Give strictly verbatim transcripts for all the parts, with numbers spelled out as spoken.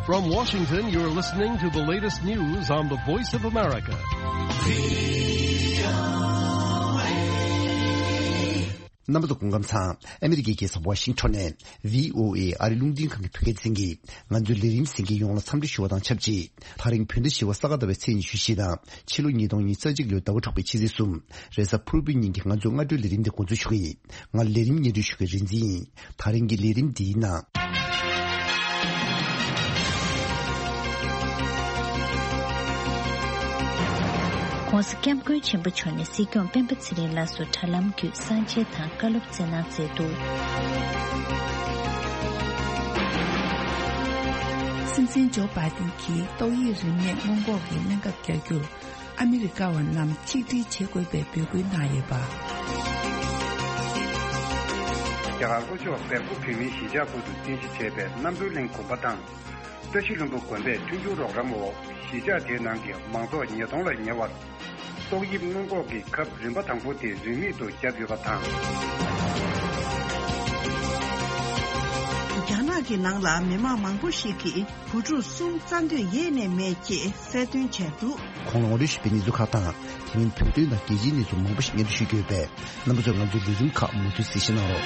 From Washington, you're listening to the latest news on the Voice of America. རྣམ་པ་ཚོ་སྐུ་ཁམས་བཟང་། ཨ་མི་རི་ཀའི་རྒྱལ་ས་ཝ་ཤིང་ཊོན་ནས་བྷི་ཨོ་ཨེ་ཨ་རི་རླུང་འཕྲིན་ཁང་གི་བོད་སྐད་སྡེ་ཚན་གྱིས་ང་ཚོའི་ལས་རིམ་གཟིགས་མཁན་ཡོངས་ལ་འཚམས་འདྲི་ཞུ་བ་དང་ཆབས་ཅིག་དེ་རིང་བོད་ཟླ་བཞི་པ་ས་ག་ཟླ་བའི་ཚེས་ཉི་ཤུ་བཞི་དང་ཕྱི་ལོ་ཉིས་སྟོང་ཉི་ཤུ་རྩ་གཅིག་ལོའི་ཟླ་བ་དྲུག་པའི་ཕྱི་ཚེས་གསུམ། རེས་གཟའ་ཕུར་བུའི་ཉིན་གྱི་ང་ཚོའི་སྔ་དྲོའི་ལས་རིམ་དེ་འགོ་འཛུགས་ཞུ་གི་ཡིན། ང་ལས་རིམ་སྙན་སྒྲོན་ཞུ་མཁན་རིག་འཛིན་ཡིན། དེ་རིང་གི་ལས་རིམ་འདིའི་ནང་། ྋགོང་ས་ྋསྐྱབས་མགོན་ཆེན་པོ་མཆོག་ནས་སྲིད་སྐྱོང་སྤེན་པ་ཚེ་རིང་ལགས་སུ་དྲ་ལམ་བརྒྱུད་གསང་མཇལ་དང་བཀའ་སློབ་སྩལ་གནང་མཛད་འདུག། སྲིད་འཛིན་ཇོ་བྷའི་ཏིན་གྱིས་ཏོག་དབྱིབས་རིམས་ནད་སྔོན་འགོག་གི་སྨན་ཁབ་རྒྱག་རྒྱུར་ཨ་མི་རི་ཀ་བ་རྣམས་ཆིག་སྒྲིལ་བྱེད་དགོས་པའི་འབོད་སྐུལ་གནང་ཡོད་པ། རྒྱ་གར་ལྷོ་ཕྱོགས་བལ་པོ་བོད་མིའི་གཞིས་ཆགས་ཁུལ་དུ་རྟེན་གཞི་བྱས་པའི་རྣམ་གྲོལ་གླིང་དགོན་པ་དང་། བཀྲ་ཤིས་ལྷུན་པོ་དགོན་པས་མཐུན་འགྱུར་རོགས་རམ་འོག་གཞིས་ཆགས་དེའི་ནང་གི་མང་ཚོགས་ཉིས་སྟོང་ལ་ཉེ་བར་ཏོག་དབྱིབས་སྔོན་འགོག་གི་ཁབ་རིམ་པ་དང་པོ་དེ་རིན་མེད་དུ་བརྒྱབ་ཡོད་པ་དང་། རྒྱ་ནག་གི་ནང་ལ་མི་མང་མང་པོ་ཞིག་གིས་བུ་ཕྲུག་གསུམ་བཙའ་འདོད་ཡེ་ནས་མེད་ཅེས་གསལ་སྟོན་བྱས་འདུག། ཁོང་ལ་ངོ་སྤྲོད་ཞུས་པའི་གནས་ཚུལ་ཁག་དང་། དེ་མིན་བོད་དོན་དང་རྒྱལ་སྤྱིའི་གནས་ཚུལ་མང་པོ་ཞིག་སྙན་སྒྲོན་ཞུ་རྒྱུ་ཡོད་པས། རྣམ་པ་ཚོས་ང་ཚོའི་ལས་རིམ་ཁག་མུ་མཐུད་གཟིགས་ཞིབ་གནང་རོགས།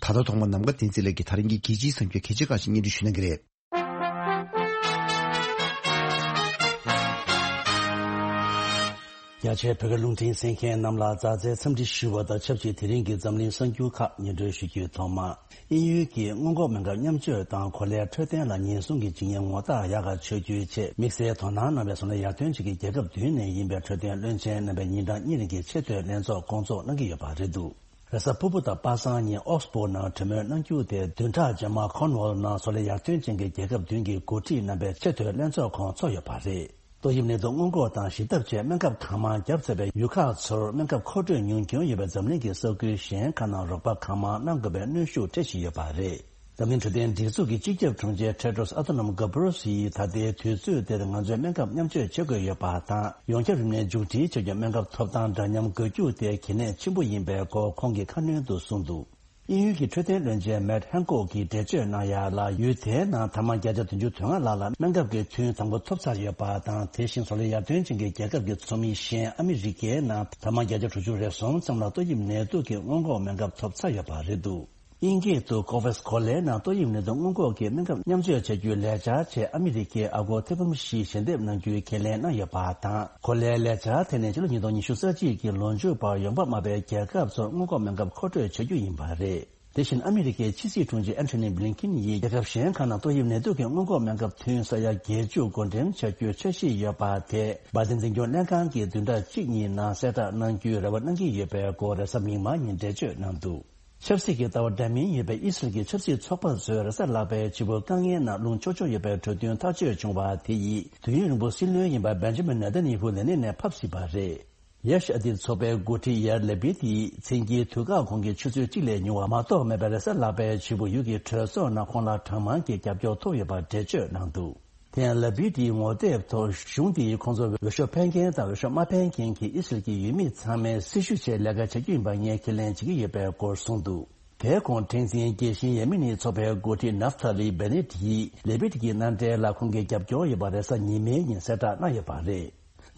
ད་ལྟ་ཐོག་མར་ནམ་མཁའ་བསྟན་འཛིན་ལགས་ཀྱིས་དེ་རིང་གི་རྒྱལ་སྤྱིའི་གསར་འགྱུར་གལ་ཆེ་ཁག་ཅིག་སྙན་སྒྲོན་ཞུ་གནང་གི་རེད། རྒྱ་ཆེའི་བོད་སྐད་རླུང་འཕྲིན་གསན་མཁན་རྣམས་ལ་མཛའ་བརྩེའི་འཚམས་འདྲི་ཞུ་བ་དང་ཆབས་ཅིག་དེ་རིང་གི་འཛམ་གླིང་གསར་འགྱུར་ཁག་སྙན་སྒྲོན་ཞུ་རྒྱུའི་ཐོག་མ། དབྱིན་ཡུལ་གྱིས་སྔོན་འགོག་སྨན་ཁབ་མཉམ་སྤྱོད་དང་གོ་ལའི་འཕྲོད་བསྟེན་ལ་ཉེན་སྲུང་གི་བྱེད་ངན་ངོ་རྟགས་ཡག་ག་ཆགས་རྒྱུའི་ཆེད་དམིགས་བསལ་དོ་སྣང་གནང་བའི་བཟོ་ལས་ཡར་ཐོན་བྱེད་ཀྱི་རྒྱལ་ཁབ་བདུན་ནས་ཡིན་པའི་འཕྲོད་བསྟེན་བློན་ཆེན་རྣམ་པས་ཉིན་གྲངས་གཉིས་རིང་གི་ཆེས་མཐོའི་ལྷན་ཚོགས་སྐོང་ཚོགས་གནང་གི་ཡོད་པ་རེད་འདུག། རེས་གཟའ་ཕུར་བུ་དང་པ་སངས་ཉིན་ཨོག་སི་ཕོར་ཌི་ནང་གྲོས་མོལ་གནང་རྒྱུ་དེ་བདུན་ཕྲག་རྗེས་མ་ཁོར་ནུ་ཝོལ་ནང་བཟོ་ལས་ཡར་ཐོན་ཅན་གྱི་རྒྱལ་ཁབ་བདུན་གྱི་འགོ་ཁྲིད་རྣམ་པའི་ཆེས་མཐོའི་ལྷན་ཚོགས་ཁོངས་ཚོགས་ཡོད་པ་རེད། ཏོག་དབྱིབས་ནད་དུག་སྔོན་འགོག་དང་ཞི་ཐབས་ཆེད་སྨན་ཁབ་གང་མང་བརྒྱབ་ཚར་བའི་ཡུལ་ཁག་ཚོར་སྨན་ཁབ་མཁོ་སྤྲོད་ཉུང་སྐྱོན་ཡོད་པའི་འཛམ་གླིང་གི་ས་ཁུལ་གཞན་ཁག་ནང་རོགས་པ་གང་མང་གནང་དགོས་པའི་གནོན་ཤུགས་འཕྲད་བཞིན་ཡོད་པ་རེད། འཛམ་གླིང་འཕྲོད་བསྟེན་སྒྲིག་འཛུགས་ཀྱི་སྤྱི་ཁྱབ་དྲུང་ཆེ་ཊེ་ཌྲོས་ཨ་ཐ་ནོམ་གྷ་བྷི་རོ་སི་ཡིས་ད་ལྟའི་དུས་ཚོད་འདིར་ང་ཚོས་སྨན་ཁབ་མཉམ་སྤྱོད་བྱེད་དགོས་ཡོད་པ་དང་། ཡོངས་ཁྱབ་རིམས་ནད་མཇུག་སྒྲིལ་བྱ་རྒྱུར་སྨན་ཁབ་ཐོབ་ཐང་འདྲ་མཉམ་དགོས་རྒྱུ་དེ་གལ་གནད་ཆེན་པོ་ཡིན་པའི་སྐོར་ཁོང་གིས་ཁ་སྣོན་དུ་གསུངས་འདུག། དབྱིན་ཡུལ་གྱི་འཕྲོད་བསྟེན་བློན་ཆེན་མེཊ་ཧན་ཀོག་གིས་འགྲེལ་བརྗོད་གནང་ཡ་ལ། ཡུལ་དེའི་ནང་ཐ་མག་བརྒྱ་ཆ་བདུན་ཅུ་དོན་ལྔ་ལྷག་ལ་སྨན་ཁབ་ཀྱི་ཐུན་དང་པོ་ཐོབ་ཚར་ཡོད་པ་དང་། དེ་བཞིན་བཟོ་ལས་ཡར་ཐོན་ཅན་གྱི་རྒྱལ་ཁབ་ཀྱི་ཚོགས་མི་གཞན་ཨ་མི་རི་ཀའི་ནང་ཐ་མག་བརྒྱ་ཆ་དྲུག་ཅུ་རེ་གསུམ་ཙམ་ལ་ཏོག་དབྱིབས་ནད་དུག་གི་སྔོན་འགོག་སྨན་ཁབ་ཐོབ་ཚར་ཡོད་པ་རེད་འདུག། དབྱིན་སྐད་དུ་ཀོ་ཝེག་སི་གོ་ལའི་ནང་ཏོག་དབྱིབས་ནད་དུག་སྔོན་འགོག་གི་སྨན་ཁབ་མཉམ་སྤྱོད་བྱ་རྒྱུའི་ལས་འཆར་ཆེད་ཨ་མི་རི་ཀའི་ཨ་སྒོར་ཐེར་འབུམ་བཞི་ཞལ་འདེབས་གནང་རྒྱུའི་ཁས་ལེན་གནང་ཡོད་པ་དང་། གོ་ལའི་ལས་འཆར་དེ་ནི་ཕྱི་ལོ་ཉིས་སྟོང་ཉི་ཤུ་རྩ་གཅིག་གི་ལོ་མཇུག་བར་ཡོང་འབབ་དམའ་བའི་རྒྱལ་ཁབ་ཚོར་སྔོན་འགོག་སྨན་ཁབ་མཁོ་སྤྲོད་བྱ་རྒྱུ་ཡིན་པ་རེད། དེ་བཞིན་ཨ་མི་རི་ཀའི་ཕྱི་སྲིད་དྲུང་ཆེ་ཨན་ཐོ་ནི་བྷི་ལིན་ཀིན་ཡིས་རྒྱལ་ཁབ་གཞན་ཁག་ནང་ཏོག་དབྱིབས་ནད་དུག་གི་སྔོན་འགོག་སྨན་ཁབ་ཐུན་ས་ཡ་བརྒྱད་ཅུ་བགོ་འགྲེམས་བྱ་རྒྱུའི་འཆར་གཞི་ཡོད་པ་དེ་བྷའི་ཏིན་འཛིན་སྐྱོང་ལྷན་ཁང་གིས་བདུན་ཕྲག་གཅིག་གཉིས་ནང་གསལ་བསྒྲགས་གནང་རྒྱུའི་རེ་བ་གནང་གི་ཡོད་པའི་སྐོར་རེས་གཟའ་མིག་དམར་ཉིན་འགྲེལ་བརྗོད་གནང་འདུག། ཆབ་སྲིད་ཀྱི་ལྟ་བ་འདྲ་མིན་ཡོད་པའི་ཨི་སི་རལ་གྱི་ཆབ་སྲིད་ཚོགས་པ་ཚོས་རེས་གཟའ་ལྷག་པའི་ཕྱི་པོ་དཀའ་ངལ་ནང་ལྷུང་ཆོག་ཆོག་ཡོད་པའི་གྲོས་མཐུན་ཐག་གཅོད་བྱུང་བ་དེ་ཡིས་དུས་ཡུན་རིང་པོ་སྲིད་བློན་ཡིན་པ་བེན་ཇ་མིན་ནེ་ཐན་ཡ་ཧུ་ལས་གནས་ནས་ཕབ་སྲིད་པ་རེད། ཡེ་ཤ་ཨ་ཏི་ཚོགས་པའི་འགོ་ཁྲིད་ཡར་ལེ་པིད་ཡིས་མཚན་དཀྱིལ་དུས་བཀག་གོང་གི་ཆུ་ཚོད་གཅིག་ལས་ཉུང་བ་མ་གཏོགས་མེད་པའི་རེས་གཟའ་ལྷག་པའི་ཕྱི་པོ་ཡུལ་གྱི་གྲོས་ཚོགས་ནང་ཁོང་ལ་གྲངས་མང་གི་རྒྱབ་སྐྱོར་ཐོབ་ཡོད་པ་འགྲེལ་བརྗོད་གནང་འདུག། དེ་ཡང་ལ་པིད་ཡི་ངོ་དེབ་ཐོག་གཞུང་དེ་ཡིས་ཁོང་ཚོར་འོས་ཤོག་འཕེན་མཁན་དང་འོས་ཤོག་མ་འཕེན་མཁན་གྱི་ཨི་སི་རལ་གྱི་ཡུལ་མི་ཚང་མའི་སྲི་ཞུ་ཆེད་ལས་ཀ་བྱ་རྒྱུ་ཡིན་པ་ངས་ཁས་ལེན་བྱེད་ཀྱི་ཡོད་པའི་སྐོར་གསུངས་འདུག། དེའི་གོང་ཁྲེང་ཙིང་རྒྱལ་ཞེན་ཡེ་མི་ནི་ཚོགས་པའི་འགོ་ཁྲིད་ནབ་ཐ་ལི་བེ་ནེ་ཏི་ཡིས་ལེ་པིད་ཀྱི་མནའ་འབྲེལ་ལ་ཁོང་གི་རྒྱབ་སྐྱོར་ཡོད་པ་རེས་གཟའ་ཉི་མའི་ཉིན་གསལ་བསྒྲགས་གནང་ཡོད་པ་རེད།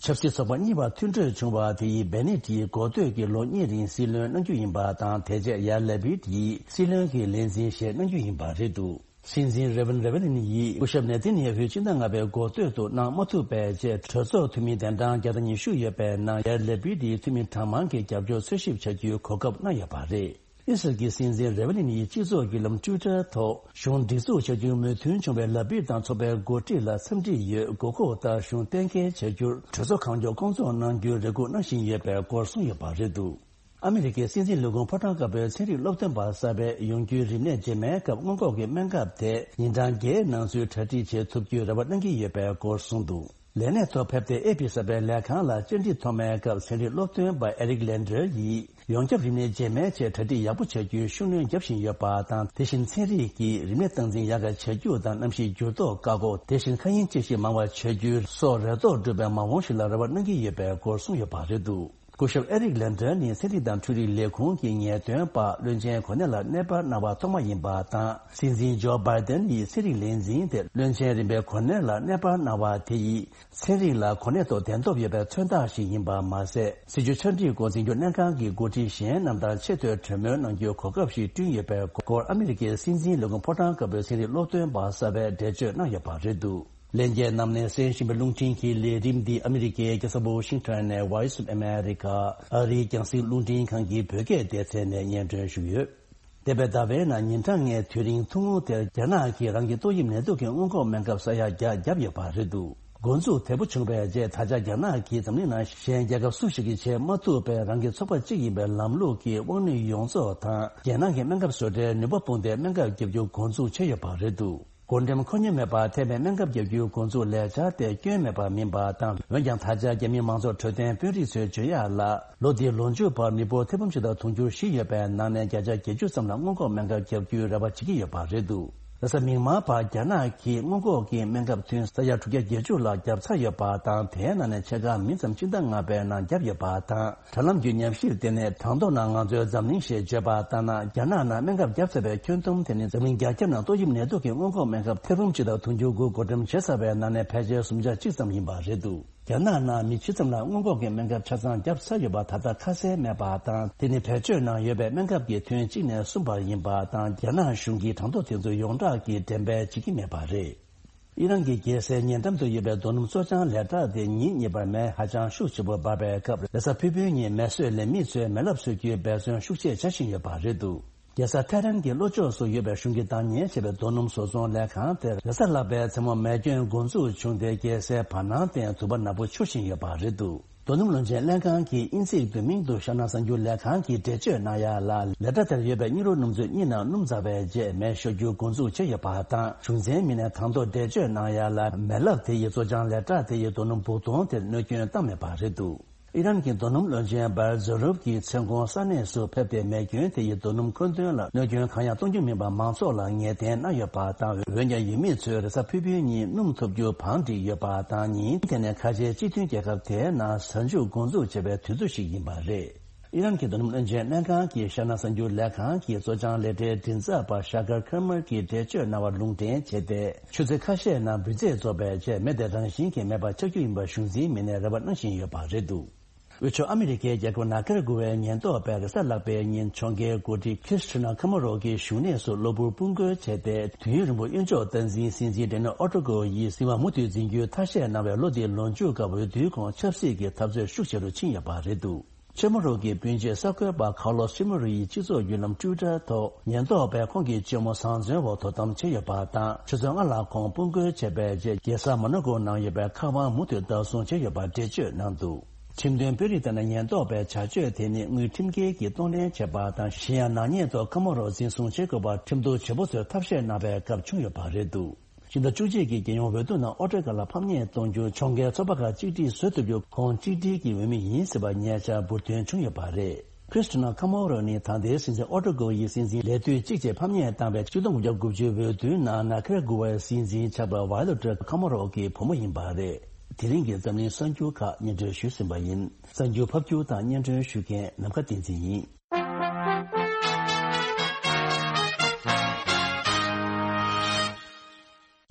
ཆབ་སྲིད་ཚོགས་པ་གཉིས་བར་མཐུན་གྲོས་བྱུང་བ་དེ་ཡིས་བེ་ནེ་ཏི་ཡིས་འགོ་སྟོད་ཀྱི་ལོ་གཉིས་རིང་སྲིད་བློན་གནང་རྒྱུ་ཡིན་པ་དང་། དེ་རྗེས་ཡར་ལེ་པིད་ཡིས་སྲིད་བློན་གྱི་ལས་འཛིན་བཞེས་གནང་རྒྱུ་ཡིན་པ་རེད་འདུག། སྲིད་འཛིན་རེ་ཝན་རེ་ཝན་ཡིས་སྐུ་ཞབས་ནེ་ཐན་ཡ་ཧུའི་ཕྱི་ཟླ་ལྔ་པའི་འགོ་སྟོད་དུ་གནང་མ་ཐུབ་པའི་རྗེས། གྲོས་ཚོགས་འཐུས་མི་གདན་གྲངས་བརྒྱ་དང་ཉི་ཤུ་ཡོད་པའི་ནང་ཡར་ལེ་པིད་ཡིས་འཐུས་མི་གྲངས་མང་གི་རྒྱབ་སྐྱོར་འཚོལ་ཞིབ་བྱ་རྒྱུའི་གོ་སྐབས་གནང་ཡོད་པ་རེད། ཨི་སི་རལ་གྱི་སྲིད་འཛིན་རེ་ཝན་ཡིས་སྤྱི་ཚོགས་བརྒྱུད་ལམ་ཊུའི་ཊར་ཐོག་གཞུང་སྒྲིག་འཛུགས་བྱ་རྒྱུའི་མོས་མཐུན་བྱུང་བའི་ལ་པིད་དང་ཚོགས་པའི་འགོ་ཁྲིད་ལ་འཚམས་འདྲི་ཡོད། དགོས་མཁོ་ལྟར་གཞུང་གཏན་འཁེལ་བྱ་རྒྱུར་གྲོས་ཚོགས་གང་མགྱོགས་སྐོང་ཚོགས་གནང་རྒྱུའི་རེ་སྒུག་གནང་བཞིན་ཡོད་པའི་སྐོར་གསུངས་ཡོད་པ་རེད་འདུག། ཨ་མི་རི་ཀའི་སྲིད་འཛིན་ལས་ཁུངས་ཕོ་བྲང་དཀར་པོའི་ཚན་རིག་སློབ་སྟོན་པ་གསར་པས་ཡོང་རྒྱུའི་རིམས་ནད་རྗེས་མའི་སྐབས་སྔོན་འགོག་གི་སྨན་ཁབ་དེ་ཉིན་གྲངས་བརྒྱད་ནང་ཚུད་གྲ་སྒྲིག་བྱེད་ཐུབ་རྒྱུའི་རེ་བ་གནང་གི་ཡོད་པའི་སྐོར་གསུངས་འདུག། ལས་གནས་ཐོག་ཕེབས་ཏེ་ཨེ་པི་གསར་པའི་ལས་ཁང་ལ་བཅར་འདྲི་ཐོག་མའི་སྐབས་ཚན་རིག་སློབ་སྟོན་པ་ཨེ་རིག་ལན་ཌར་ཡིས་ཡོངས་ཁྱབ་རིམས་ནད་རྗེས་མའི་ཆེད་གྲ་སྒྲིག་ཡག་པོ་བྱ་རྒྱུའི་ཤུགས་སྣོན་རྒྱབ་བཞིན་ཡོད་པ་དང་། དེ་བཞིན་ཚན་རིག་གིས་རིམས་ནད་སྟངས་འཛིན་ཡག་ག་བྱ་རྒྱུ་དང་། གནམ་གཤིས་འགྱུར་ལྡོག་བཀག་འགོག་དེ་བཞིན་མཁའ་དབྱིངས་དཔྱད་ཞིབ་མང་བ་བྱ་རྒྱུའི་སོགས་རེ་དོགས་སྒྲུབ་པའི་མ་འོངས་ཤིག་ལ་རེ་བ་གནང་གི་ཡོད་པའི་སྐོར་གསུངས་ཡོད་པ་རེད་འདུག། སྐུ་ཞབས་ཨེ་རིག་ལན་ཌན་ནི་ཚན་རིག་དང་འཕྲུལ་རིག་ལས་ཁུངས་ཀྱི་ངེས་སྟོན་པ་བློན་ཆེན་གོ་གནས་ལ་གནས་སྤར་གནང་བ་ཐོག་མ་ཡིན་པ་དང་། སྲིད་འཛིན་ཇོ་བྷའི་ཏན་ཡིས་ཚན་རིག་ལས་འཛིན་དེ་བློན་ཆེན་རིམ་པའི་གོ་གནས་ལ་གནས་སྤར་གནང་བ་དེ་ཡིས། ཚན་རིག་ལ་གོ་གནས་ཐོག་གདན་ཐོབ་ཡོད་པའི་མཚོན་རྟགས་ཤིག་ཡིན་པ་མ་ཟད། སྲིད་བྱུས་ཆ་འགྲིག་སྐོར་འཛིན་སྐྱོང་ལྷན་ཁང་གི་འགོ་ཁྲིད་གཞན་རྣམས་དང་ཆེས་མཐོའི་གྲོས་མོལ་གནང་རྒྱུའི་གོ་སྐབས་ཤིག་བསྐྲུན་ཡོད་པའི་སྐོར་ཨ་མི་རི་ཀའི་སྲིད་འཛིན་ལས་ཁུངས་ཕོ་བྲང་དཀར་པོའི་ཚན་རིག་སློབ་སྟོན་པ་གསར་པས་འགྲེལ་བརྗོད་གནང་ཡོད་པ་རེད་འདུག་ལྷན་རྒྱས་རྣམས་ནས་གསན་བཞིན་པའི་རླུང་འཕྲིན་གྱི་ལས་རིམ་འདི་ཨ་མི་རི་ཀའི་རྒྱལ་ས་ཝོ་ཤིང་ཊོན་ནས་Voice of America ཨ་རིའི་རྒྱང་སྲིང་རླུང་འཕྲིན་ཁང་གི་བོད་སྐད་སྡེ་ཚན་ནས་སྙན་སྒྲོན་ཞུས་ཡོད། འདས་པའི་ཟླ་བའི་ནང་ཉིན་གྲངས་ལྔའི་དུས་རིང་ཐུང་ངུ་དེར་རྒྱ་ནག་གིས་རང་གི་ཏོག་དབྱིབས་ནད་དུག་གི་སྔོན་འགོག་སྨན་ཁབ་ས་ཡ་བརྒྱ་བརྒྱབ་ཡོད་པ་རེད་འདུག་འགོ་འཛུགས་དལ་པོ་བྱུང་བའི་རྗེས་ད་ཆ་རྒྱ་ནག་གིས་འཛམ་གླིང་ནང་གཞན་རྒྱལ་ཁབ་སུ་ཞིག་གིས་བྱེད་མ་ཐུབ་པའི་རང་གི་ཚོགས་པ་གཅིག་ཡིན་པའི་ལམ་ལུགས་ཀྱི་དབང་ནུས་ཡོངས་རྫོགས་དང་རྒྱལ་ནང་གི་སྨན་ཁབ་བཟོ་གྲྭའི་ནུས་པ་སྤུངས་ཏེ་སྨན་ཁབ་བརྒྱབ་རྒྱུ་འགོ་འཛུགས་བྱས་ཡོད་པ་རེད་འདུག་སྒོ་འགྲེམས་ཁོ་ན་མེད་པར་ཐེབས་པའི་སྨན་ཁབ་བརྒྱབ་རྒྱུའི་འགོ་འཛུགས་ལས་འཆར་དེ་སྐྱོན་མེད་པ་མིན་པ་དང་། འོན་ཀྱང་ད་ཆ་རྒྱ་མིའི་མང་གཙོ་འཕྲོད་བསྟེན་དཔོན་རིགས་ཚོས་བརྗོད་ཡག་ལ། ལོ་འདིའི་ལོ་མཇུག་བར་མི་འབོར་ཐེར་འབུམ་གཅིག་དང་དུང་ཕྱུར་བཞི་ཡོད་པའི་ནང་ནས་བརྒྱ་ཆ་བརྒྱད་ཅུ་ཙམ་ལ་སྔོན་འགོག་སྨན་ཁབ་བརྒྱབ་རྒྱུའི་རེ་བ་བྱེད་ཀྱི་ཡོད་པ་རེད་འདུག་ལྷ་ས་མིག་དམར་བར་རྒྱ་ནག་གིས་སྔོན་འགོག་གི་སྨན་ཁབ་ཐུན་ས་ཡ་དྲུག་བརྒྱ་བརྒྱད་ཅུ་ལ་བརྒྱབ་ཚར་ཡོད་པ་དང་། དེའི་ནང་ནས་ཕྱེད་ཀ་མི་ཙམ་སྤྱི་ཟླ་ལྔ་པའི་ནང་བརྒྱབ་ཡོད་པ་དང་། དྲ་ལམ་བརྒྱུད་ཉམས་ཞིབ་དེ་ནས་དང་ཐོག་ན་ང་ཚོའི་འཛམ་གླིང་ཞེས་བརྗོད་པ་ལྟར་ན། རྒྱ་ནག་ནང་སྨན་ཁབ་བརྒྱབ་ཚར་བའི་ཁྱོན་བསྡོམས་དེ་ནི་འཛམ་གླིང་རྒྱ་ཁྱབ་ནང་ཏོག་དབྱིབས་ནད་དུག་གི་སྔོན་འགོག་སྨན་ཁབ་ཐེར་འབུམ་གཅིག་དང་དུང་ཕྱུར་དགུ་བགོ་འགྲེམས་བྱས་ཚར་བའི་ནང་ནས་ཕལ་ཆེར་སུམ་ཆ་གཅིག་ཙམ་ཡིན་པ་རེད་འདུག་རྒྱ་ནག་ནང་མི་ཇི་ཙམ་ལ་སྔོན་འགོག་གི་སྨན་ཁབ་ཆ་ཚང་བརྒྱབ་ཚར་ཡོད་པ་ད་ལྟ་ཁ་གསལ་མེད་པ་དང་། དེ་ནི་བེད་སྤྱོད་ནང་ཡོད་པའི་སྨན་ཁབ་ཀྱི་ཐུན་གཅིག་ནས་གསུམ་བར་ཡིན་པ་དང་། རྒྱ་ནག་གཞུང་གིས་གྲངས་ཐོ་དེ་ཚོ་ཡོངས་གྲགས་ཀྱིས་འགྲེམས་སྤེལ་བྱེད་ཀྱི་མེད་པ་རེད། ཨི་རན་གྱི་རྒྱལ་སའི་ཉེ་འགྲམ་དུ་ཡོད་པའི་རྡོ་སྣུམ་བཙོ་སྦྱང་ལས་གྲྭ་དེ་ཉིན་གཉིས་པར་མེ་ཧ་ཅང་ཤུགས་ཆེ་པོ་འབར་བའི་སྐབས། རེས་གཟའ་ཕུར་བུའི་ཉིན་མེ་གསོད་ལས་མི་ཚོས་མེ་ལབ་གསོད་རྒྱུའི་འབད་བརྩོན་ཤུགས་ཆེ་བྱ་བཞིན་ཡོད་པ་རེད་འདུག་རྒྱལ་ས་ཐེ་རན་གྱི་ལྷོ་ཕྱོགས་སུ་ཡོད་པའི་གཞུང་གིས་བདག་གཉེར་བྱས་པའི་རྡོ་སྣུམ་བཟོ་ཚོང་ལས་ཁང་དེར་རེས་གཟའ་ལྷག་པའི་མཚན་མོ་མེ་སྐྱོན་འགོ་འཛུགས་བྱུང་སྟེ། རྒྱལ་སའི་བར་སྣང་སྟེང་དུ་བ་ནག་པོ་འཕྱུར་བཞིན་ཡོད་པ་རེད་འདུག་རྡོ་སྣུམ་བློན་ཆེན་ལྷན་ཁང་གིས་དབྱིན་ཚིག་བསྡུས་མིང་དུ་ཤར་ནག་གསར་འགྱུར་ལས་ཁང་གིས་འགྲེལ་བརྗོད་གནང་ཡག་ལ། ལས་གྲྭ་དེར་ཡོད་པའི་སྙིགས་རོ་སྣུམ་ཚོས་གཉིས་ནང་སྣུམ་འཛག་པའི་རྗེས་མེ་ཤོར་རྒྱུ་འགོ་འཛུགས་བྱས་ཡོད་པ་དང་། གཞུང་འཛིན་མི་སྣས་དང་ཐོག་འགྲེལ་བརྗོད་གནང་ཡག་ལ། མེ་ལབ་དེ་ཡིས་བཙོ་སྦྱང་ལས་གྲྭ་དེ་ཡི་རྡོ་སྣུམ་སྦུག་དོང་དེར་གནོད་སྐྱོན་བཏང་མེད་པ་རེད་འདུག་ཨི་རན་གྱི་རྡོ་སྣུམ་བློན་ཆེན་བཱར་ཛོ་རུབ་ཀྱི་མཚན་གུང་ས་གནས་སུ་ཕེབས་ཏེ། མེ་སྐྱོན་དེ་ཡིས་རྡོ་སྣུམ་མཁོ་འདོན་ལ་གནོད་སྐྱོན་གང་ཡང་གཏོང་རྒྱུ་མིན་པ་མང་ཚོགས་ལ་ངེས་གཏན་གནང་ཡོད་པ་དང་། འོན་ཀྱང་ཡུལ་མི་ཚོས་རེས་གཟའ་ཕུར་བུའི་ཉིན་སྣུམ་ཐོབ་རྒྱུ་བང་བསྒྲིགས་ཡོད་པ་དང་། ཉིན་དེ་ནི་ཁ་ཆེའི་སྤྱི་མཐུན་རྒྱལ་ཁབ་དེའི་ནང་གཟའ་མཇུག་འགོ་འཛུགས་བྱེད་པའི་དུས་ཚོད་ཞིག་ཡིན་པ་རེད། ཨི་རན་གྱི་རྡོ་སྣུམ་བློན་ཆེན་ལྷན་ཁང་གི་ཤར་ནག་གསར་འགྱུར་ལས་ཁང་གི་བཙོ་སྦྱང་ལས་གྲྭའི་མགྲིན་ཚབ་པ་ཤ་ཀར་ཁེར་མར་གྱིས་འགྲེལ་བརྗོད་གནང་བ་ལུང་འདྲེན་བྱས་ཏེ། ཆུ་ཚོད་ཁ་ཤས་ནང་འབུད་རྫས་རྫོགས་པའི་རྗེས་མེ་དེ་རང་བཞིན་གྱིས་མེད་པ་ཆགས་རྒྱུ་ཡིན་པར་གཞུང་འཛིན་མི་སྣས་རེ་བ་གནང་བཞིན་ཡོད་པ་རེད་འདུག་དབུས་ཕྱོགས་ཨ་མི་རི་ཀའི་རྒྱལ་ཁབ་ནཱ་ཀ་ར་གུ་ཝའི་ཉེན་རྟོག་པས་རེས་གཟའ་ལྷག་པའི་ཉིན་གྱོང་ཁའི་འགོ་ཁྲིད་ཁྲིས་ཁྲི་ན་ཁ་མ་རོ་གི་བཞུགས་གནས་སུ་གློ་བུར་དཔུང་རྒོལ་བྱས་ཏེ། དུས་ཡུན་རིང་པོ་གཡོན་ཕྱོགས་སྟངས་འཛིན་སྲིད་འཛིན་ཌེ་ནེལ་ཨོ་ཏྲོ་ཀོ་ཡིས་གཟིམ་དབང་མུ་མཐུད་འཛིན་རྒྱུའི་ཐ་ཤལ་གནང་བའི་ལོ་འདིའི་ལོ་མཇུག་སྐབས་འོས་བསྡུའི་གོང་ཆབ་སྲིད་ཀྱི་འཐབ་རྩོད་ཤུགས་ཆེ་རུ་ཕྱིན་ཡོད་པ་རེད་འདུག་ཆེ་མོ་རུ་གི་སྤུན་མཆེད་གསར་འགོད་པ་ཁར་ལོ་སི་ཆེ་མོ་རུ་ཡིས་སྤྱི་ཚོགས་བརྒྱུད་ལམ་ཊུའི་ཊར་ཐོག་ཉེན་རྟོག་པས་ཁོང་གི་གཅེན་མོ་བཟང་བཙོན་འོག་དོ་དམ་བྱས་ཡོད་པ་དང་། ཆུ་ཚོད་ལྔ་ལ་ཁོང་དཔུང་རྒོལ་བྱས་པའི་རྗེས་རྒྱལ་ས་མོ་ན་ཀོ་ནང་ཡོད་པའི་མཁར་དབང་མུ་མཐུད་བདག་བཟུང་བྱས་ཡོད་པར་འགྲེལ་བརྗོད་གནང་འདུག་ཁྲིམས་དོན་དཔོན་རིགས་ལྟར་ན། ཉེན་རྟོག་པའི་བྱ་སྤྱོད་དེ་ནི་དངུལ་ཁྲིམས་འགལ་གྱིས་གཏོང་ལེན་བྱས་པ་དང་། གཞན་ཡང་ནག་ཉེས་ཐོག་ཁ་མ་རོ་འཛིན་བཟུང་བྱེད་དགོས་པར་ཁྲིམས་གཏུག་བྱེད་པོ་ཚོས་ཐབས་ཤེས་གནང་བའི་སྐབས་བྱུང་ཡོད་པ་རེད་འདུག་ཕྱི་ཟླ་བཅུ་གཅིག་གི་རྒྱལ་ཡོངས་འོས་བསྡུ་ནང་ཨོ་སྟྲེ་ཀ་ལ་ཕམ་ཉེས་གཏོང་རྒྱུ། ཕྱོགས་འགལ་ཚོགས་པ་ཁག་གཅིག་སྒྲིལ་བཟོ་ཐུབ་རྒྱུ། ཁོང་གཅིག་སྒྲིལ་གྱི་འོས་མི་ཡིན་ཟེར་བ་ཉེ་ཆར་འབུར་ཐོན་བྱུང་ཡོད་པ་རེད། ཁྲིས་ཁྲི་ན་ཁ་མ་རོ་ནི་ད་ལྟའི་སྲིད་འཛིན་ཨོ་ཏྲོ་ཀོ་ཡི་སྲིད་འཛིན་ལས་དུས་གཅིག་བཅས་ཕམ་ཉེས་བཏང་བའི་ཆིག་སྟོང་དགུ་བརྒྱ་དགུ་བཅུའི་འོས་བསྡུའི་ནང་ནཱ་ཀ་ར་གུ་ཝའི་སྲིད་འཛིན་ཆགས་པ་ཝཱ་ཡོ་ལེ་ཊ་ཁ་མ་རོ་གི་བུ་མོ་ཡིན་པ་རེད། དེ་རིང་གི་འཛམ་གླིང་གསར་འགྱུར་ཁག་སྙན་སྒྲོན་ཞུས་ཟིན་པ་ཡིན། གསར་འགྱུར་ཕབ་སྒྱུར་དང་སྙན་སྒྲོན་ཞུ་མཁན་ནམ་མཁའ་བསྟན་འཛིན་ཡིན།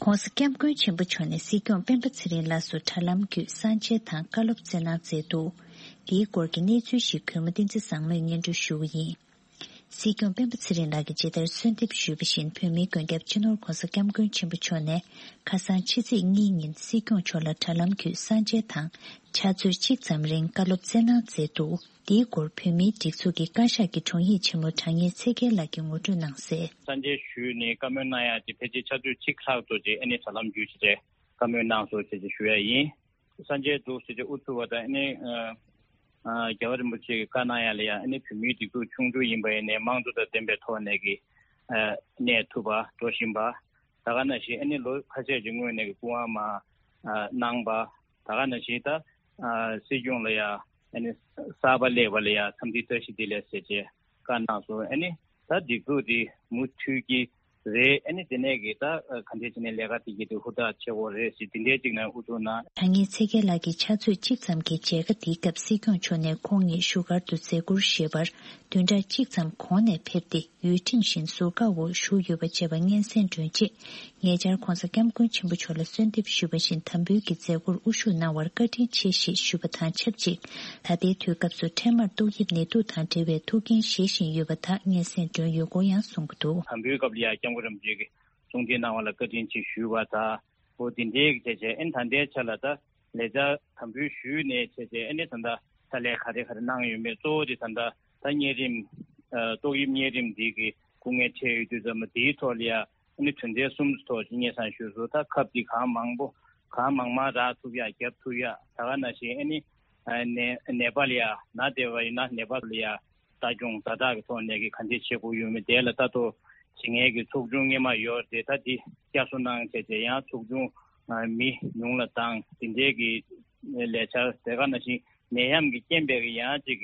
ྋགོང་ས་ྋསྐྱབས་མགོན་ཆེན་པོ་མཆོག་ནས་སྲིད་སྐྱོང་སྤེན་པ་ཚེ་རིང་ལགས་སུ་དྲ་ལམ་བརྒྱུད་གསང་མཇལ་དང་བཀའ་སློབ་སྩལ་གནང་མཛད་འདུག་འདིའི་སྐོར་གྱི་གནས་ཚུལ་ཞིག་གུས་མོ་བསྟན་འཛིན་བཟང་མོས་སྙན་སྒྲོན་ཞུ་གི་ཡིན། སྲིད་སྐྱོང་སྤེན་པ་ཚེ་རིང་ལགས་ཀྱིས་ཇི་ལྟར་གསོལ་འདེབས་ཞུས་པ་བཞིན། བོད་མིའི་མགོན་སྐྱབས་སྤྱི་ནོར་ྋགོང་ས་ྋསྐྱབས་མགོན་ཆེན་པོ་མཆོག་ནས་ཁ་སང་ཕྱི་ཚེས་གཉིས་ཉིན་སྲིད་སྐྱོང་མཆོག་ལ་དྲ་ལམ་བརྒྱུད་གསང་མཇལ་དང་། ཕྱག་ཚོད་གཅིག་ཙམ་རིང་བཀའ་སློབ་སྩལ་གནང་མཛད་འདུག་འདིའི་སྐོར་བོད་མིའི་སྒྲིག་འཛུགས་ཀྱི་བཀའ་ཤག་གི་དྲུང་ཡིག་ཆེན་མོ་དྲང་ངེས་ཚེ་རྒྱལ་ལགས་ཀྱིས་ངོ་སྤྲོད་གནང་གསལ། གསང་མཇལ་ཞུས་ནས་བཀའ་མོལ་གནང་ཡག་ཅིག་ཕལ་ཆེར་ཕྱག་ཚོད་གཅིག་ལྷག་ཙམ་ཅིག་ཨ་ནི་དྲ་ལམ་བརྒྱུད་བྱས་བཀའ་མོལ་གནང་སོང་ཞེས་ཞུ་ཡ་ཡིན། གསང་མཇལ་འདུག་ཟེར་ཏེ་ཨུ་ཚུགས་པ་དང་། ཨ་ནི་ཨ་ཨ་རྒྱལ་བ་རིན་པོ་ཆེ་གིས་བཀའ་གནང་ཡ་ལ་ཡ། ཨ་ནི་བོད་མིའི་སྒྲིག་འཛུགས་ཆུང་ཆུང་ཡིན་པ་ཡིན་ནའི་དམངས་གཙོ་དང་ལྡན་པའི་ཐོག་ནས་ཀྱི་ཨ་གནས་ཐུབ་པ་འགྲོ་བཞིན་པ། ད་ག་ནང་བཞིན་ཨ་ནི་ལོ་ཁ་ཤས་ཀྱི་སྔོན་ནས་ཀྱི་སྐུ་དབང་མར་ཨ་གནང་པ། ད་ག་ནང་བཞིན་ད་ཨ་སྲིད་སྐྱོང་ལ་ཡ་ཨ་ནི་གསར་པ་སླེབས་པ་ལ་ཡ་འཚམས་འདྲི་བཀྲ་ཤིས་བདེ་ལེགས་ཟེར་བྱས་བཀའ་གནང་སོང་། ཨ་ནི་ད་སྒྲིག་འཛུགས་འདི་མུ་མཐུད་ཀྱི་ རེད། ཨ་ནི་དེ་ནས་གི་ད་ག་འདྲས་བྱས་ནས་ལས་ཀ་དེ་གི་དེ་ཧུར་ཐག་བྱེད་དགོས་རེད་ཟེར་དེ་འདྲས་ཅིག་ནས་ཨུ་ཚུགས་གནང་། དྲང་ངེས་ཚེ་རྒྱལ་ལགས་ཀྱི་ཕྱག་ཚོད་གཅིག་ཙམ་གྱི་མཇལ་ཁ་དེའི་སྐབས་སྲིད་སྐྱོང་མཆོག་ནས་ཁོང་ཉིད་བཞུགས་སྒར་དུ་མཛད་ཁུར་བཞེས་པར་བདུན་ཕྲག་གཅིག་ཙམ་གོང་ནས་ཕེབས་ཏེ། ཡུལ་ཁྲིམས་བཞིན་ཟུར་བཀག་འོག་བཞུགས་ཡོད་པ་བཅས་པ་སྙན་སེང་སྒྲོན་རྗེས། ཉེ་ཆར་༧གོང་ས་༧སྐྱབས་མགོན་ཆེན་པོ་མཆོག་ལ་གསོལ་འདེབས་ཞུས་པ་བཞིན་དམ་འབུལ་གྱི་མཛད་སྒོར་དབུ་བཞུགས་གནང་བར་བཀའ་དྲིན་ཆེ་ཞེས་ཞུས་པ་དང་ཆབས་ཅིག་ད་ལྟའི་དུས་སྐབས་སུ་འཕྲལ་མར་ཏོག་དབྱིབས་ནད་དུག་དང་འབྲེལ་བའི་ཐུགས་འགན་བཞེས་བཞིན་ཡོད་པ་དག་སྙན་སེང་སྒྲོན་ཡོད་སྐོར་ཡང་གསུངས་ཀྱི་འདུག་དམ་འབུལ་སྐབས་ལ་ཡང་སྐྱབས་མགོན་རིན་པོ་ཆེ་གི་གསུང་འཕྲིན་གནང་བ་ལ་བཀའ་དྲིན་ཆེ་ཞུས་པ་དང་། འོ་དེ་འདྲའི་གི་བྱས་བྱས་ཨེ་ནི་ད་ལྟའི་ཆ་ལ་ད་ལས་བྱ་དམ་འབུལ་ཞུས་ནས་བྱས་བྱས་ཨེ་ནི་ད་ལྟ་ཕྱག་ལས་ག་རེ་ག་རེ་གནང་ཡོད་མེད་གཙོ་བོ་དེ་ད་ལྟ་ད་གཉན་རིམས་ཨ་ཏོག་དབྱིབས་གཉན་རིམས་འདི་གི་སྐུ་ངལ་འཕྲད་ཡོད་དུས་ཙམ་པ་དེའི་ཐོག་ལ་ཡ་ཨ་ནི་དོན་ཚན་གསུམ་ཐོག་ཅིག་སྙན་སེང་ཞུས་སོང་། ད་ཁབ་འདི་གང་མང་པོ་གང་མང་མང་རག་ཐུབ་ཡ་རྒྱབ་ཐུབ་ཡ་ད་ག་ནང་བཞིན་ཨ་ནི་ཨ་ནད་ནད་པ་ལ་ཡ་ན་བསྡད་པ་ཡིན་ན་ནད་པ་ལ་ཡ། ལྟ་སྐྱོང་ཛ་དྲག་གི་ཐོག་ནས་ཀྱི་ག་འདྲས་བྱེད་དགོས་ཡོད་མེད་དེ་ལ་ལྟ་རྟོག་བྱེད་མཁན་གྱི་ཚོགས་ཆུང་སྔོན་མ་ཡོད་རེད། ད་དེ་བསྐྱར་གསོ་གནང་བྱས་བྱས་ཡང་ཚོགས་ཆུང་མི་ཉུང་ལ་བཏང་དེ་འདྲས་ཀྱི་ལས་འཆར་དེ་ག་ནང་བཞིན་ནད་ཡམས་ཀྱི་རྐྱེན་པས་ཀྱི་ཡང་ཅིག་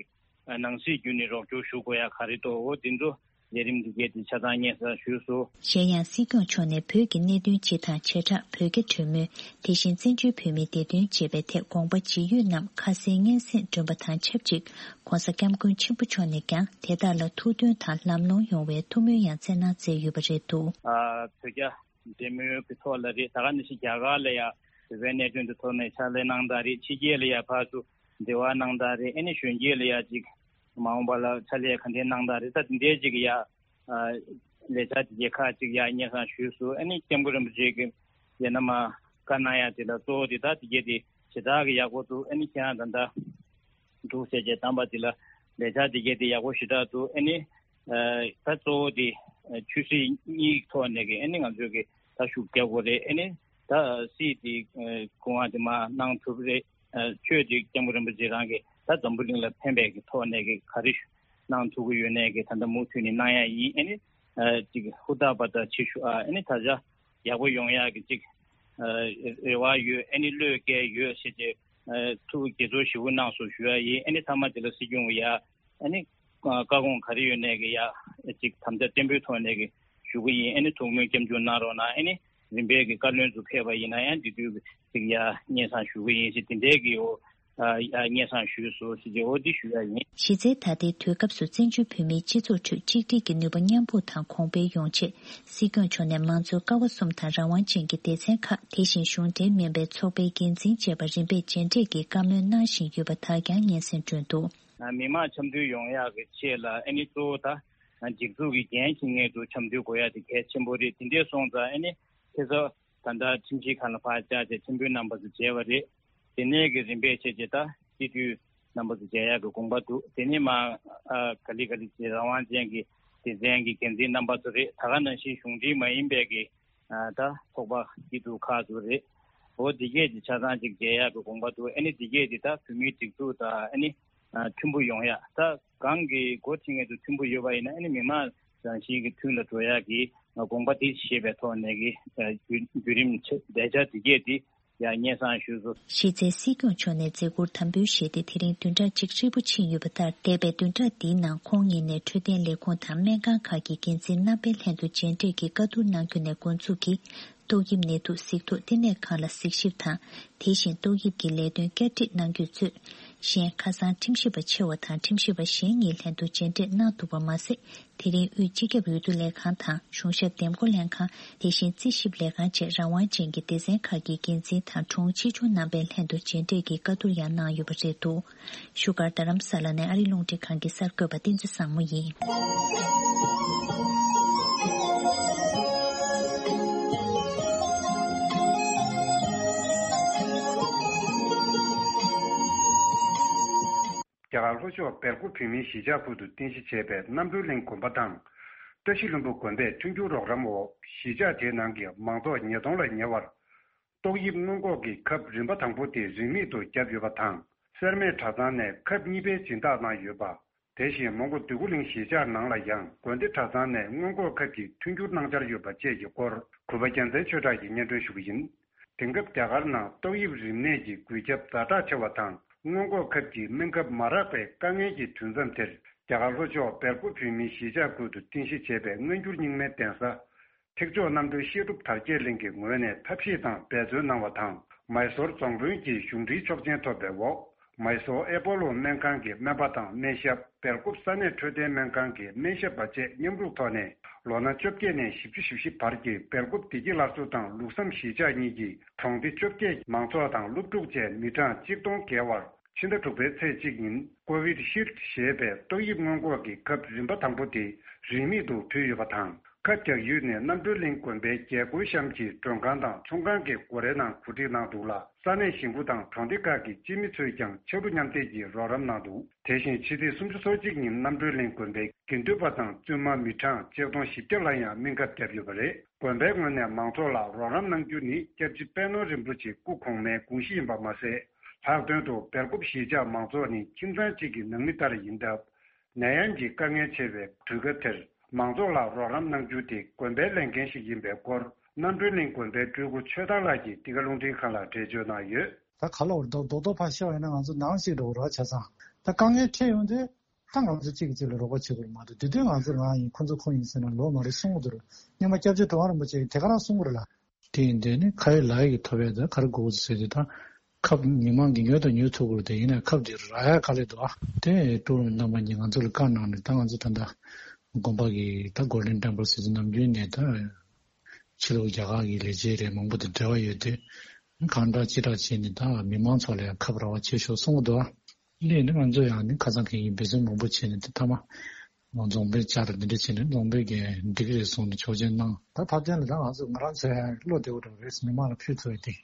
ནང་སྲིད་བརྒྱུད་ནས་རོགས་སྐྱོར་ཞུ་དགོས་ཡ་ག་རེ་འདུག་འོ་དེ་ཚོ་ལས་རིམ་འདི་གས་དེ་ཆ་ཚང་སྙན་སེང་ཞུས་སོང་། གཞན་ཡང་སྲིད་སྐྱོང་མཆོག་ནས་བོད་ཀྱི་གནད་དོན་སྤྱི་དང་བྱེ་བྲག་བོད་རྒྱ་གྲོས་མོལ། དེ་བཞིན་བཙན་བྱོལ་བོད་མིའི་བདེ་དོན་བཅས་པའི་ཐད་དགོངས་པ་ཇི་ཡོད་རྣམས་ཁ་གསལ་སྙན་སེང་སྒྲོན་པ་དང་ཆབས་ཅིག ྋགོང་ས་ྋསྐྱབས་མགོན་ཆེན་པོ་མཆོག་ནས་ཀྱང་དེ་དག་ལ་ཐུགས་མཐུན་དང་ལམ་ལྷོང་ཡོང་བའི་ཐུགས་སྨོན་ཡང་སྩལ་གནང་མཛད་ཡོད་པ་རེད་འདུག་ཨ་བོད་རྒྱ་འབྲེལ་མོལ་གྱི་ཐོག་ལ་རེད། ད་ག་ནང་བཞིན་རྒྱ་གར་ལ་ཡ་བོད་པའི་གནད་དོན་དེ་ཐོག་ནས་ཕྱག་ལས་གནང་སྟངས་རེད། ཕྱི་རྒྱལ་ལ་ཡ་ཕར་ཚུར་འབྲེལ་བ་གནང་སྟངས་རེད། ཨ་ནི་གཞོན་སྐྱེས་ལ་ཡ་ཅིག་མ་འོངས་པ་ལ་ཕྱག་ལས་ག་འདྲའི་གནང་སྟངས་རེད། ད་དེ་འདྲའི་ཅིག་ཡ། ཨ་ལས་འཆར་དེ་གའི་ཁག་ཅིག་ཡང་སྙན་སེང་ཞུས་སོང་། ཨ་ནི་སྐྱབས་མགོན་རིན་པོ་ཆེ་གིས་ཡང་ན་མ་བཀའ་གནང་ཡ་དེ་ལ་གཙོ་བོ་དེ་ད་དེ་གའི་དེ་ཞེ་དྲག་གི་ཡག་པོ་འདུག་ཨ་ནི་ཁྱེད་རང་ད་ལྟ་འདུག་ཟེར་བྱས་བདམས་པ་དེ་ལ་ལས་འཆར་དེ་གའི་དེ་ཡག་པོ་ཞེ་དྲག་འདུག་ཨ་ནི་ཨ་ད་གཙོ་བོ་དེ་ཨ་ཆོས་སྲིད་གཉིས་ཐོག་ནས་ཀྱི་ཨ་ནི་ང་ཚོས་ཀྱི་ད་ཤུགས་རྒྱག་དགོས་རེད། ཨ་ནི་ད་སྲིད་དེ་ཨ་སྐུ་དབང་དེ་མར་གནང་ཐུབ་རེད། ཨ་ཆོས་དེ་སྐྱབས་མགོན་རིན་པོ་ཆེ་རང་གིས་ད་འཛམ་བུ་གླིང་ལ་ཕན་པའི་གི་ཐོག་ནས་གི་ག་རེ་གནང་ཐུབ་ཀྱི་ཡོད་ནའི་གི་ད་ལྟ་མུ་མཐུད་ནས་གནང་ཡ་ཡིན། ཨ་ནི་ཨ་ཅིག་ཧུར་ཐག་པ་དང་བྱེད་ཤུགས་ཨ་ཨ་ནི་ད་ཆ་ཡག་པོ་ཡོང་ཡ་གི་ཅིག་ཨ་རེ་བ་ཡོད། ཨ་ནི་བློས་འགེལ་ཡོད་ཟེར་ཏེ་ཨ་ཐུགས་དགྱེས་ཚོར་ཞེ་པོ་གནང་སོང་ཞུ་ཡ་ཡིན། ཨ་ནི་མཐའ་མ་དེ་ལ་སྲིད་སྐྱོང་གི་ཡ་ཨ་ནི་བཀའ་དགོངས་ག་རེ་ཡོད་ནའི་གི་ཡ་ཅིག་དམ་བཅའ་བརྟན་པོའི་ཐོག་ནས་གི་ཞུ་གི་ཡིན། ཨ་ནི་ཐུགས་སྨོན་སྐྱབས་འཇུག་གནང་རོགས་གནང་། ཨ་ནི་རིམ་པས་ཀྱི་བཀའ་བློན་ཚོ་ཕེབས་པ་ཡིན་ན་ཡང་འདི་དུས་ཀྱི་ཅིག་ཡ་སྙན་སེང་ཞུ་གི་ཡིན་ཞེས་དེ་འདྲའི་གི་འོ་ཨ་ཡ་སྙན་སེང་ཞུས་སོང་ཞེས་འོ་འདི་ཞུ་ཡ་ཡིན། གཞི་རྩའི་ད་ལྟའི་དུས་སྐབས་སུ་བཙན་བྱོལ་བོད་མིའི་སྤྱི་ཚོགས་ཁྲོད་གཅིག་སྒྲིལ་གྱི་ནུས་པ་མཉམ་སྤུངས་དང་གོང་འཕེལ་ཡོང་ཆེད། སྲིད་སྐྱོང་མཆོག་ནས་མང་གཙོའི་ཀ་བ་གསུམ་དང་རང་དབང་ཅན་གྱི་སྡེ་ཚན་ཁག་དེ་བཞིན་གཞུང་འབྲེལ་མིན་པའི་ཚོགས་པའི་འགན་འཛིན་བཅས་པ་རིམ་པས་མཇལ་འཕྲད་ཀྱིས་བཀའ་མོལ་གནང་བཞིན་ཡོད་པ་དག་ཀྱང་སྙན་སེང་སྒྲོན་འདུག་མི་མང་འཆམ་མཐུན་ཡོང་ཡག་གི་ཆེད་ལ་ཨ་ནི་གཙོ་བོ་ད་སྒྲིག་འཛུགས་ཀྱི་འགན་འཁྱེར་མཁན་ཚོ་འཆམ་མཐུན་དགོས་ཡག་དེ་གལ་ཆེན་པོ་རེད། དེ་འདྲས་སོང་ཙང་ཨ་ནི་ཁྱེད་ཚོ་ད་ལྟ་ཁྲིམས་ཞིབ་ཁང་ལ་ཕར་བཅར་བྱས་ཁྲིམས་དཔོན་རྣམ་པ་ཚོ་མཇལ་བ་རེད། དེ་ནས་ཀྱི་རིམ་པས་བྱས་རྗེས་ད་སྤྱི་འཐུས་རྣམ་པ་ཚོ་མཇལ་ཡག་གི་དགོངས་པ་འདུག་དེ་ནས་མ་ཨ་ག་ལེ་ག་ལེ་བྱས་རང་དབང་ཅན་གྱི་སྡེ་ཚན་གྱི་འགན་འཛིན་རྣམ་པ་ཚོ་རེད། ད་ག་ནང་བཞིན་གཞུང་འབྲེལ་མ་ཡིན་པའི་གི་ཨ་ད་ཚོགས་པ་སྐྱིད་སྡུག་ཁག་ཚོ་རེད། འོ་འདི་གས་ཀྱི་ཆ་ཚང་ཅིག་མཇལ་ཡག་གི་དགོངས་པ་འདུག་ཨ་ནི་འདི་གས་འདི་ད་བོད་མིའི་སྒྲིག་འཛུགས་དང་ཨ་ནི་ཨ་མཐུན་པོ་ཡོང་ཡག་ད་གང་གི་འགོ་ཁྲིད་མཁན་ཚོ་མཐུན་པོ་ཡོད་པ་ཡིན་ན་ཨ་ནི་མི་མང་རང་བཞིན་གྱི་མཐུན་ལ་འགྲོ་ཡག་གི་དགོངས་པ་དེ་བཞེས་པའི་ཐོག་ནས་ཀྱི་ཨ་བརྒྱུད་བརྒྱུད་རིམ་ཆེ་ལས་འཆར་འདི་གས་འདི་ཡང་སྙན་སེང་ཞུས་སོང་། གཞི་རྩའི་སྲིད་སྐྱོང་མཆོག་ནས་མཛད་ཁུར་དམ་འབུལ་བཞེས་ཏེ་དེ་རིང་བདུན་ཕྲག་གཅིག་ཧྲིལ་པོ་ཕྱིན་ཡོད་པ་ལྟར། འདས་པའི་བདུན་ཕྲག་འདིའི་ནང་ཁོང་ཉིད་ནས་འཕྲོད་བསྟེན་ལས་ཁུངས་དང་སྨན་ཁང་ཁག་གི་འགན་འཛིན་རྣམ་པའི་ལྷན་དུ་མཇལ་འཕྲད་ཀྱིས་བཀའ་བསྡུར་གནང་རྒྱུ་ནས་འགོ་འཛུགས་ཀྱིས། ཏོག་དབྱིབས་ནད་དུག་གཟིགས་རྟོག་ལྟེ་གནས་ཁང་ལ་གཟིགས་ཞིབ་དང་། དེ་བཞིན་ཏོག་དབྱིབས་ཀྱི་ལས་དོན་བསྐྱར་སྒྲིག་གནང་རྒྱུས་གཙོས། གཞན་ཁ་སང་ཁྲིམས་ཞིབ་པ་ཆེ་བ་དང་ཁྲིམས་ཞིབ་པ་གཞན་གཉིས་ལྷན་དུ་མཇལ་འཕྲད་གནང་ཐུབ་པ་མ་ཟད། དེ་རིང་དབུས་སྤྱི་ཁྱབ་འོས་བསྡུ་ལས་ཁང་དང་གཞུང་ཞབས་འདེམས་བསྐོ་ལྷན་ཁང་། དེ་བཞིན་རྩིས་ཞིབ་ལས་ཁང་བཅས་རང་དབང་ཅན་གྱི་སྡེ་ཚན་ཁག་གི་འགན་འཛིན་དང་དྲུང་ཆེ་ཆུང་རྣམ་པའི་ལྷན་དུ་མཇལ་འཕྲད་ཀྱིས་བཀའ་བསྡུར་ཡང་གནང་ཡོད་པ་རེད་འདུག་བཞུགས་སྒར་རྡ་རམ་ས་ལ་ནས་ཨ་རི་རླུང་འཕྲིན་ཁང་གི་གསར་འགོད་པ་བསྟན་འཛིན་བཟང་མོ་ཡིན། རྒྱ་གར་ལྷོ་ཕྱོགས་སྦེལ་ཀོབ་བོད་མིའི་གཞིས་ཆགས་ཁུལ་དུ་རྟེན་གཞི་བྱས་པའི་རྣམ་གྲོལ་གླིང་དགོན་པ་དང་། བཀྲ་ཤིས་ལྷུན་པོ་དགོན་པས་མཐུན་འགྱུར་རོགས་རམ་འོག་གཞིས་ཆགས་དེའི་ནང་གི་མང་ཚོགས་ཉིས་སྟོང་ལ་ཉེ་བར། ཏོག་དབྱིབས་སྔོན་འགོག་གི་ཁབ་རིམ་པ་དང་པོ་དེ་རིན་མེད་དུ་བརྒྱབ་ཡོད་པ་དང་། སེར་སྨད་གྲྭ་ཚང་ནས་ཁབ་གཉིས་པའི་སྦྱིན་བདག་གནང་ཡོད་པ། དེ་བཞིན་མོན་གྷོ་འདོད་རྒུ་གླིང་གཞིས་ཆགས་ནང་ལ་ཡང་དགོན་སྡེ་གྲྭ་ཚང་ནས་སྔོན་འགོག་ཁབ་ཀྱི་མཐུན་འགྱུར་གནང་འཆར་ཡོད་པ་བཅས་ཀྱི་སྐོར་གུས་པ་རྒྱལ་མཚན་ཆོས་གྲགས་ཀྱིས་སྙན་སྒྲོན་ཞུ་གི་ཡིན། དེང་སྐབས་རྒྱ་གར་ནང་ཏོག་དབྱིབས་རིམས་ནད་ཀྱི་འགོས་ཁྱབ་ཛ་དྲག་ཆེ་བ་དང་། སྔོན་འགོག་ཁབ་ཀྱི་སྨན་ཁབ་མ་རག་པའི་དཀའ་ངལ་གྱི་དུས་མཚམས་དེར། རྒྱ་གར་ལྷོ་ཕྱོགས་སྦེལ་ཀོབ་བོད་མིའི་གཞིས་ཆགས་ཁུལ་དུ་རྟེན་གཞི་བྱས་པའི་སྔ་འགྱུར་རྙིང་མའི་གདན་ས། ཐེག་མཆོག་རྣམ་གྲོལ་བཤད་སྒྲུབ་དར་རྒྱས་གླིང་གི་ངོས་ནས་ཐབས་ཤེས་དང་འབད་བརྩོན་གནང་བ་དང་། མའི་སོར་རྫོང་དཔོན་གྱི་གཞུང་འབྲེལ་ཆོག་མཆན་ཐོབ་པའི་འོག་མའི་སོར་ཨེ་པོ་ལོ་སྨན་ཁང་གི་སྨན་པ་དང་སྨན་ཞབས། སྦེལ་ཀོབ་ས་གནས་འཕྲོད་བསྟེན་སྨན་ཁང་གི་སྨན་ཞབས་པ་བཅས་མཉམ་རུབ་ཐོག་ནས། ལོ་ན་བཅོ་བརྒྱད་ནས་བཞི་བཅུ་ཞེ་བཞི་བར་གྱི་སྦེལ་ཀོབ་བདེ་སྐྱིད་སླར་གསོ་དང་ལུགས་བསམ་གཞིས་ཆགས་གཉིས་ཀྱི་གྲོང་སྡེ་བཅོ་བརྒྱད་མང་ཚོགས་དང་སློབ་ཕྲུག་བཅས་མི་གྲངས་གཅིག་སྟོང་བརྒལ་བར། ཕྱི་ཟླ་དྲུག་པའི་ཚེས་གཅིག་ཉིན་ཀོ་བིད་ཤིལ་ཌི་ཞེས་པའི་ཏོག་དབྱིབས་སྔོན་འགོག་གི་ཁབ་རིམ་པ་དང་པོ་དེ་རིན་མེད་དུ་ཕུལ་ཡོད་པ་དང་། ཁབ་རྒྱག་ཡུལ་ནི་རྣམ་གྲོལ་གླིང་དགོན་པའི་རྒྱལ་སྒོའི་གཤམ་གྱི་མགྲོན་ཁང་དང་ཚོང་ཁང་གི་སྒོ་རའི་ནང་གོ་སྒྲིག་གནང་འདུག་ལ། ས་གནས་གཞིས་འགོ་དང་གྲོང་སྡེ་ཁག་གི་སྤྱི་མི་ཚོས་ཀྱང་ཕྱར་གྲུ་མཉམ་འདེགས་ཀྱིས་རོགས་རམ་གནང་འདུག་དེ་བཞིན་ཕྱི་ཚེས་སུམ་ཅུ་སོ་གཅིག་ཉིན་རྣམ་གྲོལ་གླིང་དགོན་པའི་དགེ་འདུན་པ་དང་བཙུན་མ་མི་གྲངས་ཆིག་སྟོང་བཞི་བརྒྱ་ལ་ཡང་སྨན་ཁབ་བརྒྱབ་ཡོད་པ་རེད། དགོན་པའི་ངོས་ནས་མང་ཚོགས་ལ་རོགས་རམ་གནང་རྒྱུ་ནི་སྐྱབས་རྗེ་པད་ནོར་རིན་པོ་ཆེ་སྐུ་གོང་མའི་དགོངས་གཞི་ཡིན་པ་མ་ཟད། ལྷག་དོན་དུ་སྦེལ་ཀོབ་གཞིས་ཆགས་མང་ཚོགས་ནི་ཁྱིམ་ཚང་གཅིག་གི་ནང་མི་ལྟར་ཡིན་སྟབས། ནད་ཡམས་ཀྱི་དཀའ་ངལ་ཆེ་བའི་དུས་སྐབས་དེར་མང་ཚོགས་ལ་རོགས་རམ་གནང་རྒྱུ་དེ་དགོན་པའི་ལས་འགན་ཞིག་ཡིན་པའི་སྐོར་རྣམ་གྲོལ་གླིང་དགོན་པའི་སྤྲུལ་སྐུ་ཆོས་བདག་ལགས་ཀྱིས་འདི་ག་རླུང་འཕྲིན་ཁང་ལ་འགྲེལ་བརྗོད་གནང་ཡོད། ད་ག་ལ་བར་རྡོག་རྡོག་རྡོག་ཕར་བཤད་པ་ཡིན་ན་ང་ཚོ་ནང་བཞིན་འགྲོ་གི་རེད་བ། བྱས་ཙང་ད་དཀའ་ངལ་འཕྲད་ཡོང་དུས་ད་ང་ཚོ་གཅིག་གིས་གཅིག་ལ་རོགས་པ་བྱེད་དགོས་མ་གཏོགས། དེ་དུས་ང་ཚོ་ང་ཡིན་ཁོ་ཚོ་ཁོ་ཡིན་ཟེར་ན་ལོ་མ་རེད་གསུང་གི་འདུག་སྔོན་མ་སྐྱབས་རྗེ་གྲུབ་དབང་རིན་པོ་ཆེ་གིས་དེ་ག་རང་གསུང་གི་རེད་ལ། དེ་ཡིན་དུས་ནི་ཁ་ཡོད་ལག་ཡོད་ཀྱི་ཐོབ་ཡས་དེ་ག་རེ་དགོས་ཟེར་དུས་ད། ཁབ་མི་མང་གིས་ཉོས་དང་ཉོ་ཐུབ་དགོས་རེད། དེ་ཡིན་ན་ཁབ་དེ་རག་ཡ་དཀའ་ལས་འདུག་ཨ། དེ་ཀྲུའུ་རིན་རྣམ་པ་གཉིས་ང་ཚོ་ལ་བཀའ་གནང་ནས། ད་ང་ཚོ་ད་ལྟ་དགོན་པ་གི་ད་Golden Temple ཟེར་དུས་ནམ་རྒྱུན་ནས་ད་ཕྱི་ལོགས་རྒྱ་གར་གྱི་ལས་བྱེད་རེད། མང་པོ་དང་འབྲེལ་བ་ཡོད་དུས་གང་དྲག་ཅི་དྲག་བྱས་ནས་ད་མི་མང་ཚོ་ལ་ཡང་ཁབ་རག་པ་བྱེད་ཤོག་གསུང་གི་འདུག་ཨ། སླད་ནི་ང་ཚོ་ཡང་ནི་ཁ་སང་གི་ཡིན་འབད་བརྩོན་མང་པོ་བྱས་ནས་དེ་མཐའ་མ་རྫོང་དཔོན་བཅར་འདི་འདྲ་བྱས་ནས་རྫོང་དཔོན་གྱིས་འགྲིག་གི་རེད་གསུངས་ནས་ཆོག་མཆན་གནང་། ད་ཐབས་ཆེན་ལ་ད་ང་ཚོ་ང་རང་ཚོ་ཡང་བློ་བདེ་པོ་འགྲོ་རེད། མི་མང་ལ་ཕུལ་ཐུབ་ཡོད་དེ།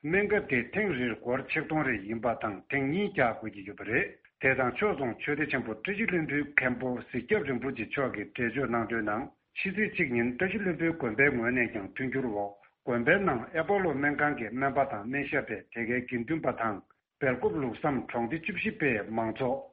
སྨན་ཁབ་དེ་ཐེངས་རེར་སྒོར་ཆིག་སྟོང་རེ་ཡིན་པ་དང་ཐེངས་གཉིས་རྒྱག་དགོས་ཀྱི་ཡོད་པ་རེད། དེ་དང་ཕྱོགས་མཚུངས་ཆོས་སྡེ་ཆེན་པོ་བཀྲ་ཤིས་ལྷུན་པོའི་མཁན་པོ་གཟིགས་སྐྱབས་རིན་པོ་ཆེ་མཆོག་གིས་འགྲེལ་བརྗོད་གནང་དོན་ནང་། ཕྱི་ཚེས་གཅིག་ཉིན་བཀྲ་ཤིས་ལྷུན་པོའི་དགོན་པའི་ངོས་ནས་ཀྱང་མཐུན་འགྱུར་འོག་དགོན་པའི་ནང་ཨེ་པོ་ལོ་སྨན་ཁང་གི་སྨན་པ་དང་སྨན་ཞབས་པས་དེ་གའི་དགེ་འདུན་པ་དང་། སྦེལ་ཀོབ་ལུགས་བསམ་གྲོང་སྡེ་བཅུ་བཞི་པའི་མང་ཚོགས།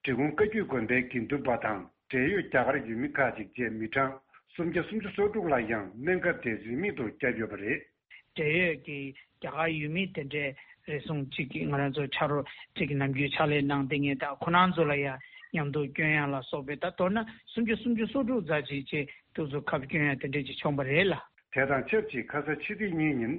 འབྲི་གུང་བཀའ་བརྒྱུད་དགོན་པའི་དགེ་འདུན་པ་དང་འབྲེལ་ཡོད་རྒྱ་གར་ཡུལ་མི་ཁག་ཅིག་བཅས་མི་གྲངས་སུམ་བརྒྱ་སུམ་ཅུ་སོ་དྲུག་ལ་ཡང་སྨན་ཁབ་དེ་རིན་མེད་དུ་བརྒྱབ་ཡོད་པ་རེད། འབྲེལ་ཡོད་ཀྱི་རྒྱ་གར་ཡུལ་མི་དེ་འདྲའི་རེ་ཟུང་གཅིག་གིས་ང་རང་ཚོ་ཕྱག་རོགས་གཅིག་གིས་ནམ་རྒྱུན་ཕྱག་ལས་གནང་བསྡད་མཁན་དང་ཁོ་རང་ཚོ་ལ་ཡང་མཉམ་དུ་སྐྱོན་ཡག་ལ་སོགས་པའི་ད་མདོར་ན་སུམ་བརྒྱ་སུམ་ཅུ་སོ་དྲུག་ཙམ་ཅིག་བཅས་དུས་ཚོད་ཁབ་སྐྱོན་ཡག་དེ་འདྲ་ཅིག་བྱུང་བ་རེད་ལ། དེ་དང་ཆབས་ཅིག་ཁ་ས་ཕྱི་ཚེས་གཉིས་ཉིན།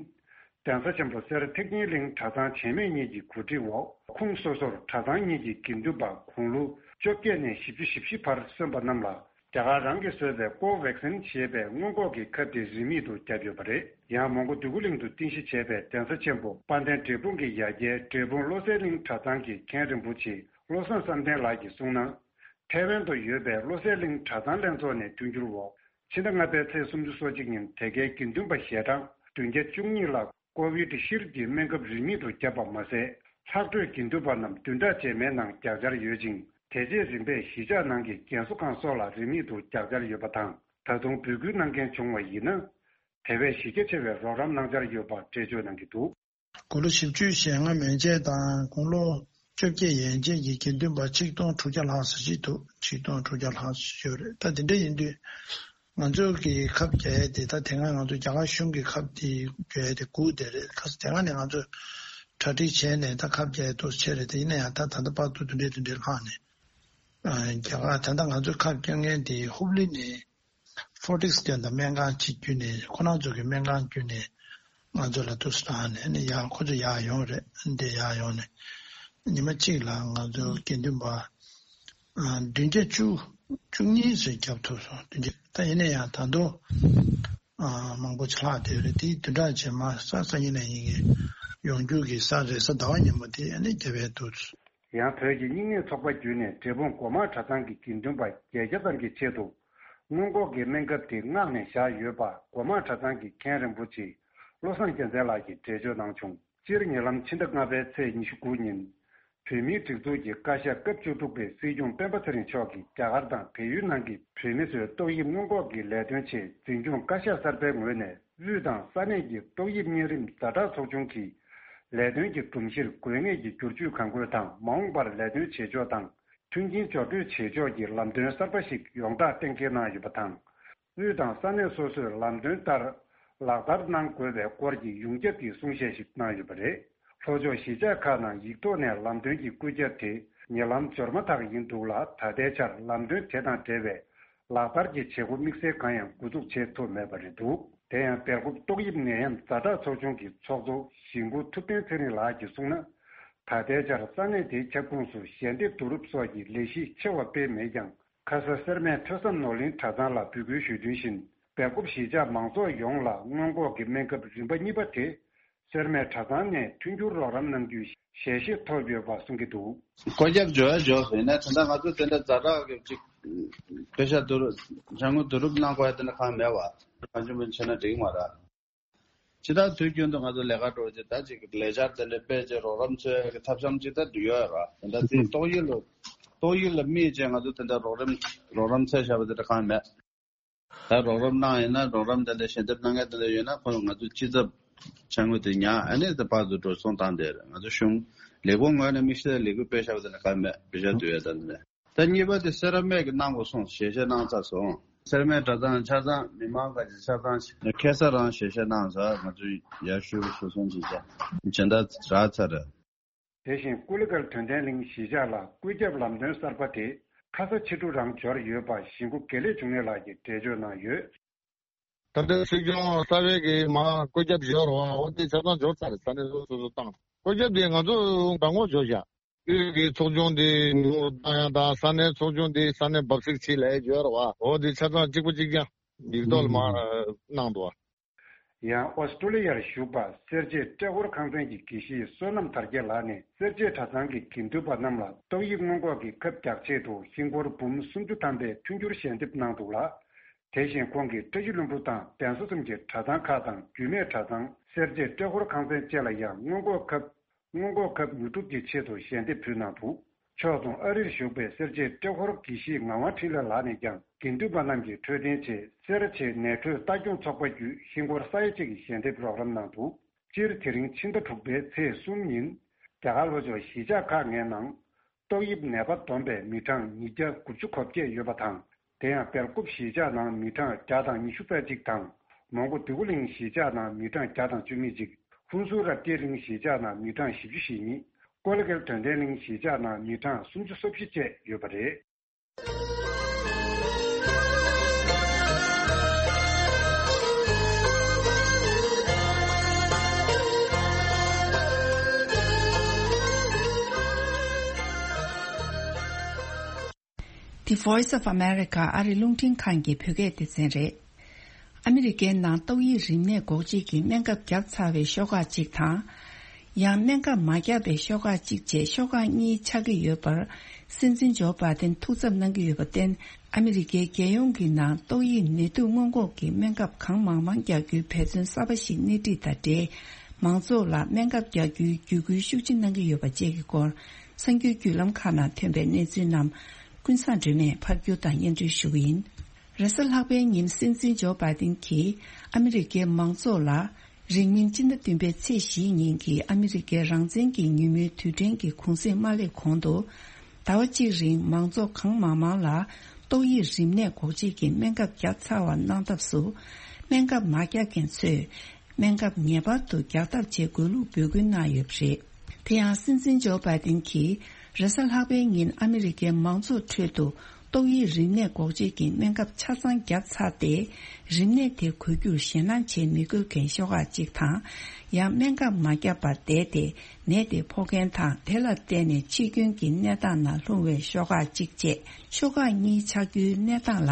གདན་ས་ཆེན་པོ་སེ་ར་ཐེག་ཆེན་གླིང་གྲྭ་ཚང་ཆེན་མོ་གཉིས་ཀྱི་གོ་སྒྲིག་འོག་ཁོངས་སོ་སོར་གྲྭ་ཚང་གཉིས་ཀྱི་དགེ་འདུན་པ་དགུང་ལོ་བཅོ་བརྒྱད་ནས་བཞི་བཅུ་ཞེ་བཞི་བར་སོན་པ་རྣམས་ལ་རྒྱ་གར་རང་གིས་བཟོས་པའི་ཀོ་ཝེག་སིན་ཞེས་པའི་སྔོན་འགོག་གི་ཁབ་དེ་རིན་མེད་དུ་བརྒྱབ་ཡོད་པ་རེད། ཡང་མོན་གྷོ་འདོད་རྒུ་གླིང་དུ་རྟེན་གཞི་བྱས་པའི་གདན་ས་ཆེན་པོ་དཔལ་ལྡན་འབྲས་སྤུངས་ཀྱི་ཡ་གྱལ་འབྲས་སྤུངས་བློ་གསལ་གླིང་གྲྭ་ཚང་གི་མཁན་རིན་པོ་ཆེ་བློ་བཟང་བསམ་གཏན་ལགས་ཀྱིས་གསུངས་ན། ཐའེ་ཝན་དུ་ཡོད་པའི་བློ་གསལ་གླིང་གྲྭ་ཚང་ལྷན་ཚོགས་ནས་མཐུན་འགྱུར་འོག་ཕྱི་ཟླ་ལྔ་པའི་ཚེས་སུམ་ཅུ་སོ་གཅིག་ཉིན་དེ་གའི་དགེ་འདུན་པ་ཞལ་གྲངས་བདུན་བརྒྱ་བཅུ་གཉིས་ལ་ཀོ་ཝིད་ཤིལ་གྱི་སྨན་ཁབ་རིན་མེད་དུ་བརྒྱབ་པ་མ་ཟད། ལྷག་འཕྲོས་དགེ་འདུན་པ་རྣམས་བདུན་ཕྲག་རྗེས་མའི་ནང་རྒྱག་འཆར་ཡོད་ཅིང་། དེ་རྗེས་རིམ་པས་གཞིས་ཆགས་ནང་གི་རྒན་གསོ་ཁང་སོགས་ལ་རིན་མེད་དུ་རྒྱག་འཆར་ཡོད་པ་དང་། ད་དུང་འབོད་སྐུལ་གནང་མཁན་བྱུང་བ་ཡིན་ན། དེ་བས་གཞི་རྒྱ་ཆེ་བའི་རོགས་རམ་གནང་འཆར་ཡོད་པ་འགྲེལ་བརྗོད་གནང་གི་འདུག་དགུང་ལོ་བཞི་བཅུ་ཞེ་ལྔ་མན་ཆད་དང་དགུང་ལོ་བཅོ་བརྒྱད་ཡན་ཆད་ཀྱི་དགེ་འདུན་པ་ཆིག་སྟོང་དྲུག་བརྒྱ་ལྷག་ཙམ་ཞིག་འདུག་ཆིག་སྟོང་དྲུག་བརྒྱ་ལྷག་ཙམ་ཡོད་རེད། ད་དེ་འདྲ་ཡིན་དུས་ང་ཚོ་གི་ཁབ་རྒྱག་ཡས་དེ་ད་དེ་སྔ་ང་ཚོ་རྒྱ་གར་གཞུང་གི་ཁབ་དེ་རྒྱག་ཡས་དེ་སྒུག་བསྡད་རེད། ཁ་སང་དེ་སྔ་ནས་ང་ཚོ་གྲ་སྒྲིག་བྱས་ནས་ད་ཁབ་རྒྱག་ཡས་འདུག་སེ་བྱས་རེད། དེ་ཡིན་ན་ཡང་ད་ད་ལྟ་བར་དུ་དེ་འདྲའི་དེ་འདྲའི་ལྷག་ནས་རྒྱ་གར་ད་ལྟ་ང་ཚོ་ཁབ་རྒྱག་མཁན་དེ་ཧུབ་ལི་ནས། ཧྥོར་ཊིགས་ཀྱི་ད་སྨན་ཁང་གཅིག་བརྒྱུད་ནས་ཁོ་རང་ཚོ་གི་སྨན་ཁང་བརྒྱུད་ནས་ང་ཚོ་ལ་ཏོག་ཙམ་བཏང་ནས་ནི་ཡར་ཁོ་ཚོ་ཡར་ཡོང་རེད། འདི་ཡར་ཡོང་ནས་ཉི་མ་གཅིག་ལ་ང་ཚོ་དགེ་འདུན་པ་ཨ་བདུན་བརྒྱ་བཅུ་བཅུ་གཉིས་ཙམ་བརྒྱབ་ཐུབ་སོང་། བདུན་བརྒྱ། ད་ཡིན་ན་ཡང་ད་དུང་ཨ་མང་པོ་ཅིག་ལྷག་བསྡད་ཡོད་རེད། དེ་བདུན་ཕྲག་རྗེས་མ་གཟའ་སང་ཉིན་ནས་ཡིན་གྱི་ཡོང་རྒྱུ་གི་གཟའ་རེས་གཟའ་ཟླ་བ་ཉིན་མོ་དེ་ཨ་ནི་རྒྱབ་ཡས་འདུག་ཡང་བོད་ཀྱི་རྙིང་མའི་ཚོགས་པ་བརྒྱུད་ནས་འབྲས་སྤུངས་སྒོ་མང་གྲྭ་ཚང་གི་དགེ་འདུན་པ་བརྒྱད་བརྒྱ་ཙམ་གྱི་ཆེད་དུ། སྔོན་འགོག་གི་སྨན་ཁབ་དེ་མངགས་ནས་བཞག་ཡོད་པ་སྒོ་མང་གྲྭ་ཚང་གི་མཁན་རིན་པོ་ཆེ་བློ་བཟང་རྒྱལ་མཚན་ལགས་ཀྱིས་འགྲེལ་བརྗོད་གནང་བྱུང་། སྤྱིར་ཉེ་ལམ་ཕྱི་ཟླ་ལྔ་པའི་ཚེས་ཉི་ཤུ་དགུ་ཉིན། བོད་མིའི་སྒྲིག་འཛུགས་ཀྱི་བཀའ་ཤག་སྐབས་བཅུ་དྲུག་པའི་སྲིད་སྐྱོང་སྤེན་པ་ཚེ་རིང་མཆོག་གིས་རྒྱ་གར་དང་བལ་ཡུལ་ནང་གི་བོད་མི་ཚོའི་ཏོག་དབྱིབས་སྔོན་འགོག་གི་ལས་དོན་ཆེད་འཛིན་སྐྱོང་བཀའ་ཤག་གསར་པའི་ངོས་ནས། དབུས་དང་ས་གནས་ཀྱི་ཏོག་དབྱིབས་གཉན་རིམས་ཛ་དྲག་ཚོགས་ཆུང་གི་ལས་དོན་གྱི་སྒྲོམ་གཞིར་དགོས་ངེས་ཀྱི་བསྒྱུར་བཅོས་གང་དགོས་དང་། མ་འོངས་པར་ལས་དོན་བྱེད་ཕྱོགས་དང་མཐུན་རྐྱེན་སྦྱོར་སྤྲོད་བྱེད་ཕྱོགས་ཀྱི་ལམ་སྟོན་གསར་པ་ཞིག་ཡོངས་བསྒྲགས་གཏན་འཁེལ་གནང་ཡོད་པ་དང་། དབུས་དང་ས་གནས་སོ་སོས་ལམ་སྟོན་ལྟར་ལག་བསྟར་གནང་དགོས་པའི་སྐོར་གྱི་ཡོངས་ཁྱབ་ཀྱི་གསུང་བཤད་ཞིག་གནང་ཡོད་པ་རེད། ལྷོ་ཕྱོགས་གཞིས་ཆགས་ཁག་ནང་ཡིག་ཐོག་ནས་ལམ་སྟོན་གྱི་བཀོད་ཁྱབ་དེ་ཉེ་ལམ་འབྱོར་མ་ཐག་ཡིན་འདུག་ལ། ད་ལྟའི་ཆར་ལམ་སྟོན་དེ་དང་འབྲེལ་བའི་ ལག་བསྟར་གྱི་བྱེད་སྒོ་དམིགས་བསལ་གང་ཡང་འགོ་འཛུགས་བྱེད་ཐུབ་མེད་པ་རེད་འདུག་དེ་ཡང་སྦེལ་ཀོབ་ཏོག་དབྱིབས་ནད་ཡམས་ཛ་དྲག་ཚོགས་ཆུང་གི་ཚོགས་གཙོ་གཞིས་འགོ་ཐུབ་བསྟན་ཚེ་རིང་ལགས་ཀྱིས་གསུངས་ན། ད་ལྟའི་ཆར་ས་གནས་དེའི་ཁྱབ་ཁོངས་སུ་ཞལ་འདེབས་བསྡུ་རུབ་སོགས་ཀྱི་ལས་གཞི་ཆེ་བ་སྤེལ་མེད་ཀྱང་། ཁ་ས་སེར་སྨད་ཐོས་བསམ་ནོར་གླིང་གྲྭ་ཚང་ལ་འབོད་སྐུལ་ཞུས་དོན་བཞིན། སྦེལ་ཀོབ་གཞིས་ཆགས་མང་ཚོགས་ཡོངས་ལ་སྔོན་འགོག་གི་སྨན་ཁབ་རིམ་པ་གཉིས་པ་དེ། སེར་སྨད་གྲྭ་ཚང་ནས་མཐུན་འགྱུར་རོགས་རམ་གནང་རྒྱུའི་ཞལ་བཞེས་ཐོབ་ཡོད་པ་གསུང་གི་འདུག་བཀོད་ཁྱབ་འབྱོར་ཡ་འབྱོར་ཟེར་ན་ད་ལྟ་ང་ཚོ་དེ་འདྲ་ཛ་དྲག་གི་ཅིག་པེ་ཤ་བསྡུ་རུབ་ཅ་དངོས་བསྡུ་རུབ་གནང་དགོས་ཡ་དེ་འདྲ་གང་མེད་བ། གང་བྱུང་མིན་བྱས་ན་འགྲིག་མ་རེད། ཇི་ལྟར་དུས་རྒྱུན་དུ་ང་ཚོ་ལས་ཀ་འགྲོ་རྒྱུ་ད་ཅིག་ལས་འཆར་དེ་འདྲ་སྤེལ་རྗེས་རོགས་རམ་འཚོལ་ཡ་གི་ཐབས་ཤམ་ཅིག་ད་འདུག་ཡོད་ར། དེ་འདྲ་དེ་ཏོག་དབྱིབས་ལ་ཏོག་དབྱིབས་ལ་དམིགས་བྱས་ང་ཚོ་དེ་འདྲ་རོགས་རམ་རོགས་རམ་འཚོལ་བཞག་པ་དེ་འདྲ་གང་མེད། ད་རོགས་རམ་གནང་ཡིན་ན་རོགས་རམ་དེ་འདྲ་ཞལ་འདེབས་གནང་མཁན་དེ་འདྲ་ཡོད་ན་ཁོ་ང་ཚོ་སྤྱི་ཚབ་ཅ་དངོས་དེ་ཉར་ཨ་ནི་དེ་ཕར་ཚུར་འགྲོ་སོང་བཏང་བསྡད་རེད། ང་ཚོ་གཞུང་ལས་ཁུངས་ངོས་ནས་དམིགས་བསལ་ལས་འགུལ་སྤེལ་བཞག་པ་དེ་འདྲ་གང་མེད། པེ་ཤ་བསྡུ་ཡ་དེ་འདྲ། ད་གཉིས་པ་དེ་སེ་ར་སྨད་ཀྱི་གནང་དགོས་གསུངས་ཞལ་བཞེས་གནང་ཚར་སོང་། སེ་ར་སྨད་གྲྭ་ཚང་ཆ་ཚང་མི་མང་ག་ཅིག་ཆ་ཚང་ཁ་སང་རང་ཞལ་བཞེས་གནང་ཚར། ང་ཚོས་ཡར་ཞུ་ཞུ་སོང་ཅིག་བྱས་སྦྱིན་བདག་རག་ཚར་རེད། དེ་བཞིན་ཀུ་ལི་གལ་དོན་ལྡན་གླིང་གཞིས་ཆགས་ལ་བཀོད་ཁྱབ་ལམ་སྟོན་གསར་པ་དེ་ཁ་ས་ཕྱི་དྲོ་རང་འབྱོར་ཡོད་པ་གཞིས་འགོ་དགེ་ལེགས་འབྱུང་གནས་ལགས་ཀྱིས་འགྲེལ་བརྗོད་གནང་ཡོད། ད་ལྟ་སྲིད་སྐྱོང་རྩ་བའི་གི་མ་བཀོད་ཁྱབ་ཡོད་རེད་བ། འོ་དེ་ཆ་ཚང་འབྱོར་ཚར་རེད། ས་གནས་སོ་སོ་སོ་བཏང་བཀོད་ཁྱབ་དེ་ང་ཚོ་རང་ངོས་འབྱོར་བཞག་དབུས་ཀྱི་ཚོགས་ཆུང་དེ་ཉུང་རུ་བཏང་ཡ་དང་ས་གནས་ཚོགས་ཆུང་དེ་ས་གནས་འབབ་ཚིགས་ཆེ་ལས་ཡོད་རེད་བ། འོ་དེ་ཆ་ཚང་གཅིག་པ་གཅིག་རྐྱང་ཡིག་ཐོག་ལ་མ་གནང་འདུག་བ། ཡང་ཨོ་སི་ཀྲོ་ལི་ཡར་བཞུགས་པ་སེར་བྱེས་ཏྲེ་ཧོར་ཁང་ཚན་གྱི་དགེ་བཤེས་བསོད་ནམས་དར་རྒྱས་ལགས་ནས་སེར་བྱེས་གྲྭ་ཚང་གི་དགེ་འདུན་པ་རྣམས་ལ་ཏོག་དབྱིབས་སྔོན་འགོག་གི་ཁབ་རྒྱག་ཆེད་དུ་ཧིན་སྒོར་འབུམ་སུམ་ཅུ་ཐམ་པའི་མཐུན་འགྱུར་ཞལ་འདེབས་གནང་འདུག་ལ། དེ་བཞིན་ཁོང་གིས་བཀྲ་ཤིས་ལྷུན་པོ་དང་གདན་ས་གསུམ་གྱི་གྲྭ་ཚང་ཁག་དང་རྒྱུད་སྨད་གྲྭ་ཚང་སེར་བྱེས་ཏྲེ་ཧོར་ཁང་ཚན་བཅས་ལ་ཡང་སྔོན་འགོག་ཁབ་སྔོན་འགོག་ཁབ་ཉོ་སྒྲུབ་ཀྱི་ཆེད་དུ་ཞལ་འདེབས་ཕུལ་གནང་འདུག་ཕྱོགས་མཚུངས་ཨ་རིར་བཞུགས་པའི་སེར་བྱེས་ཏྲེ་ཧོར་དགེ་བཤེས་ངག་དབང་འཕྲིན་ལས་ལགས་ནས་ཀྱང་དགེ་འདུན་པ་རྣམས་ཀྱི་འཕྲོད་བསྟེན་ཆེད་སེར་བྱེས་ནད་འཕྲོད་ལྟ་སྐྱོང་ཚོགས་པ་བརྒྱུད་ཧིན་སྒོར་ས་ཡ་གཅིག་གི་ཞལ་འདེབས་རོགས་རམ་གནང་འདུག་སྤྱིར་དེ་རིང་ཕྱི་ཟླ་དྲུག་པའི་ཚེས་གསུམ་ཉིན་རྒྱ་གར་ལྷོ་ཕྱོགས་གཞིས་ཆགས་ཁག་ལྔའི་ནང་ཏོག་དབྱིབས་ནད་པ་བསྡོམས་པའི་མི་གྲངས་ཉིས་བརྒྱ་དགུ་བཅུ་གོ་བརྒྱད་ཡོད་པ་དང་། དེ་ཡང་སྦེལ་ཀོབ་གཞིས་ཆགས་ནང་མི་གྲངས་བརྒྱ་དང་ཉི་ཤུ་རྩ་གཅིག་དང་། མོན་གྷོ་འདོད་རྒུ་གླིང་གཞིས་ཆགས་ནང་མི་གྲངས་བརྒྱ་དང་བཅུ་གཉིས་གཅིག་ཧུན་སུར་རབ་རྒྱས་གླིང་གཞིས་ཆགས་ནང་མི་གྲངས་བཞི་བཅུ་ཞེ་གཉིས། ཀོ་ལི་གལ་དོན་ལྡན་གླིང་གཞིས་ཆགས་ནང་མི་གྲངས་སུམ་ཅུ་སོ་བཞི་བཅས་ཡོད་པ་རེད། The Voice of America ཨ་རི་རླུང་འཕྲིན་ཁང་གི་བོད་སྐད་སྡེ་ཚན་རེད། ཨ་མི་རི་ཀའི་ནང་ཏོག་དབྱིབས་རིམས་ནད་འགོག་བཅོས་ཀྱི་སྨན་ཁབ་བརྒྱབ་ཚར་བའི་ཤོག་ཁག་གཅིག་དང་། ཡང་སྨན་ཁབ་མ་བརྒྱབ་པའི་ཤོག་ཁག་གཅིག་བཅས་ཤོག་ཁག་གཉིས་ཆགས་ཀྱི་ཡོད་པར། སྲིད་འཛིན་ཇོ་བྷའི་ཏིན་ཐུགས་འཚབ་གནང་གི་ཡོད་པར་བརྟེན། ཨ་མི་རི་ཀའི་རྒྱལ་ཡོངས་ཀྱི་ནང་ཏོག་དབྱིབས་ནད་དུག་སྔོན་འགོག་གི་སྨན་ཁབ་གང་མང་མང་རྒྱག་རྒྱུའི་འབད་བརྩོན་གསར་པ་ཞིག་སྣེ་ཁྲིད་དང་འབྲེལ། མང་ཚོགས་ལ་སྨན་ཁབ་རྒྱག་རྒྱུའི་བརྒྱུད་སྐུལ་ཤུགས་ཆེ་གནང་གི་ཡོད་པ་བཅས་ཀྱི་སྐོར། གསར་འགྱུར་བརྒྱུད་ལམ་ཁག་ནང་ཐོན་པའི་གནས་ཚུལ་རྣམས་ཀུན་བཟང་སྒྲོལ་མས་ཕབ་སྒྱུར་དང་སྙན་སྒྲོན་ཞུ་གི་ཡིན། རེས་གཟའ་ལྷག་པའི་ཉིན་སྲིད་འཛིན་ཇོ་བྷའི་ཏིན་གྱིས་ཨ་མི་རི་ཀའི་མང་ཚོགས་ལ་རིང་མིན་སྤྱི་ཟླ་བདུན་པའི་ཚེས་བཞིའི་ཉིན་གྱི་ཨ་མི་རི་ཀའི་རང་བཙན་གྱི་ཉིན་མོའི་དུས་དྲན་གྱི་གུང་གསེང་མ་སླེབས་གོང་དུ། ཟླ་བ་གཅིག་རིང་མང་ཚོགས་གང་མང་མང་ལ་ཏོག་དབྱིབས་རིམས་ནད་འགོག་བཅོས་ཀྱི་སྨན་ཁབ་བརྒྱབ་ཚར་བ་གནང་ཐབས་སུ། སྨན་ཁབ་མ་བརྒྱབ་མཁན་ཚོས། སྨན་ཁབ་ངེས་པར་དུ་རྒྱག་ཐབས་བྱེད་དགོས་ལུགས་འབོད་སྐུལ་གནང་ཡོད་པ་རེད། དེ་ཡང་སྲིད་འཛིན་ཇོ་བྷའི་ཏིན་གྱིས་རེས་གཟའ་ལྷག་པའི་ཉིན་ཨ་མི་རི་ཀའི་མང་ཚོགས་ཁྲོད་དུ་ཏོག་དབྱིབས་རིམས་ནད་འགོག་བཅོས་ཀྱི་སྨན་ཁབ་ཆ་ཚང་བརྒྱབ་ཚར་ཏེ། རིམས་ནད་དེ་འགོས་རྒྱུར་ཞེད་སྣང་བྱེད་མི་དགོས་མཁན་ཤོག་ཁག་གཅིག་དང་། ཡང་སྨན་ཁབ་མ་བརྒྱབ་པར་བསྡད་དེ་ནད་དེ་ཕོག་མཁན་དང་དེ་ལ་བརྟེན་ནས་འཆི་སྐྱོན་གྱི་གནས་སྟངས་ནང་ལྷུང་བའི་ཤོག་ཁག་གཅིག་བཅས་ཤོག་ཁག་གཉིས་ཆགས་རྒྱུའི་གནས་སྟངས་ལ་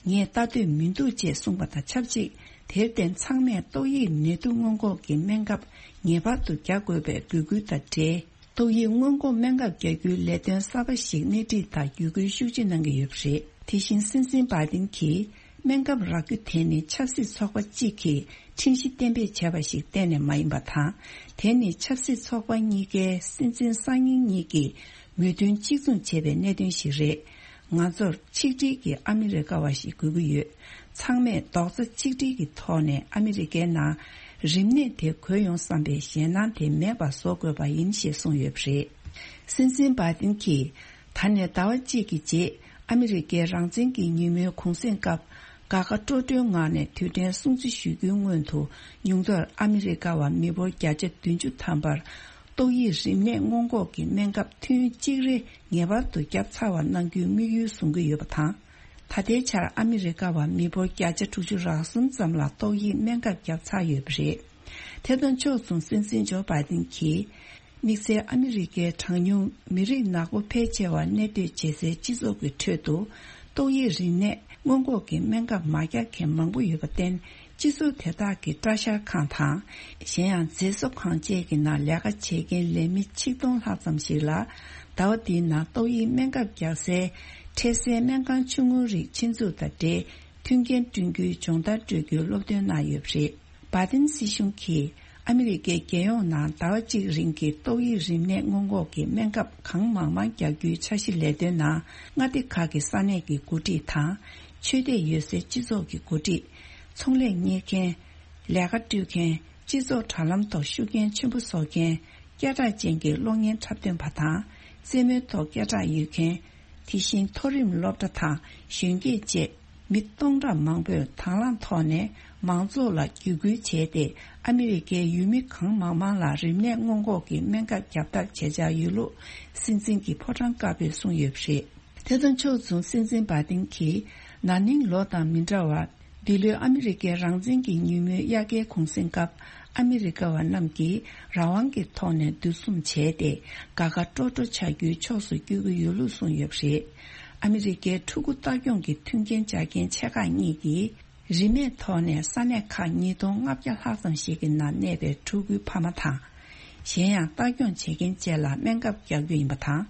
ངས་ལྟ་འདོད་མི་འདུག་ཅེས་གསུངས་པ་དང་ཆབས་ཅིག་དེར་བརྟེན་ཚང་མས་ཏོག་དབྱིབས་ནད་དུག་སྔོན་འགོག་གི་སྨན་ཁབ་ངེས་པར་དུ་རྒྱག་དགོས་པའི་འབོད་སྐུལ་དང་འབྲེལ། ཏོག་དབྱིབས་སྔོན་འགོག་སྨན་ཁབ་རྒྱག་རྒྱུའི་ལས་དོན་གསར་པ་ཞིག་སྣེ་ཁྲིད་དང་བརྒྱུད་སྐུལ་ཤུགས་ཆེ་གནང་གི་ཡོད་པ་རེད། དེ་བཞིན་སྲིད་འཛིན་བྷའི་ཏིན་གྱིས་སྨན་ཁབ་རག་རྒྱུ་དེ་ནི་ཆབ་སྲིད་ཚོགས་པ་གཅིག་གིས་ཁྲིམས་གཞི་གཏན་འབེབས་བྱས་པ་ཞིག་གཏན་ནས་མ་ཡིན་པ་དང་། དེ་ནི་ཆབ་སྲིད་ཚོགས་པ་གཉིས་ཀའི་སྲིད་འཛིན་སང་ཉིན་གཉིས་ཀྱིས་མོས་མཐུན་གཅིག་མཚུངས་བྱས་པའི་གནད་དོན་ཞིག་རེད། ང་ཚོར་ཆིག་སྒྲིལ་གྱི་ཨ་མི་རི་ཀ་བ་ཞིག་དགོས་ཀྱི་ཡོད། ཚང་མས་རྡོག་རྩ་གཅིག་སྒྲིལ་གྱི་ཐོག་ནས་ཨ་མི་རི་ཀའི་ནང་རིམས་ནད་དེ་འགོས་ཡོང་བསམ་པའི་ཞེད་སྣང་དེ་མེད་པ་བཟོ་དགོས་པ་ཡིན་ཞེས་གསུངས་ཡོད་པ་རེད། སྲིད་འཛིན་བྷའི་ཏིན་གྱིས་ད་ནས་ཟླ་བ་གཅིག་གི་རྗེས་ཨ་མི་རི་ཀའི་རང་བཙན་གྱི་ཉིན་མོའི་གུང་གསེང་སྐབས་དགའ་དགའ་སྤྲོ་སྤྲོའི་ངང་ནས་དུས་དྲན་སྲུང་བརྩི་ཞུ་རྒྱུའི་སྔོན་དུ་ཉུང་མཐར་ཨ་མི་རི་ཀ་བ་མི་འབོར་བརྒྱ་ཆ་བདུན་ཅུ་ཐམ་པར། ཏོག་དབྱིབས་རིམས་ནད་སྔོན་འགོག་གི་སྨན་ཁབ་ཐུན་གཅིག་རེ་ངེས་པར་དུ་བརྒྱབ་ཚར་བ་གནང་རྒྱུའི་དམིགས་ཡུལ་བཟུང་གི་ཡོད་པ་དང་། ད་ ད་ལྟའི་ཆར་ཨ་མི་རི་ཀ་བ་མི་འབོར་བརྒྱ་ཆ་དྲུག་ཅུ་རེ་གསུམ་ཙམ་ལ་ཏོག་དབྱིབས་སྨན་ཁབ་བརྒྱབ་ཚར་ཡོད་པ་རེད། དེ་དང་ཕྱོགས་མཚུངས་སྲིད་འཛིན་ཇོ་བྷའི་ཏིན་གྱིས། དམིགས་བསལ་ཨ་མི་རི་ཀའི་གྲངས་ཉུང་མི་རིགས་ནག་པོ་ཕལ་ཆེ་བ་གནས་སྡོད་བྱེད་སའི་སྤྱི་ཚོགས་ཀྱི་ཁྲོད་དུ། ཏོག་དབྱིབས་རིམས་ནད་སྔོན་འགོག་གི་སྨན་ཁབ་མ་རྒྱག་མཁན་མང་པོ་ཡོད་པར་བརྟེན། སྤྱི་ཚོགས་དེ་དག་གི་སྐྲ་བཞར་ཁང་དང་། གཞན་ཡང་མཛེས་བཟོ་ཁང་བཅས་ཀྱི་ནང་ལས་ཀ་བྱེད་མཁན་ལས་མི་ཆིག་སྟོང་ལྷག་ཙམ་ཞིག་ལ། ཟླ་བ་འདིའི་ནང་ཏོག་དབྱིབས་སྨན་ཁབ་རྒྱག་སའི་འཕྲལ་སེལ་སྨན་ཁང་ཆུང་ངུའི་རིགས་ཆེད་འཛུགས་དང་འབྲེལ། མཐུན་རྐྱེན་བསྐྲུན་རྒྱུའི་སྦྱོང་བརྡར་སྤྲོད་རྒྱུའི་སློབ་སྟོན་གནང་ཡོད་པ་རེད། བྷའི་ཏིན་སྲིད་གཞུང་གིས་ཨ་མི་རི་ཀའི་རྒྱལ་ཡོངས་ནང་ཟླ་བ་གཅིག་རིང་གི་ཏོག་དབྱིབས་རིམས་ནད་སྔོན་འགོག་གི་སྨན་ཁབ་གང་མང་མང་རྒྱག་རྒྱུའི་འཆར་གཞི་ལས་དོན་ནང་། མངའ་སྡེ་ཁག་གི་ས་གནས་ཀྱི་འགོ་ཁྲིད་དང་། ཆོས་དད་ཡོད་སའི་སྤྱི་ཚོགས་ཀྱི་འགོ་ཁྲིད། ཚོང་ལས་གཉེར་མཁན། ལས་ཀ་སྤྲོད་མཁན། སྤྱི་ཚོགས་དྲ་ལམ་ཐོག་ཤུགས་རྐྱེན་ཆེན་པོ་བཟོ་མཁན། སྐད་གྲགས་ཅན་གྱི་གློག་བརྙན་འཁྲབ་སྟོན་པ་དང་། རྩེད་མོའི་ཐོག་སྐད་གྲགས་ཡོད་མཁན། དེ་བཞིན་མཐོ་རིམ་སློབ་གྲྭ་དང་གཞོན་སྐྱེས་བཅས་མི་སྟོང་ཕྲག་མང་པོས་དང་བླངས་ཐོག་ནས་མང་ཚོགས་ལ་བརྒྱུད་སྐུལ་བྱས་ཏེ། ཨ་མི་རི་ཀའི་ཡུལ་མི་གང་མང་མང་ལ་རིམས་ནད་སྔོན་འགོག་གི་སྨན་ཁབ་བརྒྱབ་ཐབས་བྱེད་འཆར་ཡོད་ལུགས་སྲིད་འཛིན་གྱི་ཕོ་བྲང་དཀར་པོས་གསུངས་ཡོད་པ་རེད། དེ་དང་ཕྱོགས་མཚུངས་སྲིད་འཛིན་བྷའི་ཏིན་གྱིས་ན་ནིང་ལོ་དང་མི་འདྲ་བར། འདི་ལོའི་ཨ་མི་རི་ཀའི་རང་བཙན་གྱི་ཉིན་མོའི་དབྱར་ཁའི་གུང་གསེང་སྐབས། ཨ་མི་རི་ཀ་བ་རྣམས་ཀྱིས་རང་དབང་གི་ཐོག་ནས་འདུ་འཛོམས་བྱས་ཏེ། དགའ་དགའ་སྤྲོ་སྤྲོ་བྱ་རྒྱུའི་ཕྱོགས་སུ་བསྐྱོད་ཀྱི་ཡོད་ལུགས་གསུངས་ཡོད་པ་རེད། ཨ་མི་རི་ཀའི་ཕྲུ་གུ་ལྟ་སྐྱོང་གི་མཐུན་རྐྱེན་སྦྱར་མཁན་ཆེ་ཁག་གཉིས་ཀྱིས། རིན་མེད་ཐོག་ནས་ས་གནས་ཁག་ཉིས་སྟོང་ལྔ་བརྒྱ་ལྷག་ཙམ་ཞིག་གི་ནང་གནས་པའི་ཕྲུ་གུའི་ཕ་མ་དང་། གཞན་ཡང་ལྟ་སྐྱོང་བྱེད་མཁན་བཅས་ལ་སྨན་ཁབ་རྒྱག་རྒྱུ་ཡིན་པ་དང་།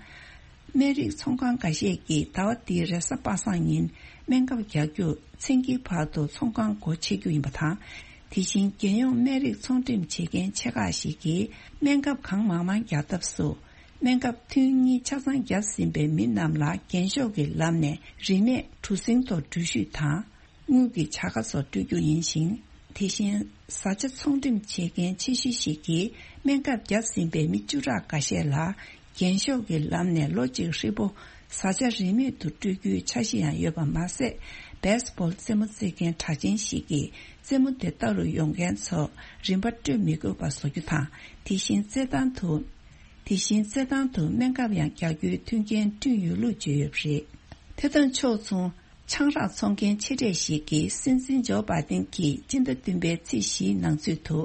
སྨན་རིགས་ཚོང་ཁང་འགའ་ཤས་ཀྱིས་ཟླ་བ་འདིའི་རེས་གཟའ་པ་སངས་ཉིན་སྨན་ཁབ་རྒྱག་རྒྱུར་མཚན་དཀྱིལ་བར་དུ་ཚོང་ཁང་སྒོ་ཕྱེ་རྒྱུ་ཡིན་པ་དང་། དེ་བཞིན་རྒྱལ་ཡོངས་སྨན་རིགས་ཚོང་འགྲེམས་བྱེད་མཁན་ཆེ་ཁག་ཞིག་གིས་སྨན་ཁབ་གང་མང་མང་རྒྱག་ཐབས་སུ། སྨན་ཁབ་ཐུན་གཉིས་ཆ་ཚང་བརྒྱབ་ཟིན་པའི་མི་རྣམས་ལ་རྒྱན་ཤོག་གི་ལམ་ནས་རིན་མེད་གྲུ་གཟིངས་ཐོག་འགྲུལ་བཞུད་དང་། དངུལ་གྱི་བྱ་དགའ་སོགས་སྤྲོད་རྒྱུ་ཡིན་ཞིང་། དེ་བཞིན་བཟའ་བཅའ་ཚོང་འགྲེམས་བྱེད་མཁན་ཆེ་ཤོས་ཤིག་གིས་སྨན་ཁབ་བརྒྱབ་ཟིན་པའི་མི་བཅུ་ཕྲག་འགའ་ཤས་ལ་རྒྱན་ཤོག་གི་ལམ་ནས་ལོ་གཅིག་ཧྲིལ་པོ་བཟའ་བཅའ་རིན་མེད་དུ་སྤྲོད་རྒྱུའི་འཆར་གཞི་ཡང་ཡོད་པ་མ་ཟད། བེ་སི་བྷོལ་རྩེད་མོ་རྩེ་མཁན་གྲགས་ཅན་ཞིག་གིས་རྩེད་མོ་དེ་ལྟ་རུ་ཡོང་མཁན་ཚོ་རིན་པ་སྤྲོད་མི་དགོས་པ་བཟོ་རྒྱུ་དང་། དེ་བཞིན་རྩེད་ཐང་དུ། དེ་བཞིན་རྩེད་ཐང་དུ་སྨན་ཁབ་ཡང་རྒྱག་རྒྱུའི་མཐུན་རྐྱེན་བསྐྲུན་ཡོད་ལུགས་བརྗོད་ཡོད་པ་རེད། དེ་དང་ཕྱོགས་མཚུངས། ཆང་རག་འཚོང་མཁན་ཆེ་གྲས་ཤིག་གིས་སྲིད་འཛིན་ཇོ་བྷའི་ཏིན་གྱིས་སྤྱི་ཟླ་བདུན་པའི་ཚེས་བཞིའི་ནང་ཚུད་དུ་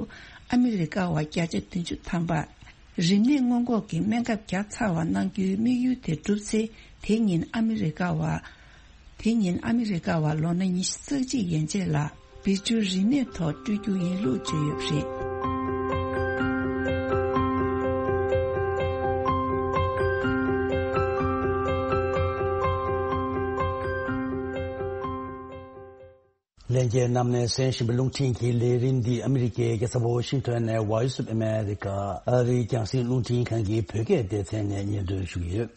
ཨ་མི་རི་ཀ་བ་བརྒྱ་ཆ་བདུན་ཅུ་ཐམ་པར་རིམས་ནད་སྔོན་འགོག་གི་སྨན་ཁབ་བརྒྱབ་ཚར་བ་གནང་རྒྱུའི་དམིགས་ཡུལ་དེ་འགྲུབ་ཚེ། དེ་ཉིན་ཨ་མི་རི་ཀ་བ། དེ་ཉིན་ཨ་མི་རི་ཀ་བ་ལོ་ན་ཉི་ཤུ་རྩ་གཅིག་ཡན་ཆད་ལ་བེ་ཅུ་རིན་མེད་ཐོག་སྤྲོད་རྒྱུ་ཡིན་ལུགས་བརྗོད་ཡོད་པ་རེད། ལྷན་རྒྱས་རྣམས་ནས་གསན་བཞིན་པའི་རླུང་འཕྲིན་གྱི་ལས་རིམ་འདི་ཨ་མི་རི་ཀའི་རྒྱལ་ས་ཝོ་ཤིང་ཊོན་ནས་Voice of America ཨ་རིའི་རྒྱང་སྲིང་རླུང་འཕྲིན་ཁང་གི་བོད་སྐད་སྡེ་ཚན་ནས་སྙན་སྒྲོན་ཞུ་གི་ཡོད།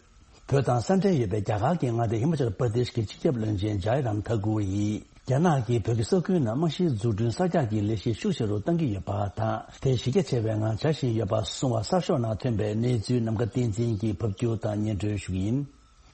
བོད་དང་ས་འབྲེལ་ཡོད་པའི་རྒྱ་གར་གྱི་མངའ་སྡེ་ཧི་མ་ཅལ་པར་དེཤ་གི་སྤྱི་ཁྱབ་བློན་ཆེན་ཇའི་རམ་ཐ་ཀུར་ཡིས། རྒྱ་ནག་གིས་བོད་ཀྱི་ས་ཁུལ་ནང་རྨང་གཞིའི་འཛུགས་སྐྲུན་གསར་རྒྱག་གི་ལས་གཞི་ཤུགས་ཆེ་རུ་གཏང་གི་ཡོད་པ་དང་། དེ་གཞི་རྒྱ་ཆེ་བའི་ངང་བྱ་བཞིན་ཡོད་པ་གསུངས་པ་གསར་ཤོག་ནང་ཐོན་པའི་གནས་ཚུལ་ནམ་མཁའ་བསྟན་འཛིན་གྱིས་ཕབ་སྒྱུར་དང་སྙན་སྒྲོན་ཞུ་གི་ཡིན།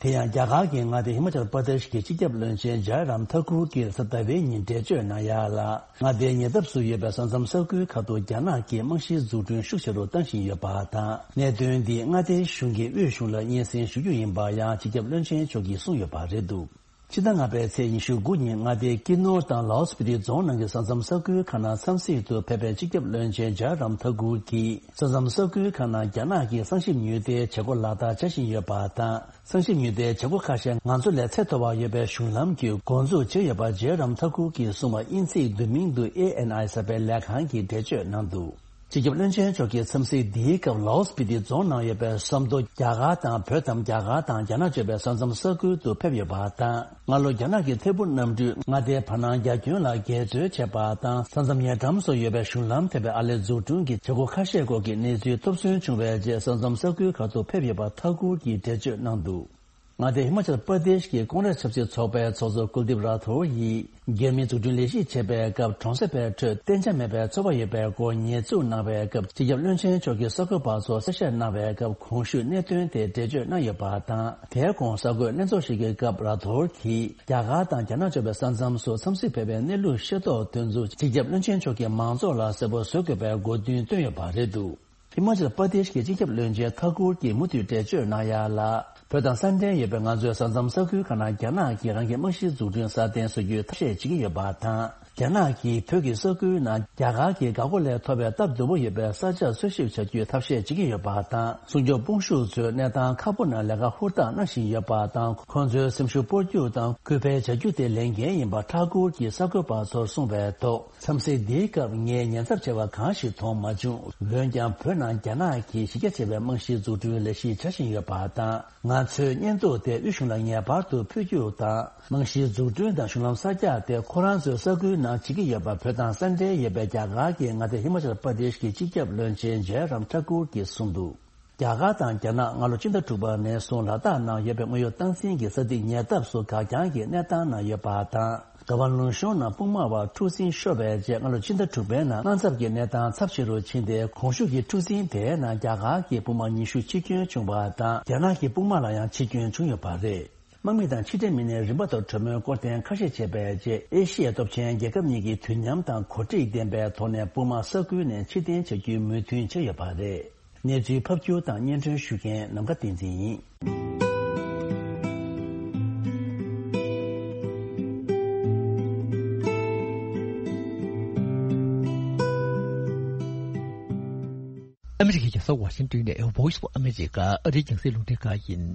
དེ་ཡང་རྒྱ་གར་གྱི་མངའ་སྡེ་ཧི་མ་ཅལ་པར་དེཤ་གི་སྤྱི་ཁྱབ་བློན་ཆེན་ཇའི་རམ་ཐ་ཀུར་གྱིས་གཟའ་ཟླ་བའི་ཉིན་འགྲེལ་བརྗོད་གནང་ཡ་ལ། མངའ་སྡེའི་ཉེ་འདབས་སུ་ཡོད་པའི་ས་མཚམས་ས་ཁུལ་ཁག་ཏུ་རྒྱ་ནག་གིས་རྨང་གཞིའི་འཛུགས་སྐྲུན་ཤུགས་ཆེ་རུ་བཏང་བཞིན་ཡོད་པ་དང་། གནད་དོན་འདིས་མངའ་སྡེའི་གཞུང་གི་དབུས་གཞུང་ལ་སྙན་སེང་ཞུ་རྒྱུ་ཡིན་པ་ཡང་སྤྱི་ཁྱབ་བློན་ཆེན་མཆོག་གིས་གསུངས་ཡོད་པ་རེད་འདུག་ཕྱི་ཟླ་ལྔ་པའི་ཚེས་ཉི་ཤུ་དགུ་ཉིན་མངའ་སྡེའི་ཀི་ནོར་དང་ལའོ་སྤི་ཏི་རྫོང་ནང་གི་ས་མཚམས་ས་ཁུལ་ཁག་ནང་འཚམས་གཟིགས་དུ་ཕེབས་པའི་སྤྱི་ཁྱབ་བློན་ཆེན་ཇའི་རམ་ཐ་ཀུར་གྱིས། ས་མཚམས་ས་ཁུལ་ཁག་ནང་རྒྱ་ནག་གིས་གསང་ཞིབ་ཉུལ་བསྡད་བྱེད་སྒོ་ལག་བསྟར་བྱ་བཞིན་ཡོད་པ་དང་། གསང་ཞིབ་ཉུལ་བསྡད་བྱེད་སྒོ་ཁ་ཤས་ང་ཚོ་ལས་ཚད་མཐོ་བ་ཡོད་པའི་གཞུང་ལམ་གྱིས་འགོ་འཛུགས་བྱས་ཡོད་པ་ཇའི་རམ་ཐ་ཀུར་གྱིས་གསུངས་པ་དབྱིན་ཚིག་བསྡུས་མིང་དུ་ཨེ་ཨེན་ཨའི་ཟེར་བའི་ལས་ཁང་གིས་འགྲེལ་བརྗོད་གནང་འདུག་སྤྱི་ཁྱབ་བློན་ཆེན་མཆོག་གིས་འཚམས་གཟིགས་འདིའི་སྐབས་ལའོ་སྤི་ཏི་རྫོང་ནང་ཡོད་པའི་ཟམ་མདོ་རྒྱ་གར་དང་བོད་དམ་རྒྱ་གར་དང་རྒྱ་ནག་གཅོད་པའི་ས་མཚམས་ས་ཁུལ་དུ་ཕེབས་ཡོད་པ་དང་། སྔ་ལོ་རྒྱ་ནག་གི་ཐད་འཕུར་གནམ་གྲུས་མངའ་སྡེའི་བར་སྣང་རྒྱ་ཁྱོན་ལ་འགལ་འཛོལ་བྱས་པ་དང་། ས་མཚམས་ཉེ་འགྲམ་སུ་ཡོད་པའི་གཞུང་ལམ་ཐེབས་པའི་ཨར་ལས་འཛུགས་སྐྲུན་གྱི་བྱེད་སྒོ་ཁ་ཤས་སྐོར་གྱི་གནས་ཚུལ་ཐོབ་ཚུལ་བྱུང་བའི་རྗེས་ས་མཚམས་ས་ཁུལ་ཁག་ཏུ་ཕེབས་ཡོད་པ་ཐ་ཀུར་གྱིས་འགྲེལ་བརྗོད་གནང་འདུག་མངའ་སྡེ་ཧི་མ་ཅལ་པར་དེཤ་གི་ཀོང་རེས་ཆབ་སྲིད་ཚོགས་པའི་ཚོགས་གཙོ་ཀུལ་དིབ་ར་ཐོར་ཡིས། རྒྱ་མིའི་འཛུགས་སྐྲུན་ལས་གཞི་བྱེད་པའི་སྐབས་གྲོང་གསེབ་པའི་ཁྲོད་གཏན་འཇགས་མེད་པའི་ཚོར་བ་ཡོད་པའི་སྐོར་ཉེས་འཛུགས་གནང་བའི་སྐབས། སྤྱི་ཁྱབ་བློན་ཆེན་མཆོག་གིས་གསར་འགོད་པ་ཚོར་གསལ་བཤད་གནང་བའི་སྐབས། གོང་ཞུས་གནད་དོན་དེ་འགྲེལ་བརྗོད་གནང་ཡོད་པ་དང་། དེའི་གོང་གསར་འགོད་ལྷན་ཚོགས་ཤིག་གི་སྐབས་ར་ཐོར་གྱིས། རྒྱ་གར་དང་རྒྱ་ནག་གཅོད་པའི་ས་མཚམས་སུ་འཚམས་གཟིགས་ཕེབས་པའི་གནས་ལུགས་ཤེས་རྟོགས་དོན་ཚུལ། སྤྱི་ཁྱབ་བློན་ཆེན་མཆོག་གིས་མང་ཚོགས་ལ་གསལ་པོ་བཟོ་དགོས་པའི་དགོས་འདུན་བཏོན་ཡོད་པ་རེད་འདུག་ཧི་མ་ཅལ་པར་དེཤ་གི་སྤྱི་ཁྱབ་བློན་ཆེན་ཐ་ཀུར་གྱིས་མུ་མཐུད་འགྲེལ་བརྗོད་གནང་ཡ་ལ། བོད་དང་ས་འབྲེལ་ཡོད་པའི་ང་ཚོའི་ས་མཚམས་ས་ཁུལ་ཁག་ནང་རྒྱ་ནག་གིས་རང་གི་རྨང་གཞིའི་འཛུགས་སྐྲུན་སྲ་བརྟན་བཟོ་རྒྱུའི་ཐབས་ཤེས་བྱེད་ཀྱི་ཡོད་པ་དང་། རྒྱ་ནག་གིས་བོད་ཀྱི་ས་ཁུལ་ནང་རྒྱ་གར་གྱི་འགག་སྒོ་ལས་ཐོབ་པའི་སྟབས་བདེ་པོ་ཡོད་པའི་ས་ཆ་འཚོལ་ཞིབ་བྱ་རྒྱུའི་ཐབས་ཤེས་བྱེད་ཀྱི་ཡོད་པ་དང་། སྲུང་སྐྱོབ་དཔུང་ཤུགས་ཚོས་གནས་སྟངས་ཁག་པོ་ནང་ལས་ཀ་ཧུར་ཐག་གནང་བཞིན་ཡོད་པ་དང་། ཁོང་ཚོའི་སེམས་ཤུགས་སྤོར་རྒྱུ་དང་སྐུལ་སྤེལ་བྱ་རྒྱུ་དེ་ལས་འགན་ཡིན་པ་ཐ་ཀུར་གྱིས་གསར་འགོད་པ་ཚོར་གསུངས་པའི་ཐོག་མཚམས་སེལ་འདིའི་སྐབས་ངས་ཉེན་ཚབས་ཆེ་བ་གང་ཞིག་མཐོང་མ་བྱུང་། འོན་ཀྱང་བོད་ནང་རྒྱ་ནག་གིས་གཞི་རྒྱ་ཆེ་བའི་རྨང་གཞིའི་འཛུགས་སྐྲུན་ལས་གཞི་བྱ་བཞིན་ཡོད་པ་དང་། ང་ཚོའི་བརྙན་ཐུང་དེ་དབུས་གཞུང་ལ་ངེས་པར་དུ་ཕུལ་རྒྱུ་དང་། རྨང་གཞིའི་འཛུགས་སྐྲུན་དང་གཞུང་ལམ་གསར་རྒྱག་དེ་ཁོ་རང་ཚོའི་ས་ཁུལ་ནང་བྱེད་ཀྱི་ཡོད་པ། བོད་དང་ས་འབྲེལ་ཡོད་པའི་རྒྱ་གར་གྱི་མངའ་སྡེ་ཧི་མ་ཅལ་པར་དེཤ་གི་སྤྱི་ཁྱབ་བློན་ཆེན་ཇའི་རམ་ཐ་ཀུར་གྱིས་གསུངས་འདུག་རྒྱ་གར་དང་རྒྱ་ནག་སྔ་ལོ་ཕྱི་ཟླ་དྲུག་པ་ནས་བཟུང་ལ་དྭགས་ནང་ཡོད་པའི་དངོས་ཡོད་སྟངས་འཛིན་གྱི་ས་ཐིག་ཉེ་འདབས་སུ་འགག་རྐྱང་གི་གནས་སྟངས་ནང་ཡོད་པ་དང་། ག་བ་ལུང་གཤོང་ནང་སྤུངས་དམག་བར་འཁྲུག་ཟིང་ཤོར་བའི་རྗེས་སྔ་ལོ་ཕྱི་ཟླ་དྲུག་པའི་ནང་དམག་འཚབ་ཀྱི་གནས་སྟངས་ཚབས་ཆེ་རུ་ཕྱིན་ཏེ། གོང་ཞུས་ཀྱི་འཁྲུག་ཟིང་དེའི་ནང་རྒྱ་གར་གྱི་དཔུང་དམག་ཉི་ཤུ་འཆི་སྐྱོན་བྱུང་བ་དང་། རྒྱ་ནག་གི་དཔུང་དམག་ལ་ཡང་འཆི་སྐྱོན་བྱུང་ཡོད་པ་རེད། དམག་མི་དང་ཕྱི་འབྲེལ་མི་སྣས་རིམ་པ་དང་གྲོས་མོལ་སྐོར་གཏན་འཁེལ་བཤད་བྱས་པའི་རྗེས། ཨེ་ཤི་ཡའི་སྟོབས་ཆེན་རྒྱལ་ཁབ་གཉིས་ཀྱིས་དུས་མཉམ་དང་གོ་སྒྲིག་ལྡན་པའི་ཐོག་ནས་དཔུང་དམག་ས་ཁུལ་ནས་ཕྱིར་འཐེན་བྱ་རྒྱུའི་མོས་མཐུན་བྱས་ཡོད་པ་རེད། གནས་ཚུལ་ཕབ་སྒྱུར་དང་སྙན་སྒྲོན་ཞུ་མཁན་ནམ་མཁའ་བསྟན་འཛིན་ཡིན། ཨ་མི་རི་ཀའི་རྒྱལ་ས་ཝ་ཤིང་ཏོན་ནས་Voice of America ཨ་རིའི་རྒྱང་སྲིང་རླུང་འཕྲིན་ཁང་ཡིན།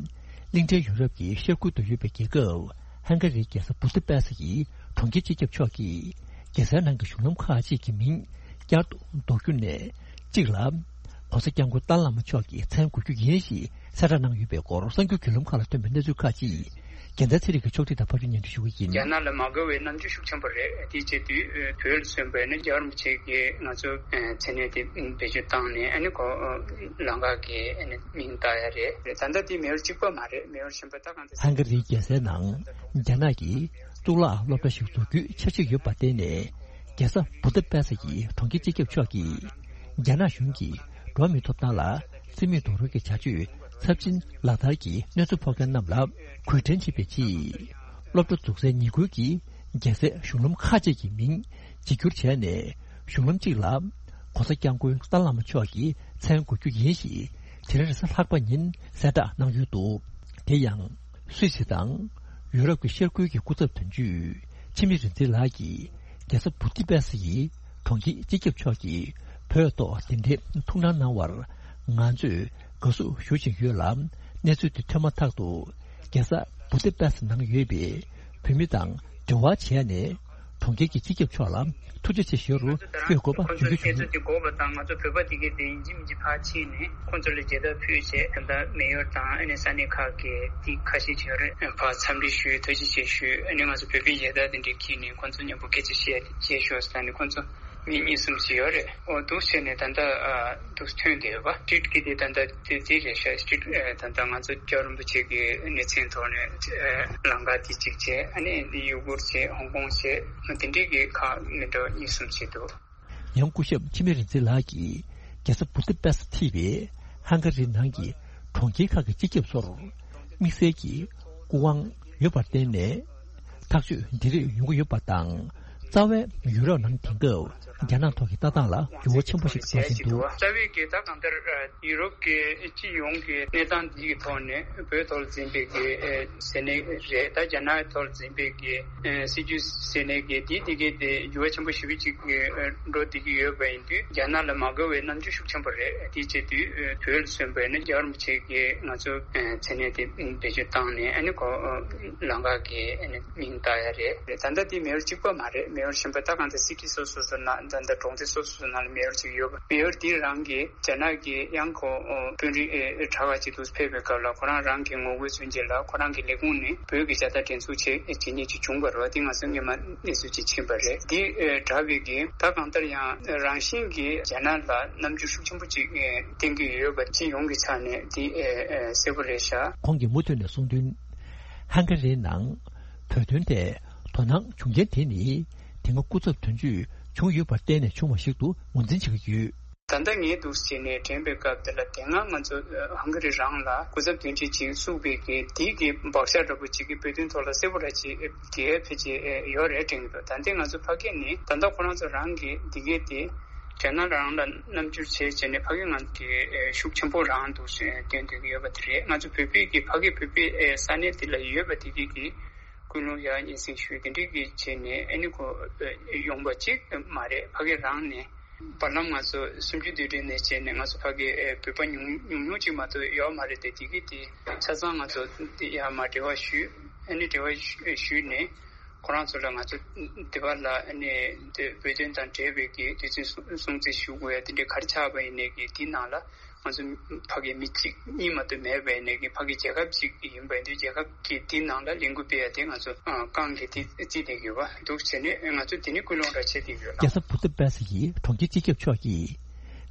གླིང་ཕྲན་ཡུ་རོབ་ཀྱི་ཤར་ཁུལ་དུ་ཡོད་པའི་རྒྱལ་ཁབ་ཧང་ག་རིའི་རྒྱལ་ས་བུ་ཏི་པེ་སི་ཡི་གྲོང་ཁྱེར་སྤྱི་ཁྱབ་མཆོག་གིས་རྒྱལ་སའི་ནང་གི་གཞུང་ལམ་ཁག་ཅིག་གི་མིང་བསྐྱར་དུ་འདོགས་རྒྱུ་ནས་གཅིག་ལ། ༸གོང་ས་༸སྐྱབས་མགོན་ཏཱ་ལའི་བླ་མ་མཆོག་གི་མཚན་དགོས་རྒྱུ་ཡིན་ཞེས་གསལ་བསྒྲགས་གནང་ཡོད་པའི་སྐོར་གསར་འགྱུར་བརྒྱུད་ལམ་ཁག་ལ་ཐོན་པའི་གནས་ཚུལ་ཁག་ཅིག་རྒྱལ་མཚན་ཚེ་རིང་གིས་ཕྱོགས་སྒྲིག་དང་ཕབ་སྒྱུར་སྙན་སྒྲོན་ཞུ་གི་ཡིན། རྒྱ་ནག་ལ་མ་དགའ་བའི་རྣམ་འགྱུར་ཤུགས་ཆེན་པོ་རེད། དེའི་ཆེད་དུ་བོད་ལ་སོན་པའི་ནི་རྒྱལ་བ་རིན་པོ་ཆེ་གིས་ང་ཚོ་མཚན་གནས་དེ་བེད་སྤྱོད་བཏང་ནས། ཨ་ནི་ཁོ་ལམ་ཁ་གི་ཨ་ནི་མིང་བཏགས་ཡ་རེད། ད་ལྟ་དེ་མེ་ཡོར་གཅིག་པ་མ་རེད། མེ་ཡོར་གཞན་པ་ད་གང་ཚེ། ཧང་ག་རིའི་རྒྱལ་སའི་ནང་རྒྱ་ནག་གིས་གཙུག་ལག་སློབ་གྲྭ་ཞིག་བཙུགས་རྒྱུའི་འཆར་གཞི་ཡོད་པར་བརྟེན་ནས། རྒྱལ་ས་བུ་ད་པེ་སི་ཡི་གྲོང་ཁྱེར་སྤྱི་ཁྱབ་མཆོག་གིས་རྒྱ་ནག་གཞུང་གིས་འགྲོ་བ་མིའི་ཐོབ་ཐང་ལ་བརྩི་མེད་རྡོག་རོལ་གྱི་བྱ་སྤྱོད་ཚབས་ཆེན་ལག་བསྟར་གྱིས་གནོད་འཚེ་ཕོག་མཁན་རྣམས་ལ་གུས་བཀུར་བྱེད་པའི་ཆེད། སློབ་གྲྭ་འཛུགས་སའི་ཉེ་ཁུལ་གྱི་རྒྱལ་སའི་གཞུང་ལམ་ཁག་ཅིག་གི་མིང་བརྗེ་བསྒྱུར་བྱས་ནས། གཞུང་ལམ་གཅིག་ལ་༸གོང་ས་༸སྐྱབས་མགོན་ཏཱ་ལའི་བླ་མ་མཆོག་གི་མཚན་དགོས་རྒྱུ་ཡིན་ཞེས་དེ་རིང་རེས་གཟའ་ལྷག་པ་ཉིན་གསལ་བསྒྲགས་གནང་ཡོད་འདུག་དེ་ཡང་སུད་སི་དང་ཡུ་རོབ་ཀྱི་ཤར་ཁུལ་གྱི་སྐུ་ཚབ་དོན་གཅོད་འཆི་མེད་རིག་འཛིན་ལགས་ཀྱིས་རྒྱལ་ས་བུ་ཏི་པེ་སི་ཡི་གྲོང་ཁྱེར་སྤྱི་ཁྱབ་མཆོག་གིས་བོད་ཐོག་གདན་འདྲེན་ཐུགས་སྣང་གནང་བར་ང་ཚོས་དགའ་བསུ་ཞུ་བཞིན་ཡོད་ལ། གནས་ཚུལ་དེ་ཐོན་མ་ཐག་ཏུ་རྒྱལ་ས་བུ་ཏི་པེ་སི་ནང་ཡོད་པའི་བོད་མི་དང་འབྲེལ་བ་བྱས་ནས། གྲོང་ཁྱེར་གྱི་སྤྱི་ཁྱབ་མཆོག་ལ་ཐུགས་རྗེ་ཆེ་ཞུ་རུ་བསྐྱོད་དགོས་པ་ཁོང་ཚོ་བརྗོད་ཀྱི་བཤད་ཚུལ་འདུག་དེ་དགོས་པ་དང་། ང་ཚོ་བོད་པ་དེ་གའི་དེ་ཡིན་གཅིག་མིན་གཅིག་ཕར་ཕྱིན་ནས་ཁོང་ཚོ་ལ་མཇལ་དར་ཕུལ་བྱས། ད་ལྟ་མེ་ཡོར་དང་ཨ་ནི་ས་གནས་ཁག་གི་དེ་ཁ་ཤས་ཅིག་ཡོད་རེད། ཕར་འཚམས་འདྲི་ཞུས། ཐུགས་རྗེ་ཆེ་ཞུས། ཨ་ནི་ང་ཚོ་བོད་པའི་མཇལ་དར་དེ་འདྲ་འཁྱེར་ནས་ཁོང་ཚོ་མཉམ་པོ་སྐད་ཆ་བཤད་བཤད་ཤོག་ཟེར་ནས། ཁོང་ཚོ་མི་གཉིས་གསུམ་ཞིག་ཡོད་རེད། འོ་འདུག་བྱས་ནས་ད་ལྟ་ཨ་འདུག་ཐོན་བསྡད་ཡོད་པ། སི་ཊི་རི་ཊི་གི་དེ་ད་ལྟ་དེ་དེ་རེད་ཤག་སི་ཊི་རི་ཊི་ཨ་ད་ལྟ་ང་ཚོ་སྐྱབས་རིན་པོ་ཆེ་གི་གནས་ཚན་ཐོག་ནས་ཨ་ལམ་ཁ་དེ་གཅིག་བྱས། ཨ་ནི་ཡུ་གུར་བྱས། ཧོང་ཀོང་བྱས། དེ་འདྲའི་གི་ཁག་མི་འདྲ་བ་གཉིས་གསུམ་བྱས་འདུག་ཡང་སྐུ་ཞབས་འཆི་མེད་རིག་འཛིན་ལགས་ཀྱིས་རྒྱལ་ས་བུ་ཏི་པེ་སི་ཐེ་བའི་ཧང་ག་རིའི་ནང་གི་གྲོང་ཁྱེར་ཁག་གི་སྤྱི་ཁྱབ་ཚོར་དམིགས་བསལ་གྱི་སྐུ་དབང་ཡོད་པར་བརྟེན་ནས། ཐག་གཅོད་འདི་རིགས་ཡོང་གི་ཡོད་པ་དང་། རྩ་བའི་ཡུ་རོབ་ནང་དེང་སྐབས་རྒྱ་ནག་ཐོག་གི་ལྟ་སྟངས་ལ་འགྱུར་བ་ཆེན་པོ་ཞིག་འགྲོ་བཞིན་འདུག་རྩ་བའི་གི་ད་གང་ལྟར་ཡུ་རོབ་ཀྱི་སྤྱི་ཡོངས་ཀྱི་གནས་སྟངས་འདི་གི་ཐོག་ནས་བོད་ཐོག་ལ་འཛིན་པའི་གི་ཟེར་ནས་རེད། ད་རྒྱ་ནག་ཐོག་ལ་འཛིན་པའི་གི་སྲིད་ཇུས་ཟེར་ནས་གི་འདི་འདི་གི་དེ་འགྱུར་བ་ཆེན་པོ་ཞེ་པོ་ཅིག་འགྲོ་བསྡད་ཀྱི་ཡོད་པ་ཡིན་དུས། རྒྱ་ནག་ལ་མ་དགའ་བའི་རྣམ་འགྱུར་ཤུགས་ཆེན་པོ་རེད། དེའི་ཆེད་དུ་བོད་ལ་སོན་པའི་ནི་རྒྱལ་བ་རིན་པོ་ཆེ་གིས་ང་ཚོ་མཚན་གནས་དེ་བེད་སྤྱོད་བཏང་ནས། ཨ་ནི་ཁོ་ལམ་ཁ་གི་ཨ་ནི་མིང་བཏགས་ཡ་རེད། ད་ལྟ་དེ་མེ་ཡོར་གཅིག་པ་མ་རེད། མེ་ཡོར་གཞན་པ་ད་གང་ལྟར་སི་ཊི་སོ་སོ་སོ་ནང་། ད་ལྟ་གྲོང་སྡེ་སོ་སོ་སོ་ནང་ལ་མེ་ཡོར་གཅིག་ཡོད་པ། མེ་ཡོར་དེ་རང་གིས་རྒྱ་ནག་གི་ཡང་ཁོ་དཔོན་རིགས་ཨེ་གྲྭ་པ་ཅིག་ཏུ་ཕེབས་པའི་སྐབས་ལ། ཁོ་རང་རང་གི་ངོ་རྒོལ་མཚོན་ཆེད་ལ་ཁོ་རང་གི་ལས་ཁུངས་ནས་བོད་ཀྱི་བྱ་ལྟ་འགྲན་ཚུགས་བྱེད་བྱེད་མཁན་ཅིག་བྱུང་བ་རེད་པ། དེ་ང་ཚོ་སྔོན་མ་གནས་ཚུལ་ཅིག་ཕྱིན་པ་རེད། དེ་ཨེ་དྲག་པའི་གི་ད་གང་ལྟར་ཡང་རང་བཞིན་གྱིས་རྒྱ་ནག་ལ་རྣམ་འགྱུར་ཤུགས་ཆེན་པོ་ཅིག་ཨེ་བསྟན་གྱི་ཡོད་པ། སྤྱི་ཡོངས་ཀྱི་ཆ་ནས་དེ་ཨེ་ཨེ་གསལ་པོ་རེད་ཤག་ཁོང་གིས་མུ་མཐུད་ནས་གསུངས་དོན། ཧང་ག་རིའི་ནང་བོད་དོན་ཐད་དོ་སྣང་བྱུང་རྐྱེན་དེ་ནི། དེ་སྔ་སྐུ་ཚབ་དོན་གཅོད་བྱུང་ཡོད་པར་བརྟེན་ནས་བྱུང་བ་ཞིག་ཏུ་ངོས་འཛིན་བྱེད་ཀྱི་ཡོད། ད་ལྟ་ངས་འདུག་བྱས་ནས་དྲན་པའི་སྐབས་དེ་ལ། དེ་སྔ་ང་ཚོ་ཧང་ག་རི་རང་ལ་སྐུ་ཚབ་དོན་གཅོད་ཅིག་བཙུགས་པའི་གི་དེ་གི་བག་ཆགས་འདྲ་པོ་ཅིག་གི་བོད་དོན་ཐོག་ལ་གསལ་པོ་ར་ཅིག་གི་ཕལ་ཆེར་ཡོད་རེད་དྲན་གྱི་འདུག་ད་ལྟ་ང་ཚོ་ཕ་གི་ནས་ད་ལྟ་ཁོ་རང་ཚོ་རང་གི་འདི་གའི་དེ་ རྒྱ་ནག་རང་ལ་རྣམ་འགྱུར་བྱས་བྱས་ནས་ཕ་གི་ང་གི་ཨེ་ཤུགས་ཆེན་པོ་རང་འདུག་ཟེར་སྟོན་སྡོད་ཀྱི་ཡོད་པ་དེ་རེད། ང་ཚོ་བོད་པའི་གི་ཕ་གི་བོད་པའི་ཨེ་ས་གནས་དེ་ལ་ཡོད་པ་དེ་གི་གི་ཀུན་སློང་ཡ་སྙན་སེང་ཞུས་དེ་འདྲའི་གི་བྱས་ནས་ཨ་ནི་ཁོ་ཨེ་ཡོང་པ་གཅིག་མ་རེད། ཕ་གི་རང་ནས་བར་ལམ་ང་ཚོ་སུམ་ཅུ་དུས་དྲན་ནས་བྱས་ནས་ང་ཚོ་ཕ་གི་ཨེ་བོད་པ་ཉུང་ཉུང་ཉུང་གཅིག་མ་གཏོགས་ཡོད་མ་རེད་དེ། དེ་གི་དེ་ཆ་ཚང་ང་ཚོ་དེ་ཡ་མ་འབྲེལ་བ་ཞུས། ཨ་ནི་འབྲེལ་བ་ཞུས་ནས། ཁོ་རང་ཚོ་ལ་ང་ཚོ་འདི་བར་ལ་ཨ་ནི་དེ་བོད་དོན་དང་འབྲེལ་བའི་གི་དུས་ཚོད་སྲུང་སྲུང་བརྩི་ཞུ་དགོས་ཡ་དེ་འདྲའི་ག་རེ་ཆགས་པ་ཡིན་ནའི་གི་དེའི་ནང་ལ་ང་ཚོ་ཕ་གི་མི་གཅིག་གཉིས་མ་གཏོགས་མེད་པ་ཡིན་ནའི་གི་ཕ་གི་རྒྱལ་ཁབ་ཅིག་ཡིན་པ་ཡིན་དུས་རྒྱལ་ཁབ་ཀྱི་དེའི་ནང་ལ་ལས་འགུལ་སྤེལ་ཡ་དེ་ང་ཚོ་ཨ་རྐང་གི་དེ་རྩིས་བསྡད་ཡོད་པ་འདུག་བྱས་ནས་ང་ཚོ་དེ་ནི་ཀུན་སློང་འདྲ་བྱེད་བསྡད་ཡོད་ལ། རྒྱལ་ས་བུ་ད་པེ་སི་ཡི་གྲོང་ཁྱེར་སྤྱི་ཁྱབ་མཆོག་གིས་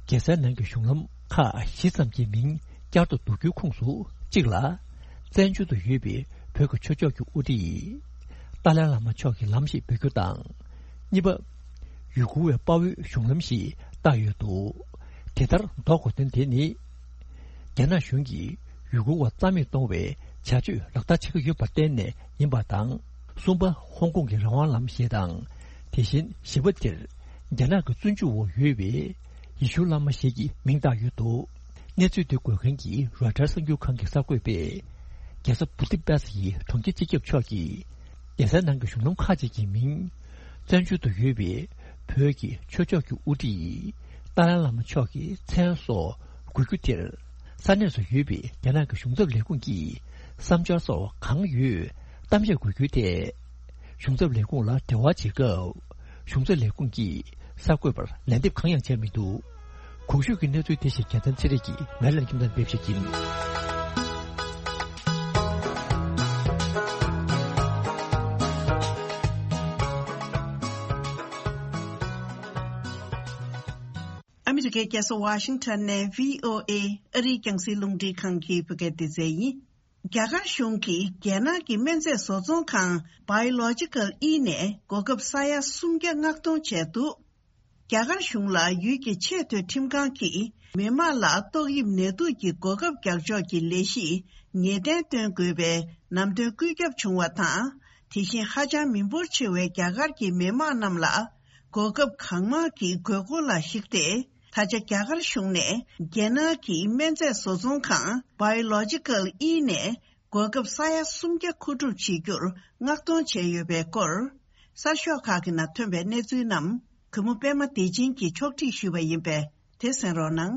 རྒྱལ་སའི་ནང་གི་གཞུང་ལམ་ཁག་བཞི་ཙམ་གྱི་མིང་བསྐྱར་དུ་འདོགས་རྒྱུའི་ཁོངས་སུ་གཅིག་ལ། བཙན་བྱོལ་དུ་ཡོད་པའི་བོད་ཀྱི་ཆོས་ཕྱོགས་ཀྱི་དབུ་ཁྲིད་ཏཱ་ལའི་བླ་མ་མཆོག་གི་ལམ་ཞེས་འབོད་རྒྱུ་དང་། གཉིས་པ། ཡུ་གུར་བའི་དཔའ་བོའི་གཞུང་ལམ་ཞེས་བཏགས་ཡོད་འདུག་དེ་ལྟར་འདོགས་དགོས་དོན་དེ་ནི། རྒྱ་ནག་གཞུང་གིས་ཡུ་གུར་བ་རྩ་མེད་གཏོང་བའི་བྱ་སྤྱོད་ལག་བསྟར་བྱེད་ཀྱི་ཡོད་པར་བརྟེན་ནས་ཡིན་པ་དང་། གསུམ་པ། ཧོང་ཀོང་གི་རང་དབང་ལམ་ཞེས་དང་། དེ་བཞིན་བཞི་པ་དེར་རྒྱ་ནག་གི་བཙོན་འཇུག་འོག་ཡོད་པའི་ཡེ་ཤུ་བླ་མ་ཞིག་གི་མིང་བཏགས་ཡོད་འདུག་གནས་ཚུལ་དེ་འགོད་མཁན་གྱི་རོའི་ཊར་གསར་འགྱུར་ཁང་གི་གསར་འགོད་པས། རྒྱལ་ས་བུ་ཏི་པེ་སི་ཡི་གྲོང་ཁྱེར་སྤྱི་ཁྱབ་མཆོག་གིས། རྒྱལ་སའི་ནང་གི་གཞུང་ལམ་ཁག་ཅིག་གི་མིང་། བཙན་བྱོལ་དུ་ཡོད་པའི་བོད་ཀྱི་ཆོས་ཕྱོགས་ཀྱི་དབུ་ཁྲིད་ཏཱ་ལའི་བླ་མ་མཆོག་གི་མཚན་སོགས་འགོད་རྒྱུ་དེར། ས་གནས་སུ་ཡོད་པའི་རྒྱ་ནག་གི་གཞུང་ཚབ་ལས་ཁུངས་ཀྱིས་བསམ་འཆར་སོགས་གང་ཡོད་གཏམ་བཤད་དགོས་རྒྱུའི་ཐད། གཞུང་ཚབ་ལས་ཁུངས་ལ་འབྲེལ་བ་བྱེད་སྐབས། གཞུང་ཚབ་ལས་ཁུངས་ཀྱིས་གསར་འགོད་པར་ལན་འདེབས་གང་ཡང་བྱས་མི་འདུག་གོང་ཞུས་ཀྱི་གནས་ཚུལ་དེ་བཞིན་རྒྱལ་མཚན་ཚེ་རིང་གིས་མེ་ལན་ཁྱིམ་ཚང་ཕེབས་ཤིག་ཡིན། ཨ་མི་རི་ཀའི་རྒྱལ་ས་ཝ་ཤིང་ཊོན་ནས་བྷི་ཨོ་ཨེ་ཨ་རིའི་རྒྱང་སྲིང་རླུང་འཕྲིན་ཁང་གི་བོད་སྐད་སྡེ་ཚན་ཡིན། རྒྱ་གར་གཞུང་གིས་རྒྱལ་ནང་གི་སྨན་རྫས་བཟོ་ཚོང་ཁང་Biological E ནས་གོ་སྐབས་ས་ཡ་སུམ་བརྒྱ་མངགས་གཏོང་བྱས་འདུག་རྒྱ་གར་གཞུང་ལ་ཡུལ་གྱི་ཆེས་མཐོའི་ཁྲིམས་ཁང་གིས་མི་མང་ལ་ཏོག་དབྱིབས་ནད་དུག་གི་གོ་སྐབས་རྒྱག་ཕྱོགས་ཀྱི་ལས་གཞི་ངེས་གཏན་བཏོན་དགོས་པའི་ནམ་དོན་བཀོད་ཁྱབ་བྱུང་བ་དང་། དེ་བཞིན་ཧ་ཅང་མི་འབོར་ཆེ་བའི་རྒྱ་གར་གྱི་མི་མང་རྣམས་ལ་གོ་སྐབས་གང་མང་གི་དགོས་མཁོ་ལ་གཞིགས་ཏེ། ད་ཆ་རྒྱ་གར་གཞུང་ནས་རྒྱལ་ནང་གི་སྨན་རྫས་བཟོ་ཚོང་ཁང་Biological E ནས་གོ་སྐབས་ས་ཡ་སུམ་བརྒྱ་མཁོ་སྒྲུབ་བྱེད་རྒྱུར་མངགས་གཏོང་བྱས་ཡོད་པའི་སྐོར། གསར་ཤོག་ཁག་གི་ནང་ཐོན་པའི་གནས་ཚུལ་རྣམས་གུས་མོ་པད་མ་བདེ་ཆེན་གྱིས་ཕྱོགས་སྒྲིག་ཞུས་པ་ཡིན་པས་དེ་གསན་རོགས་གནང་།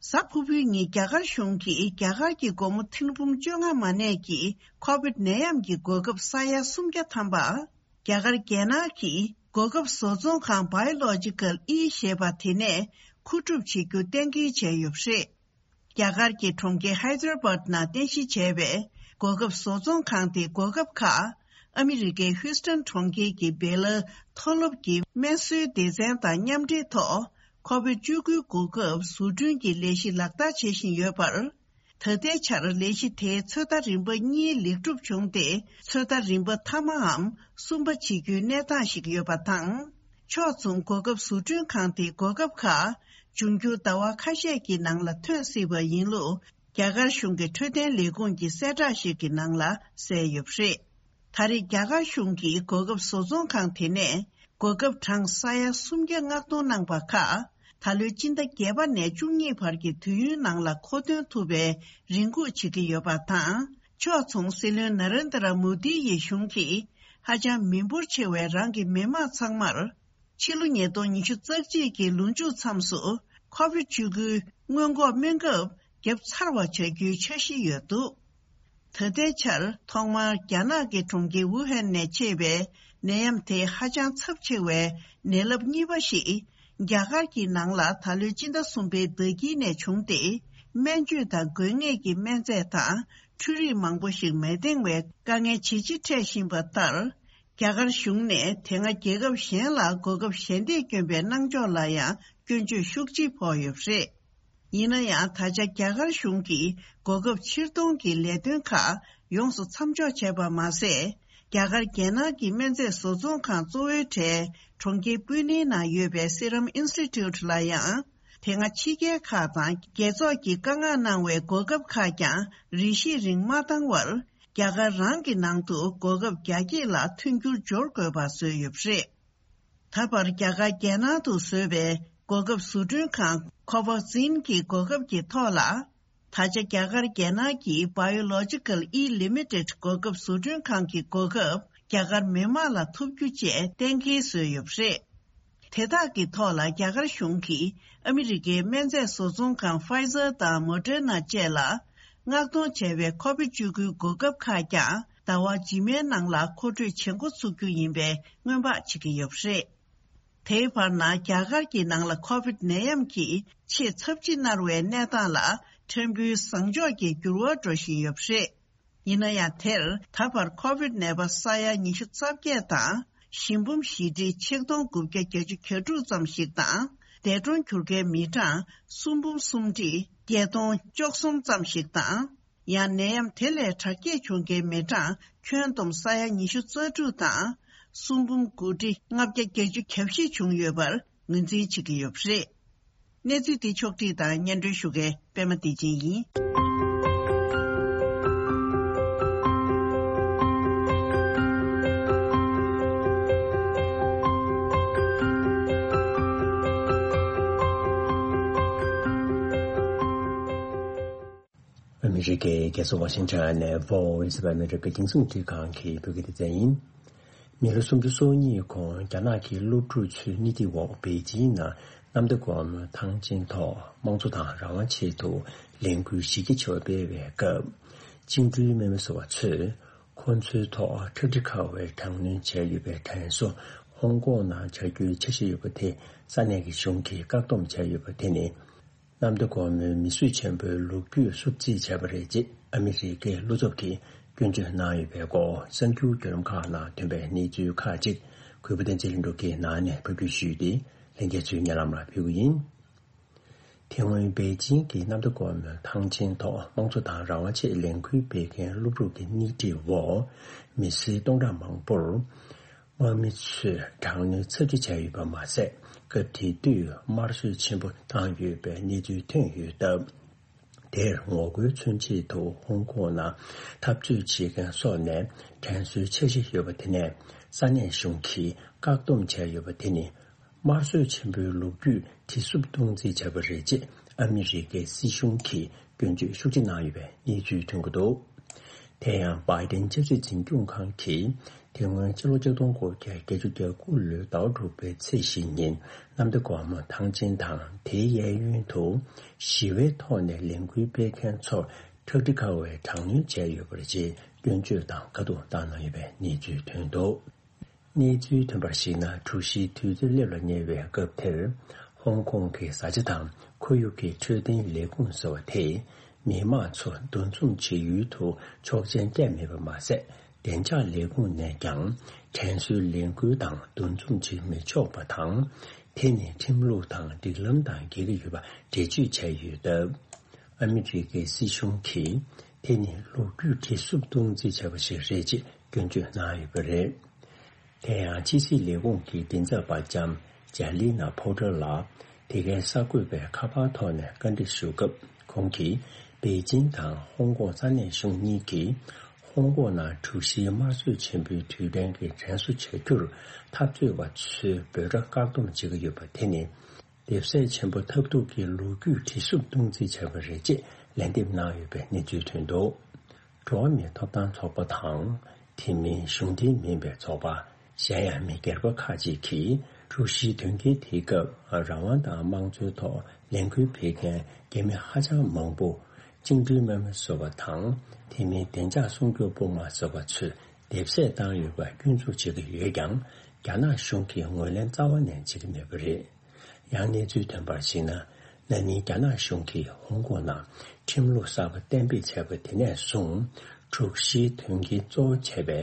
གཟའ་ཕུར་བུའི་ཉིན་རྒྱ་གར་གཞུང་གིས་རྒྱ་གར་གྱི་སྒོར་མོ་ཐེར་འབུམ་བཅོ་ལྔ་མ་གནས་ཀྱི་ཁོ་བིད་ནད་ཡམས་ཀྱི་གོ་སྐབས་ས་ཡ་སུམ་བརྒྱ་ཐམ་པ། རྒྱ་གར་རྒྱལ་ནང་གི་གོ་སྐབས་བཟོ་ཚོང་ཁང་Biological E ཞེས་པ་དེ་ནས་མཁོ་སྒྲུབ་བྱེད་རྒྱུ་གཏན་འཁེལ་བྱས་ཡོད་པ་རེད། རྒྱ་གར་གྱི་གྲོང་ཁྱེར་Hyderabad ནང་རྟེན་གཞི་བྱས་པའི་གོ་སྐབས་བཟོ་ཚོང་ཁང་དེ་གོ་སྐབས་ཁག་ཨ་མི་རི་ཀའི་ཧུའུ་སྟན་གྲོང་ཁྱེར་གྱི་བེ་ལ་མཐོ་སློབ་ཀྱི་སྨན་གསོའི་སྡེ་ཚན་དང་མཉམ་འབྲེལ་ཐོག་ཁོ་བིད་བཅུ་དགུའི་གོ་སྐབས་བཟོ་སྐྲུན་གྱི་ལས་གཞི་ལག་བསྟར་བྱེད་བཞིན་ཡོད་པར། ད་ལྟའི་ཆར་ལས་གཞི་དེའི་ཚོད་ལྟ་རིམ་པ་གཉིས་ལེགས་གྲུབ་བྱུང་སྟེ། ཚོད་ལྟ་རིམ་པ་མཐའ་མའམ་གསུམ་པ་བྱེད་རྒྱུའི་གནས་སྟངས་ཤིག་ཡོད་པ་དང་། ཕྱོགས་མཚུངས་གོ་སྐབས་བཟོ་སྐྲུན་ཁང་དེའི་གོ་སྐབས་ཁག་འབྱུང་འགྱུར་ཟླ་བ་ཁ་ཤས་ཀྱི་ནང་ལ་ཐོན་སྲིད་པ་ཡིན་ལུགས། རྒྱ་གར་གཞུང་གི་འཕྲོད་བསྟེན་ལས་ཁུངས་ཀྱི་གསལ་བསྒྲགས་ཤིག་གི་ནང་ལ་གསལ་ཡོད་པ་རེད། ད་རེས་རྒྱ་གར་གཞུང་གིས་གོ་སྐབས་བཟོ་ཚོང་ཁང་དེ་ནས་གོ་སྐབས་གྲངས་ས་ཡ་སུམ་བརྒྱ་མངགས་གཏོང་གནང་པ་ཁག་ད་ལོའི་སྤྱི་ཟླ་བརྒྱད་པ་ནས་བཅུ་གཉིས་བར་གྱི་དུས་ཡུན་ནང་ལ་མཁོ་འདོན་ཐུབ་པའི་རེ་སྒུག་བྱེད་ཀྱི་ཡོད་པ་དང་། ཕྱོགས་མཚུངས་སྲིད་བློན་ན་རེན་དྲ་མོ་དི་ཡི་གཞུང་གིས་ཧ་ཅང་མི་འབོར་ཆེ་བའི་རང་གི་མི་མང་ཚང་མར། ཕྱི་ལོ་ཉིས་སྟོང་ཉི་ཤུ་རྩ་གཅིག་གི་ལོ་མཇུག་མཚམས་སུ་ཁོ་བིད་བཅུ་དགུའི་སྔོན་འགོག་སྨན་ཁབ་བརྒྱབ་ཚར་བ་བྱ་རྒྱུའི་འཆར་གཞི་ཡོད་འདུག་ད་ལྟའི་ཆར་ཐོག་མར་རྒྱ་ནག་གི་གྲོང་ཁྱེར་ཝུ་ཧན་ནས་མཆེད་པའི་ནད་ཡམས་དེ་ཧ་ཅང་ཚབས་ཆེ་བའི་ནད་རླབས་གཉིས་པ་ཞིག་རྒྱ་གར་གྱི་ནང་ལ་ད་ལོའི་སྤྱི་ཟླ་གསུམ་པའི་ཟླ་དཀྱིལ་ནས་བྱུང་སྟེ། སྨན་བཅོས་དང་དགོས་ངེས་ཀྱི་སྨན་རྫས་དང་འཕྲུལ་རིགས་མང་པོ་ཞིག་མི་འདང་བའི་དཀའ་ངལ་ཇེ་ཆེ་འཕྲད་བཞིན་པ་ལྟར། རྒྱ་གར་གཞུང་ནས་དེ་སྔ་རྒྱལ་ཁབ་གཞན་ལ་གོ་སྐབས་ཞལ་འདེབས་བསྐྱོན་པའི་གནང་ཕྱོགས་ལ་ཡང་སྐྱོན་བརྗོད་ཤུགས་ཆེ་ཕོག་ཡོད་པ་རེད། ཡིན་ན་ཡང་། ད་ཆ་རྒྱ་གར་གཞུང་གིས་གོ་སྐབས་ཕྱིར་གཏོང་གི་ལས་དོན་ཁག་ཡོངས་སུ་མཚམས་འཇོག་བྱས་པ་མ་ཟད། རྒྱ་གར་རྒྱལ་ནང་གི་སྨན་རྫས་བཟོ་ཚོང་ཁང་གཙོ་བོའི་གྲས་གྲོང་ཁྱེར་པུ་ནེ་ནང་ཡོད་པའི་Serum Institute ལ་ཡང་། དེ་སྔ་ཕྱི་རྒྱལ་ཁག་དང་རྒྱལ་ཚོགས་ཀྱིས་བཀའ་མངགས་གནང་བའི་གོ་སྐབས་ཁག་ཀྱང་རེ་ཞིག་རིང་མ་བཏང་བར། རྒྱ་གར་རང་གི་ནང་དུ་གོ་སྐབས་རྒྱ་སྐྱེད་ལ་མཐུན་འགྱུར་སྦྱོར་དགོས་པ་བཟོས་ཡོད་པ་རེད། ད་བར་རྒྱ་གར་རྒྱལ་ནང་དུ་བཟོས་པའི་ གོ་སྐབས་བཟོ་སྐྲུན་ཁང་ཁོ་ཝ་ཛིན་གྱི་གོ་སྐབས་ཀྱི་ཐོག་ལ། ད་ཆ་རྒྱ་གར་རྒྱལ་ནང་གི་Biological E Limited གོ་སྐབས་བཟོ་སྐྲུན་ཁང་གི་གོ་སྐབས་རྒྱ་གར་མི་མང་ལ་ཐོབ་རྒྱུ་བཅས་གཏན་འཁེལ་བཟོས་ཡོད་པ་རེད། དེ་དག་གི་ཐོག་ལ་རྒྱ་གར་གཞུང་གིས་ཨ་མི་རི་ཀའི་སྨན་རྫས་བཟོ་ཚོང་ཁང་Pfizer དང་Moderna བཅས་ལ་མངགས་གཏོང་བྱས་པའི་ཁོ་བིད་བཅུ་དགུའི་གོ་སྐབས་ཁག་ཀྱང་ཟླ་བ་རྗེས་མའི་ནང་ལ་མཁོ་སྤྲོད་བྱེད་འགོ་ཚུགས་རྒྱུ་ཡིན་པའི་སྔོན་དཔག་བྱེད་ཀྱི་ཡོད་པ་རེད། དེའི་བར་ན་རྒྱ་གར་གྱི་ནང་ལ་ཁོ་བིད་ནད་ཡམས་ཀྱིས་ཆེས་ཚབས་ཆེ་མནར་བའི་གནས་སྟངས་ལ་ཕྲན་བུའི་བཟང་ཕྱོགས་ཀྱི་འགྱུར་བ་འགྲོ་བཞིན་ཡོད་པ་རེད། ཡིན་ན་ཡང་། དེར་ད་བར་ཁོ་བིད་ནད་པ་ས་ཡ་ཉི་ཤུ་རྩ་བརྒྱད་དང་། ཞི་འབུམ་བཞི་ཁྲི་ཆིག་སྟོང་དགུ་བརྒྱ་བརྒྱད་ཅུ་གྱ་དྲུག་ཙམ་ཞིག་དང་། འདས་གྲོངས་གྱུར་མཁན་མི་གྲངས་སུམ་འབུམ་གསུམ་ཁྲི་བརྒྱད་སྟོང་བཅུ་གསུམ་ཙམ་ཞིག་དང་། ཡང་ནད་ཡམས་དེ་ལས་དྲག་སྐྱེད་བྱུང་མཁན་མི་གྲངས་ཁྱོན་བསྡོམས་ས་ཡ་ཉི་ཤུ་རྩ་དྲུག་དང་། སུམ་འབུམ་དགུ་ཁྲི་ལྔ་བརྒྱ་བརྒྱད་ཅུ་གྱ་བཞི་བྱུང་ཡོད་པར་ངོས་འཛིན་བྱེད་ཀྱི་ཡོད་པ་རེད། གནས་ཚུལ་འདི་ཕྱོགས་བསྒྲིགས་དང་སྙན་སྒྲོན་ཞུ་མཁན་པད་མ་བདེ་ཆེན་ཡིན། ཨ་མི་རི་ཀའི་རྒྱལ་ས་ཝ་ཤིང་ཊོན་ནས་Voice of America རྒྱང་སྲིང་འཕྲིན་ཁང་གི་བོད་སྐད་སྡེ་ཚན་ཡིན། མི་ལོ་སུམ་ཅུ་སོ་གཉིས་གོང་རྒྱ་ནག་གི་སློབ་ཕྲུག་ཚོའི་སྣེ་ཁྲིད་འོག་པེ་ཅིང་ནང་གནམ་བདེ་སྒོ་མོ་ཐང་ཆེན་ཐོག་དམངས་གཙོ་དང་རང་དབང་ཆེད་དུ་ལས་འགུལ་གཞི་རྒྱ་ཆེ་བ་སྤེལ་བའི་སྐབས། བཅིངས་འགྲོལ་དམག་མི་ཟེར་བ་ཚོས་ཁོ་ཚོའི་ཐོག་ཁྲག་དྲི་ཁ་བའི་དྲག་གནོན་བྱས་ཡོད་པའི་དྲན་གསོ་ཧོང་ཀོང་ནང་བྱ་རྒྱུའི་འཆར་གཞི་ཡོད་པ་དེ་ས་གནས་ཀྱི་གཞུང་གིས་བཀག་སྡོམ་བྱས་ཡོད་པ་དེ་ནི། གནམ་བདེ་སྒོ་མོའི་མིས་བཟོས་ཆེན་པོའི་ལོ་རྒྱུས་བསུབ་རྩིས་བྱས་པ་རེད་ཅེས་ཨ་མི་རི་ཀའི་བློ་ཚབ་ཀྱིས་སྐྱོན་བརྗོད་གནང་ཡོད་པའི་སྐོར་གསར་འགྱུར་བརྒྱུད་ལམ་ཁག་ནང་ཐོན་པའི་གནས་ཚུལ་ཁག་ཅིག་གུས་པ་བསྟན་འཛིན་ལྷུན་གྲུབ་ཀྱིས་ནང་ནས་ཕབ་སྒྱུར་ཞུས་ཏེ། ལྷན་རྒྱས་ཚོས་སྙན་ལམ་ལ་ཕུལ་གྱི་ཡིན། དེ་སྔོན་པེ་ཅིང་གི་གནམ་བདེ་སྒོ་མོའི་ཐང་ཆེན་ཐོག་དམངས་གཙོ་དང་རང་དབང་ཆེད་ལས་འགུལ་སྤེལ་མཁན་སློབ་ཕྲུག་གི་སྣེ་ཁྲིད་འོག་མི་སེར་སྟོང་ཕྲག་མང་པོར། དམག་མི་ཚོས་དྲག་གནོན་ཚབས་ཆེ་བྱས་ཡོད་པ་མ་ཟད། སྐབས་དེ་དུས་དམར་གསོད་ཆེན་པོ་བཏང་ཡོད་པའི་གནས་ཚུལ་ཐོན་ཡོད་སྟབས། དེར་ངོ་རྒོལ་མཚོན་ཆེད་དུ་ཧོང་ཀོང་ནང་འཐབ་རྩོད་བྱེད་མཁན་སོགས་ནས་དྲན་གསོའི་འཆར་གཞི་ཡོད་པ་དེ་ནས་ས་གནས་གཞུང་གིས་བཀག་སྡོམ་བྱས་ཡོད་པ་དེ་ནི། དམར་གསོད་ཆེན་པོའི་ལོ་རྒྱུས་གྲི་སུབ་གཏོང་རྩིས་བྱས་པ་རེད་ཅེས་ཨ་མི་རི་ཀའི་སྲིད་གཞུང་གིས་སྐྱོན་བརྗོད་ཤུགས་ཆེ་གནང་ཡོད་པའི་གནས་ཚུལ་ཐོན་གྱི་འདུག་དེ་ཡང་བྷའི་ཏིན་ཆབ་སྲིད་འཛིན་སྐྱོང་ཁང་གིས་དེ་སྔོན་ཕྱི་ལོ་ཆིག་སྟོང་དགུ་བརྒྱ་བརྒྱད་ཅུ་གྱ་དགུ་ལོའི་ཟླ་བ་དྲུག་པའི་ཚེས་བཞི་ཉིན་གནམ་བདེ་སྒོ་མོ་ཐང་ཆེན་དང་དེའི་གཡས་གཡོན་དུ་ཞི་བའི་ཐོག་ནས་ལས་འགུལ་སྤེལ་མཁན་ཚོར་ཁྲག་དྲི་ཁ་བའི་དྲག་གནོན་བྱས་ཡོད་པ་རེད་ཅེས་སྐྱོན་བརྗོད་དང་དཀའ་སྡུག་བཏང་གནང་ཡོད་པའི་གནས་ཚུལ་ཐོན་འདུག་གནས་ཚུལ་ཐོན་པར་གཞིགས་ན། གྲུ་བཞིའི་དུས་ཚོད་སླེབས་ལ་ཉེ་བའི་སྐབས་དེར། ཧོང་ཀོང་གི་བཟའ་བཅའ་དང་ཁོར་ཡུག་གི་འཕྲོད་བསྟེན་ལས་ཁུངས་ཟེར་བ་དེས། མི་མང་ཚོ་འདུ་འཛོམས་བྱེད་ཡུལ་དུ་ཆོག་མཆན་སྤྲད་མེད་པ་མ་ཟད། བདེ་འཇགས་ལས་ཁུངས་ནས་ཀྱང་། དྲན་གསོའི་ལས་འགུལ་དང་འདུ་འཛོམས་བྱེད་མི་ཆོག་པ་དང་། དེ་ནི་ཁྲིམས་ལུགས་དང་སྒྲིག་ལམ་དང་འགལ་གྱི་ཡོད་པ་འགྲེལ་བརྗོད་བྱས་ཡོད་སྟབས། ཨ་མི་རི་ཀའི་སྲིད་གཞུང་གིས། དེ་ནི་ལོ་རྒྱུས་གྲི་སུབ་གཏོང་རྩིས་བྱས་པ་ཞིག་རེད་ཅེས་སྐྱོན་བརྗོད་གནང་ཡོད་པ་རེད། དེ་ཡང་ཕྱི་སྲིད་ལས་ཁུངས་ཀྱི་མགྲིན་ཚབ་པ་ལྕམ་ཇཱ་ལི་ན་ཕོ་ཏྲ་ལགས་དེ་གའི་གསར་འགོད་པའི་ཁ་པར་ཐོག་ནས་བཀའ་འདྲི་ཞུ་སྐབས། ཁོང་གིས་པེ་ཅིང་དང་ཧོང་ཀོང་ས་གནས་གཞུང་གཉིས་ཀྱིས་ཧོང་ཀོང་ནང་གྲུ་བཞིའི་དམར་གསོད་ཆེན་པོའི་དུས་དྲན་གྱི་དྲན་གསོ་བྱ་རྒྱུར་འཐབ་རྩོད་པ་ཚོའི་འབོད་སྒྲ་བཀག་སྡོམ་བྱེད་ཀྱི་ཡོད་པ་དེ་ནི། ལྡེབས་ཟད་ཆེན་པོ་ཐབས་སྡུག་གི་ལོ་རྒྱུས་གྲི་སུབ་གཏོང་རྩིས་བྱས་པ་རེད་ཅེས་ལན་འདེབས་གནང་ཡོད་པའི་གནས་ཚུལ་ཐོན་འདུག་འགྲོ་བ་མིའི་ཐོབ་ཐང་ཚོགས་པ་དང་། དེ་མིན་གཞུང་འབྲེལ་མིན་པའི་ཚོགས་པ། གཞན་ཡང་མི་སྒེར་པ་ཁག་ཅིག་གིས་གྲུ་བཞིའི་དོན་རྐྱེན་དེའི་སྐབས་རང་དབང་དང་དམངས་གཙོའི་ཐོག་ལས་འགུལ་སྤེལ་མཁན་རྒྱ་མི་ཧ་ཅང་མང་པོ་བཅིངས་འགྲོལ་དམག་མི་ཟེར་བ་དང་། དེ་མིན་བདེ་འཇགས་སྲུང་སྐྱོབ་དཔུང་དམག་ཟེར་བ་ཚོས་འདེབས་གསོད་བཏང་ཡོད་པ་སྐྱོན་འཛུགས་བྱེད་ཀྱི་ཡོད་ཀྱང་། རྒྱ་ནག་གཞུང་གིས་ངོས་ལེན་རྩ་བ་ནས་བྱེད་ཀྱི་མེད་པ་རེད། ཡང་གནས་ཚུལ་ཐོན་པར་གཞིགས་ན། ན་ནིང་རྒྱ་ནག་གཞུང་གིས་ཧོང་ཀོང་ནང་ཁྲིམས་ལུགས་གསར་པ་གཏན་འབེབས་བྱས་པ་དེ་ནས་བཟུང་། དྲུག་བཞིའི་དོན་རྐྱེན་གཙོ་བོ་བྱས་པའི་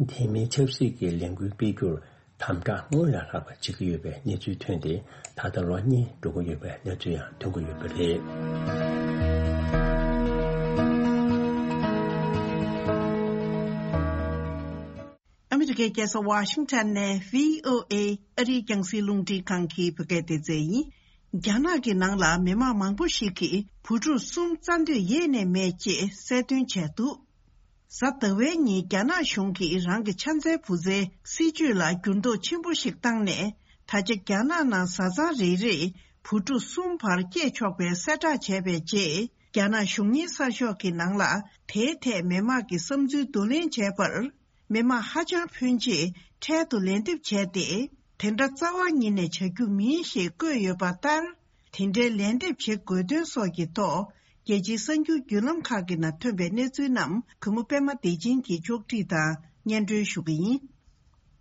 དེ་མིན་ཆབ་སྲིད་ཀྱི་ལས་འགུལ་སྤེལ་རྒྱུར་དམ་དྲག་སྔོན་ལས་ལྷག་པ་བྱེད་ཀྱི་ཡོད་པའི་གནས་ཚུལ་ཐོན་ཏེ། ད་ལྟ་ལོ་གཉིས་འགྲོ་གི་ཡོད་པའི་གནས་ཚུལ་ཡང་ཐོན་གྱི་ཡོད་པ་རེད། ཨ་མི་རི་ཀའི་རྒྱལ་ས་ཝ་ཤིང་ཊོན་ནས་བྷི་ཨོ་ཨེ་ཨ་རིའི་རྒྱང་སྲིང་རླུང་འཕྲིན་ཁང་གི་བོད་སྐད་སྡེ་ཚན་ཡིན། རྒྱ་ནག་གི་ནང་ལ་མི་མང་མང་པོ་ཞིག་གིས་བུ་ཕྲུག་གསུམ་བཙའ་འདོད་ཡེ་ནས་མེད་ཅེས་གསལ་སྟོན་བྱས་འདུག་གཟའ་ཟླ་བའི་ཉིན་རྒྱ་ནག་གཞུང་གིས་རང་གི་ཕྱག་འཚལ་བུ་བཙའི་སྲིད་ཇུས་ལ་འགྱུར་ལྡོག་ཆེན་པོ་ཞིག་བཏང་ནས། ད་ཆ་རྒྱ་ནག་ནང་བཟའ་ཚང་རེ་རེས་ བུ་ཕྲུག་གསུམ་བར་སྐྱེས་ཆོག་པའི་གསལ་བསྒྲགས་བྱས་པའི་རྗེས། རྒྱ་ནག་གཞུང་གཉེར་གསར་ཤོག་གི་ནང་ལ་དེའི་ཐད་མི་མང་གི་བསམ་ཚུལ་བསྡུ་ལེན་བྱས་པར། མི་མང་ཧ་ཅང་ཕོན་ཆེས་འཕྲལ་དུ་ལན་འདེབས་བྱས་ཏེ། དེ་འདྲ་རྩ་བ་ཉིད་ནས་བྱ་རྒྱུ་མིན་ཞེས་བཀོད་ཡོད་པ་ལྟར། དེ་འདྲའི་ལན་འདེབས་བྱེད་དགོས་དོན་སོགས་ཀྱི་ཐོག་རྒྱལ་སྤྱིའི་གསར་འགྱུར་བརྒྱུད་ལམ་ཁག་གི་ནང་ཐོན་པའི་གནས་ཚུལ་རྣམས་གུས་མོ་པད་མ་བདེ་ཆེན་གྱིས་ཕྱོགས་སྒྲིག་དང་སྙན་སྒྲོན་ཞུ་གི་ཡིན།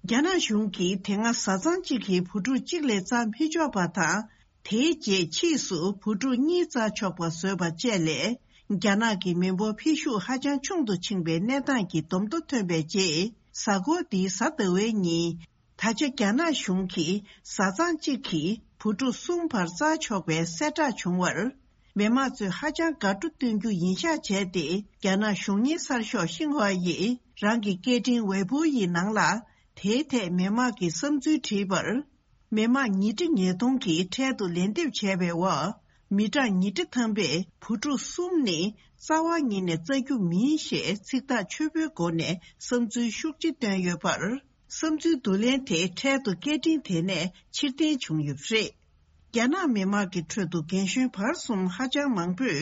རྒྱ་ནག་གཞུང་གིས་དེ་སྔ་བཟའ་ཚང་གཅིག་གིས་བུ་ཕྲུག་གཅིག་ལས་རྩ་མི་ཆོག་པ་དང་། དེའི་རྗེས་ཕྱིས་སུ་བུ་ཕྲུག་གཉིས་རྩ་ཆོག་པ་བཟོས་པ་བཅས་ལས། རྒྱ་ནག་གི་མི་འབོར་འཕེལ་ཤུགས་ཧ་ཅང་ཆུང་དུ་ཕྱིན་པའི་གནས་སྟངས་ཀྱི་སྡོམ་ཐོ་ཐོན་པའི་རྗེས། གཟའ་འཁོར་འདིའི་གཟའ་ཟླ་བའི་ཉིན། ད་ཆ་རྒྱ་ནག་གཞུང་གིས་བཟའ་ཚང་གཅིག་གིས་བུ་ཕྲུག་གསུམ་བར་བཙའ་ཆོག་པའི་གསལ་བསྒྲགས་བྱུང་བར། མི་མང་ཚོས་ཧ་ཅང་དགའ་སྤྲོ་སྟོན་རྒྱུ་ཡིན་ཤག་བྱས་ཏེ། རྒྱ་ནག་གཞུང་གཉེར་གསར་ཤོག་ཤིན་ཧྭ་ཡིས་རང་གི་སྐད་འཕྲིན་ཝེ་པོ་ཡི་ནང་ལ། དེའི་ཐད་མི་མང་གི་བསམ་ཚུལ་བྲིས་པར། མི་མང་ཉིས་ཁྲི་ཉིས་སྟོང་གིས་འཕྲལ་དུ་ལན་འདེབས་བྱས་པའི་འོག་མི་གྲངས་ཉིས་ཁྲི་ཐམ་པས་བུ་ཕྲུག་གསུམ་ནི་རྩ་བ་ཉིད་ནས་བཙའ་རྒྱུ་མིན་ཞེས་ཚིག་ཐག་ཆོད་པོའི་སྒོ་ནས་བསམ་ཚུལ་ཤུགས་ཆེ་བཏོན་ཡོད་པར། བསམ་ཚུལ་བསྡུ་ལེན་དེ་འཕྲལ་དུ་སྐད་འཕྲིན་དེ་ནས་ཕྱིར་འཐེན་བྱུང་ཡོད་པ་རེད། རྒྱ་ནག་མི་དམངས་ཀྱི་ཁྲོད་དུ་རྒན་གཞོན་བར་གསུམ་ཧ་ཅང་མང་པོས་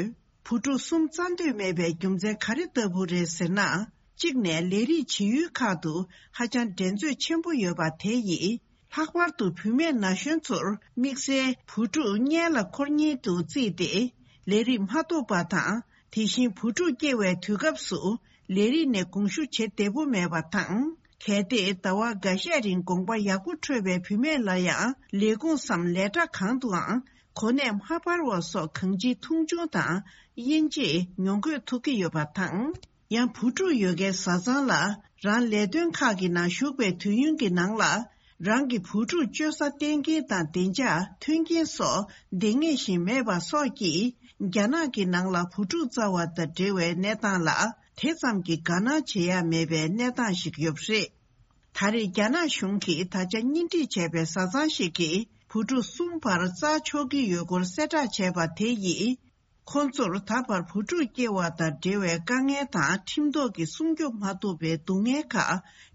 བུ་ཕྲུག་གསུམ་བཙའ་འདོད་མེད་པའི་རྒྱུ་མཚན་ག་རེ་ལྟ་བུ་རེད་ཟེར་ན། གཅིག་ནས་ལས་རིགས་བྱེད་ཡུལ་ཁག་ཏུ་ཧ་ཅང་འགྲན་རྩོད་ཆེན་པོ་ཡོད་པ་དེ་ཡིས། ལྷག་པར་དུ་བུད་མེད་ན་གཞོན་ཚོར་དམིགས་བསལ་བུ་ཕྲུག་སྔོན་ལ་འཁོར་ཉེན་དུ་བརྩིས་ཏེ། ལས་རིགས་མ་ཐོབ་པ་དང་། དེ་བཞིན་བུ་ཕྲུག་སྐྱེ་བའི་དུས་སྐབས་སུ་ལས་རིགས་ནས་དགོངས་ཞུ་བྱེད་བདེ་པོ་མེད་པ་དང་། གལ་ཏེ་ཟླ་བ་འགའ་ཤས་རིང་དགོངས་པ་ཡག་པོ་འཕྲོད་པའི་བུད་མེད་ལ་ཡང་ལས་ཁུངས་སམ་ལས་གྲྭ་གང་དུའང་གོ་གནས་མ་སྤར་བ་སོགས་གང་ཅིའི་མཐོང་ཆུང་དང་དབྱེ་འབྱེད་མྱོང་དགོས་ཐུག་གི་ཡོད་པ་དང་། ཡང་བུ་ཕྲུག་ཡོད་མཁན་བཟའ་ཚང་ལ་རང་ལས་དོན་ཁག་གི་ནང་ཞུགས་པའི་དུས་ཡུན་གྱི་ནང་ལ། རང་གི་བུ་ཕྲུག་བཅོལ་ས་གཏན་འཁེལ་དང་བདེ་འཇགས་མཐུན་རྐྱེན་སོགས་འདང་ངེས་བཞིན་མེད་པ་སོགས་ཀྱིས། རྒྱ་ནག་གི་ནང་ལ་བུ་ཕྲུག་བཙའ་བ་དང་འབྲེལ་བའི་གནས་སྟངས་ལ་དེ་ཙམ་གྱི་དགའ་སྣང་བྱེད་ཡ་མེད་པའི་གནས་སྟངས་ཤིག་ཡོད་པ་རེད། ད་རེས་རྒྱ་ནག་གཞུང་གིས་ད་ཆ་གཉེན་སྒྲིག་བྱས་པའི་བཟའ་ཚང་ཞིག་གིས་བུ་ཕྲུག་གསུམ་བར་བཙའ་ཆོག་གི་ཡོད་སྐོར་གསལ་བསྒྲགས་བྱས་པ་དེ་ཡིས། ཁོང་ཚོར་ད་བར་བུ་ཕྲུག་སྐྱེ་བ་དང་འབྲེལ་བའི་དཀའ་ངལ་དང་ཁྲིམས་ཐོག་གི་སྲུང་སྐྱོབ་མ་ཐུབ་པའི་སྡུག་བསྔལ་ཁག་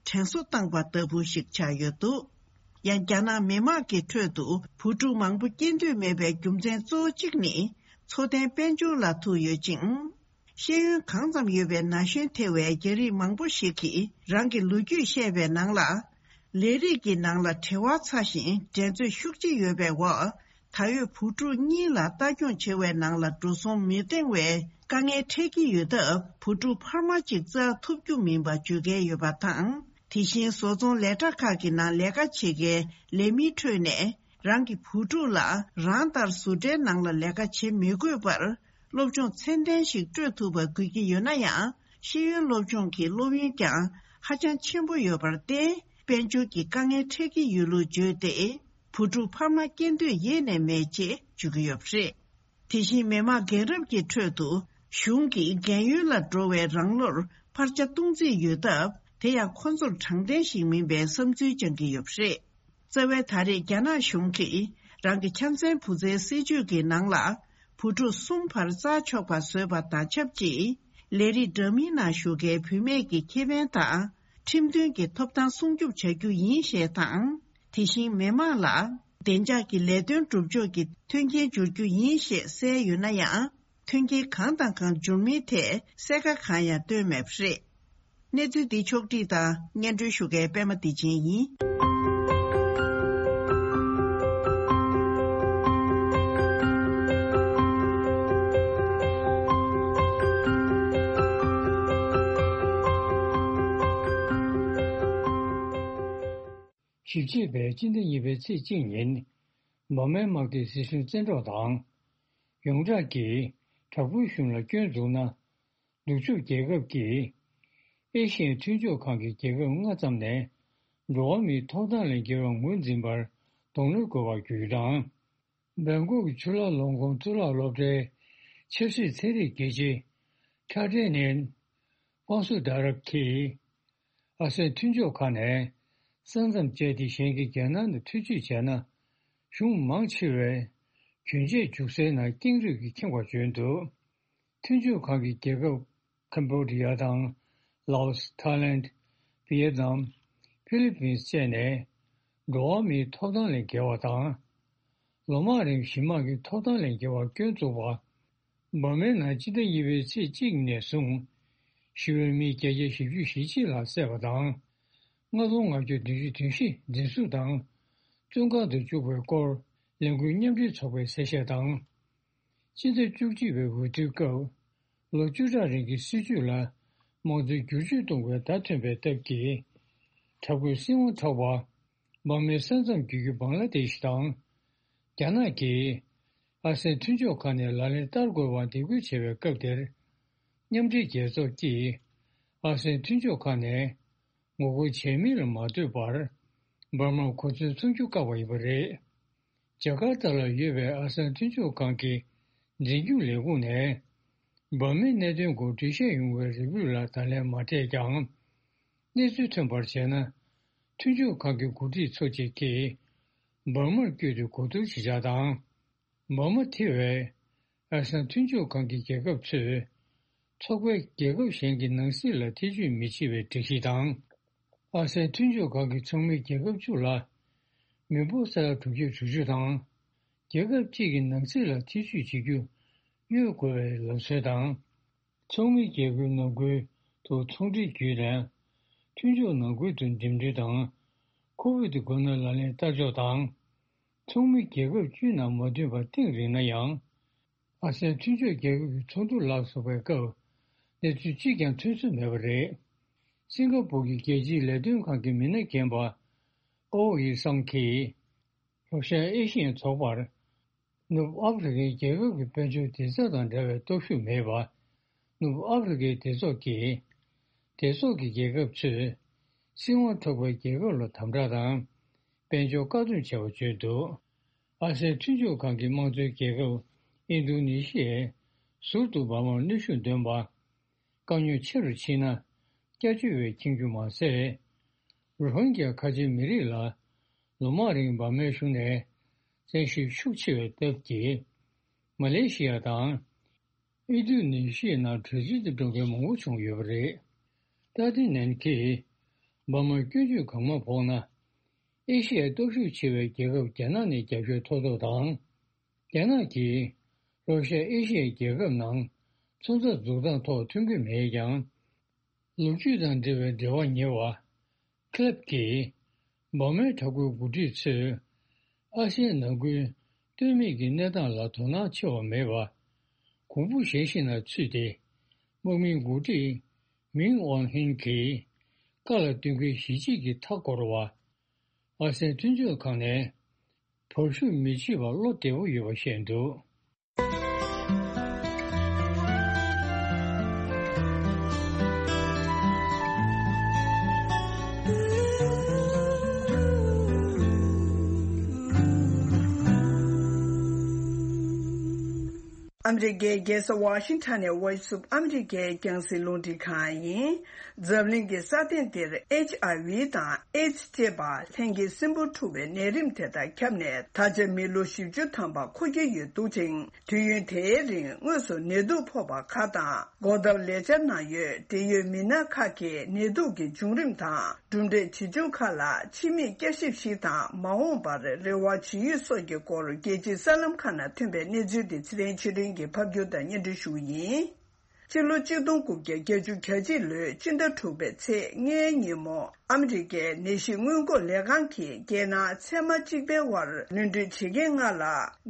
དྲན་གསོ་བཏང་པ་ལྟ་བུ་ཞིག་ཆགས་ཡོད་འདུག་ཡང་རྒྱ་ནག་མི་དམངས་ཀྱི་ཁྲོད་དུ་བུ་ཕྲུག་མང་པོ་སྐྱེ་འདོད་མེད་པའི་རྒྱུ་མཚན་གཙོ་བོ་གཅིག་ནི་འཚོ་རྟེན་དཔལ་འབྱོར་ལ་ཐུག་ཡོད་ཅིང་། ཤེས་ཡོན་གང་ཙམ་ཡོད་པའི་ན་གཞོན་ཐེ་བའི་རྒྱ་རིགས་མང་པོ་ཞིག་གིས་རང་གི་ལོ་རྒྱུས་བཤད་པའི་ནང་ལ། ལས་རིགས་ཀྱི་ནང་ལ་བྲེལ་བ་ཚ་ཞིང་འགྲན་རྩོད་ཤུགས་ཆེ་ཡོད་པའི་འོག་ད་ཡོད་བུ་ཕྲུག་གཉིས་ལ་ལྟ་སྐྱོང་བྱེད་པའི་ནང་ལ་འགྲོ་སོང་མི་འདང་བའི་དཀའ་ངལ་འཕྲད་ཀྱི་ཡོད་སྟབས། བུ་ཕྲུག་འཕར་མ་གཅིག་བཙའ་ཐུབ་རྒྱུ་མིན་པ་བརྗོད་མཁན་ཡོད་པ་དང་། དེ་བཞིན་བཟོ་ཚོང་ལས་གྲྭ་ཁག་གི་ནང་ལས་ཀ་བྱེད་མཁན་ལས་མིའི་ཁྲོད་ནས། རང་གི་བུ་ཕྲུག་ལ་རང་ལྟར་བཟོ་གྲྭའི་ནང་ལ་ལས་ཀ་བྱེད་མི་དགོས་པར། སློབ་སྦྱོང་ཚད་ལྡན་ཞིག་སྤྲོད་ཐུབ་པ་དགོས་ཀྱི་ཡོད་ན་ཡང་། ཤེས་ཡོན་སློབ་སྦྱོང་གི་སློབ་ཡོན་ཀྱང་ཧ་ཅང་ཆེན་པོ་ཡོད་པར་བརྟེན། དཔལ་འབྱོར་གྱི་དཀའ་ངལ་འཕྲད་ཀྱི་ཡོད་ལུགས་བརྗོད་དེ། བུ་ཕྲུག་འཕར་མ་སྐྱེ་འདོད་ཡེ་ནས་མེད་ཅེས་བརྗོད་ཀྱི་ཡོད་པ་རེད། དེ་བཞིན་མི་དམངས་རྒན་རབས་ཀྱི་ཁྲོད་དུ་གཞུང་གིས་རྒན་ཡོལ་ལ་འགྲོ་བའི་རང་ལོར་འཕར་ཆ་གཏོང་རྩིས་ཡོད་སྟབས། དེ་ཡང་ཁོ་ཚོར་དྲང་བདེན་ཞིག་མིན་པའི་བསམ་ཚུལ་བཅངས་ཀྱི་ཡོད་པ་རེད། རྩ་བའི་ད་རེས་རྒྱ་ནག་གཞུང་གིས་རང་གི་ཆ་མཚོན་བུ་བཙའི་སྲིད་ཇུས་ཀྱི་ནང་ལ་བུ་ཕྲུག་གསུམ་བར་བཙའ་ཆོག་པ་བཟོས་པ་དང་ཆབས་ཅིག་ལས་རིགས་འདྲ་མིན་ནང་ཞུགས་མཁན་བུད་མེད་ཀྱི་ཁེ་ཕན་དང་ཁྲིམས་མཐུན་གྱི་ཐོབ་ཐང་སྲུང་སྐྱོབ་བྱ་རྒྱུ་ཡིན་ཞེས་དང་། དེ་བཞིན་མི་དམངས་ལ་བདེ་འཇགས་ཀྱི་ལས་དོན་སྒྲུབ་ཕྱོགས་ཀྱི་མཐུན་རྐྱེན་སྦྱོར་རྒྱུ་ཡིན་ཞེས་གསལ་ཡོད་ན་ཡང་། མཐུན་རྐྱེན་གང་དང་གང་འབྱོར་མིན་ཐད་གསལ་ཁ་གང་ཡང་བཏོན་མེད་པ་རེད། གནས་ཚུལ་འདི་ཕྱོགས་བསྒྲིགས་དང་སྙན་སྒྲོན་ཞུ་མཁན་པད་མ་བདེ་ཆེན་ཡིན། ཞིབ་དཔྱད་པས་སྤྱི་ཟླ་གཉིས་པའི་ཚེས་གཅིག་ཉིན། འབར་མའི་དམག་སྡེའི་སྲིད་གཞུང་བཙན་འཕྲོག་དང་། ཡོངས་གྲགས་ཀྱིས་དྲག་པོའི་གཞུང་ལ་སྐྱོན་འཛུགས་ན། ནུབ་ཕྱོགས་རྒྱལ་ཁབ་ཀྱིས་ཨེ་ཤི་ཡའི་མཐུན་ཕྱོགས་ཁང་གི་རྒྱལ་ཁབ་ལྔ་ཙམ་ནས་འགྲོ་བ་མིའི་ཐོབ་ཐང་ལས་འགལ་བར་ངོས་འཛིན་པར་གདོང་ལེན་དགོས་པར་བརྒྱུད་དང་། སྦེང་ཀོག་གི་ཆུ་ལག་ལོང་ཀོང་གཙུག་ལག་སློབ་གྲྭའི་ཆབ་སྲིད་ཚན་རིག་དགེ་ཆེ་ཁྲ་ཏྲེ་ནན་ཀོང་སུ་ཌ་རབ་ཀྱིས། ཨ་སེ་མཐུན་ཕྱོགས་ཁག་ནས་ས་མཚམས་བཅད་དེ་གཞན་གྱི་རྒྱལ་ནང་དུ་ཐེ་བྱུས་བྱས་ན། གཞུང་མང་ཆེ་བས་གྱོན་ཆས་རྒྱུག་སའི་ནང་ཀེང་རུས་ཀྱིས་ཁེངས་པར་བརྗོད་འདུག་མཐུན་ཕྱོགས་ཁག་གི་རྒྱལ་ཁབ་ཁམ་བྷོ་ཌི་ཡ་དང་། ལའོ་སི། ཐའི་ལེན་ཌི། ཝི་ཡེད་ནམ། ཧྥི་ལི་པིན་སི་བཅས་ནས་འགྲོ་བ་མིའི་ཐོབ་ཐང་ལས་འགལ་བ་དང་། ལོ་མང་རིང་གཞིས་དམག་གི་ཐོབ་ཐང་ལས་འགལ་བར་སྐྱོན་བཙུགས་པ། འབར་མའི་ནང་སྤྱི་ཟླ་གཉིས་པའི་ཚེས་གཅིག་ནས་བཟུང་ཞི་བའི་མི་བརྒྱད་བརྒྱ་བཞི་བཅུ་ཞེ་གཅིག་ལྷག་བསད་པ་དང་། ལྔ་སྟོང་ལྔ་བརྒྱ་བདུན་ཅུ་དོན་བཞི་འཛིན་བཟུང་དང་བཙོན་ཁང་དུ་བཅུག་པའི་སྐོར་ལས་འགུལ་མཉམ་འབྲེལ་ཚོགས་པས་གསལ་བཤད་དང་། སྤྱི་ཟླ་བཅུ་གཅིག་པའི་འོས་བསྡུའི་སྐབས་ལོ་བཅུ་ཕྲག་རིང་གི་སྲིད་བྱུས་ལ་དམངས་གཙོའི་བསྒྱུར་བཅོས་གཏོང་བའི་བརྡ་ཐོན་པའི་སྟབས་ཀྱིས། དྲག་པོའི་སྲིད་དབང་འཕྲོག་པ། འབར་མའི་ས་མཚམས་བརྒྱུད་རྒྱུ་བང་ལ་དེ་ཤི་དང་། རྒྱ་ནག་གིས་ཨ་སེ་ཡན་མཐུན་ཕྱོགས་ཁག་ནས་ལག་ལེན་བསྟར་དགོས་པར་འདེད་སྐུལ་བྱས་པའི་སྐབས་དེར། མཉམ་འབྲེལ་རྒྱལ་ཚོགས་ཀྱིས་ཨ་སེ་ཡན་མཐུན་ཕྱོགས་ཁག་ནས་ངོ་རྒོལ་བྱས་མིན་ལ་མ་ལྟོས་པར། འབར་མར་གོ་མཚོན་མཚོན་རྒྱུ་བཀག་པ་ཡིན་པ་རེད། ཇ་ཀར་ཏ་ལ་ཡོད་པའི་ཨ་སེ་ཡན་མཐུན་ཕྱོགས་ཁང་གི་འཛིན་སྐྱོང་ལས་ཁུངས་ནས། འབར་མའི་གནད་དོན་སྐོར་འགྲེལ་བཤད་ཡོང་བའི་རེ་འབོད་ལ་ད་ལན་མ་སྤྲད་ཀྱང་། གནས་ཚུལ་ཐོན་པར་བྱས་ན། མཐུན་ཕྱོགས་ཁང་གི་འགོ་ཁྲིད་ཚོ་གཅིག་གིས་འབར་མར་བསྐྱོད་དེ་གོ་བསྡུར་བྱེད་འཆར་དང་། འབར་མ་ཐེ་བའི་ཨ་སེ་ཡན་མཐུན་ཕྱོགས་ཁང་གི་རྒྱལ་ཁབ་ཚོས་ཚོགས་པའི་རྒྱལ་ཁབ་གཞན་གྱི་ནང་སྲིད་ལ་ཐེ་བྱུས་མི་བྱེད་པའི་སྒྲིག་གཞི་དང་། ཨ་སེ་ཡན་མཐུན་ཕྱོགས་ཁང་གི་ཚོགས་མི་རྒྱལ་ཁབ་བཅུ་ལ་མི་འབོར་ས་ཡ་དྲུག་བརྒྱ་དྲུག་ཅུ་དང་། རྒྱལ་ཁབ་གཅིག་གི་ནང་སྲིད་ལ་ཐེ་བྱུས་བྱེད་རྒྱུ་གཡོལ་དགོས་པའི་ལམ་སྲོལ་དང་། ཚོགས་མི་རྒྱལ་ཁབ་ནང་ཁུལ་དུ་ཚོང་འབྲེལ་བརྒྱུད་ནས་མཐུན་ཕྱོགས་ནང་ཁུལ་དུ་འགྲིམ་འགྲུལ་དང་། ཁོ་བིད་དགོས་ན་ལག་ལེན་བསྟར་ཕྱོགས་དང་། ཚོགས་མི་རྒྱལ་ཁབ་བཅུའི་ནང་མ་ཐོན་པ་གཏིང་རིང་ན་ཡང་། ཨ་སེ་ཡན་མཐུན་ཕྱོགས་རྒྱལ་ཁབ་ཀྱི་ཚོགས་འདུ་ལ་སོགས་པའི་སྐབས་གནས་ཚུལ་གཅིག་ཀྱང་ཐོན་ས་མེད་པ་རེད། སིང་ག་པུར་གྱི་རྒྱལ་སྤྱིའི་ལས་དོན་ཁང་གི་མི་སྣ་རྒན་པ་ཨོ་ཡི་སང་གིས། ལྷོ་ཤར་ཨེ་ཤི་ཡའི་ཚོགས་པར་ནུབ་ཨ་ཧྥེ་རི་ཁའི་རྒྱལ་ཁབ་ཀྱི་དཔལ་འབྱོར་བདེ་རྩ་དང་འབྲེལ་བའི་སྟོབས་ཤུགས་མེད་པ། ནུབ་ཨ་ཧྥེ་རི་ཁའི་སྡེ་ཚོགས་ཀྱིས། སྡེ་ཚོགས་ཀྱི་རྒྱལ་ཁབ་ཚོས་སྲིད་དབང་འཕྲོག་པའི་རྒྱལ་ཁབ་ལ་དམ་དྲག་དང་དཔལ་འབྱོར་བཀག་སྡོམ་བྱས་པ་བརྗོད་འདུག་ཨ་སེ་ཡན་མཐུན་ཕྱོགས་ཁང་གི་དམངས་གཙོའི་རྒྱལ་ཁབ་ཨིན་རྡུ་ནི་ཤི་ཡས་ཟུར་དུ་འབར་མར་གནོན་ཤུགས་འདོན་པ། དཀའ་རྙོག་ཆེ་རུ་ཕྱིན་ན་སྐྱབས་བཅོལ་བས་ཁེངས་རྒྱུ་མ་ཟད། རོ་ཧིན་གྱི་ཁ་ཆེའི་མི་རིགས་ལ་ལོ་མང་རིང་འབར་མའི་གཞུང་ནས་བཙན་ཤུགས་ཤུགས་ཆེ་བའི་སྟབས་ཀྱིས། མ་ལེ་ཤི་ཡ་དང་། ཨིན་རྡུ་ནི་ཤི་ཡའི་ནང་བྲོས་བྱོལ་དུ་འགྲོ་མཁན་མང་པོ་བྱུང་ཡོད་པ་རེད། ཏཱ་ཏི་ནན་གྱིས་འབར་མར་སྐྱོན་བརྗོད་གང་མང་ཕོག་ན། ཨེ་ཤི་ཡའི་སྟོབས་ཤུགས་ཆེ་བའི་རྒྱལ་ཁབ་རྒྱ་ནག་ནས་རྒྱབ་སྐྱོར་ཐོབ་ཐབས་དང་། རྒྱ་ནག་གིས་ལྷོ་ཤར་ཨེ་ཤི་ཡའི་རྒྱལ་ཁབ་ནང་ཚོང་རྩ་འཛུགས་སྟངས་ཐོག་མཐུན་འགྱུར་མེད་ཀྱང་། ལོ་རྒྱུས་དང་འབྲེལ་བའི་འབྲེལ་བ་ཉེ་བ། ཁི་ལེབ་ཀྱིས། འབར་མའི་དྲག་པོའི་འགོ་ཁྲིད་ཚོས། ཨ་སེ་ཡའི་ནང་ཁུལ་ལྟོས་མེད་ཀྱི་གནས་སྟངས་ལ་དོ་སྣང་ཆེ་བ་མེད་པ། གོང་བུ་གཞན་ཞིག་ནང་ཚུད་དེ། དམག་མིའི་འགོ་ཁྲིད་མིང་ཨོན་ཧིན་གྱིས། བཀའ་ལ་བསྟུན་མཁན་གཞིས་བྱེས་ཀྱི་མཐའ་བསྐོར་བ། ཨ་སེ་ཡའི་མཐུན་ཕྱོགས་ཁང་ནས། བབ་ཤུགས་མི་བྱེད་པར་བློ་བདེ་པོ་ཡོད་པ་བཤད་འདུག་ཨ་མི་རི་ཀའི་རྒྱལ་ས་ཝ་ཤིང་ཊོན་ནས་ཝོ་ཡིས་ཨོཕ་ཨ་མི་རི་ཀའི་རྒྱང་སྲིང་རླུང་འཕྲིན་ཁང་ཡིན། འཛམ་གླིང་གི་ས་སྟེང་འདིར་ཨེཆ་ཨའི་ཝི་དང་ཨེ་ཛི་ཅེས་པ་ལྷན་སྐྱེས་སྲིན་འབུ་འཁྲུགས་པའི་ནད་རིམས་དེ་དག་ཁྱབ་ནས་ད་ཆ་མི་ལོ་བཞི་བཅུ་ཐམ་པ་འཁོར་གྱི་ཡོད་འདུག་ཅིང་། དུས་ཡུན་དེའི་རིང་དངོས་སུ་ནད་དུག་ཕོག་པ་ཁག་དང་སྒོ་བརྡར་ལས་འཆར་གནང་ཡོད། འབྲེལ་ཡོད་མི་སྣ་ཁག་གིས་ནད་དུག་གི་བྱུང་རིམ་དང་གྲུབ་འབྲས་ཇི་བྱུང་ཁག་ལ་ཕྱི་མིག་བསྐྱར་ཞིབ་ཞིག་དང་མ་འོངས་པར་རེ་བ་ཇི་ཡོད་སོགས་ཀྱི་སྐོར་རྒྱལ་སྤྱིའི་གསར་ལམ་ཁག་ནང་ཐོན་པའི་གནས་ཚུལ་དེ་ཚེ་རིང་ཆོས་སྒྲོན་གྱིས་ཕབ་སྒྱུར་དང་སྙན་སྒྲོན་ཞུ་བ་ཡིན། ཕྱི་ལོ་གཅིག་སྟོང་དགུ་བརྒྱ་བརྒྱད་ཅུ་གྱ་གཅིག་ལོའི་སྤྱི་ཟླ་དྲུག་པའི་ཚེས་ལྔའི་ཉིན་མོ། ཨ་མི་རི་ཀའི་ནད་གཞི་སྔོན་འགོག་ལས་ཁང་གིས་རྒྱལ་ནང་ཚད་མ་གཅིག་པའི་དབར་ནོར་འཁྲུལ་བྱེད་མཁན་ལྔ་ལ་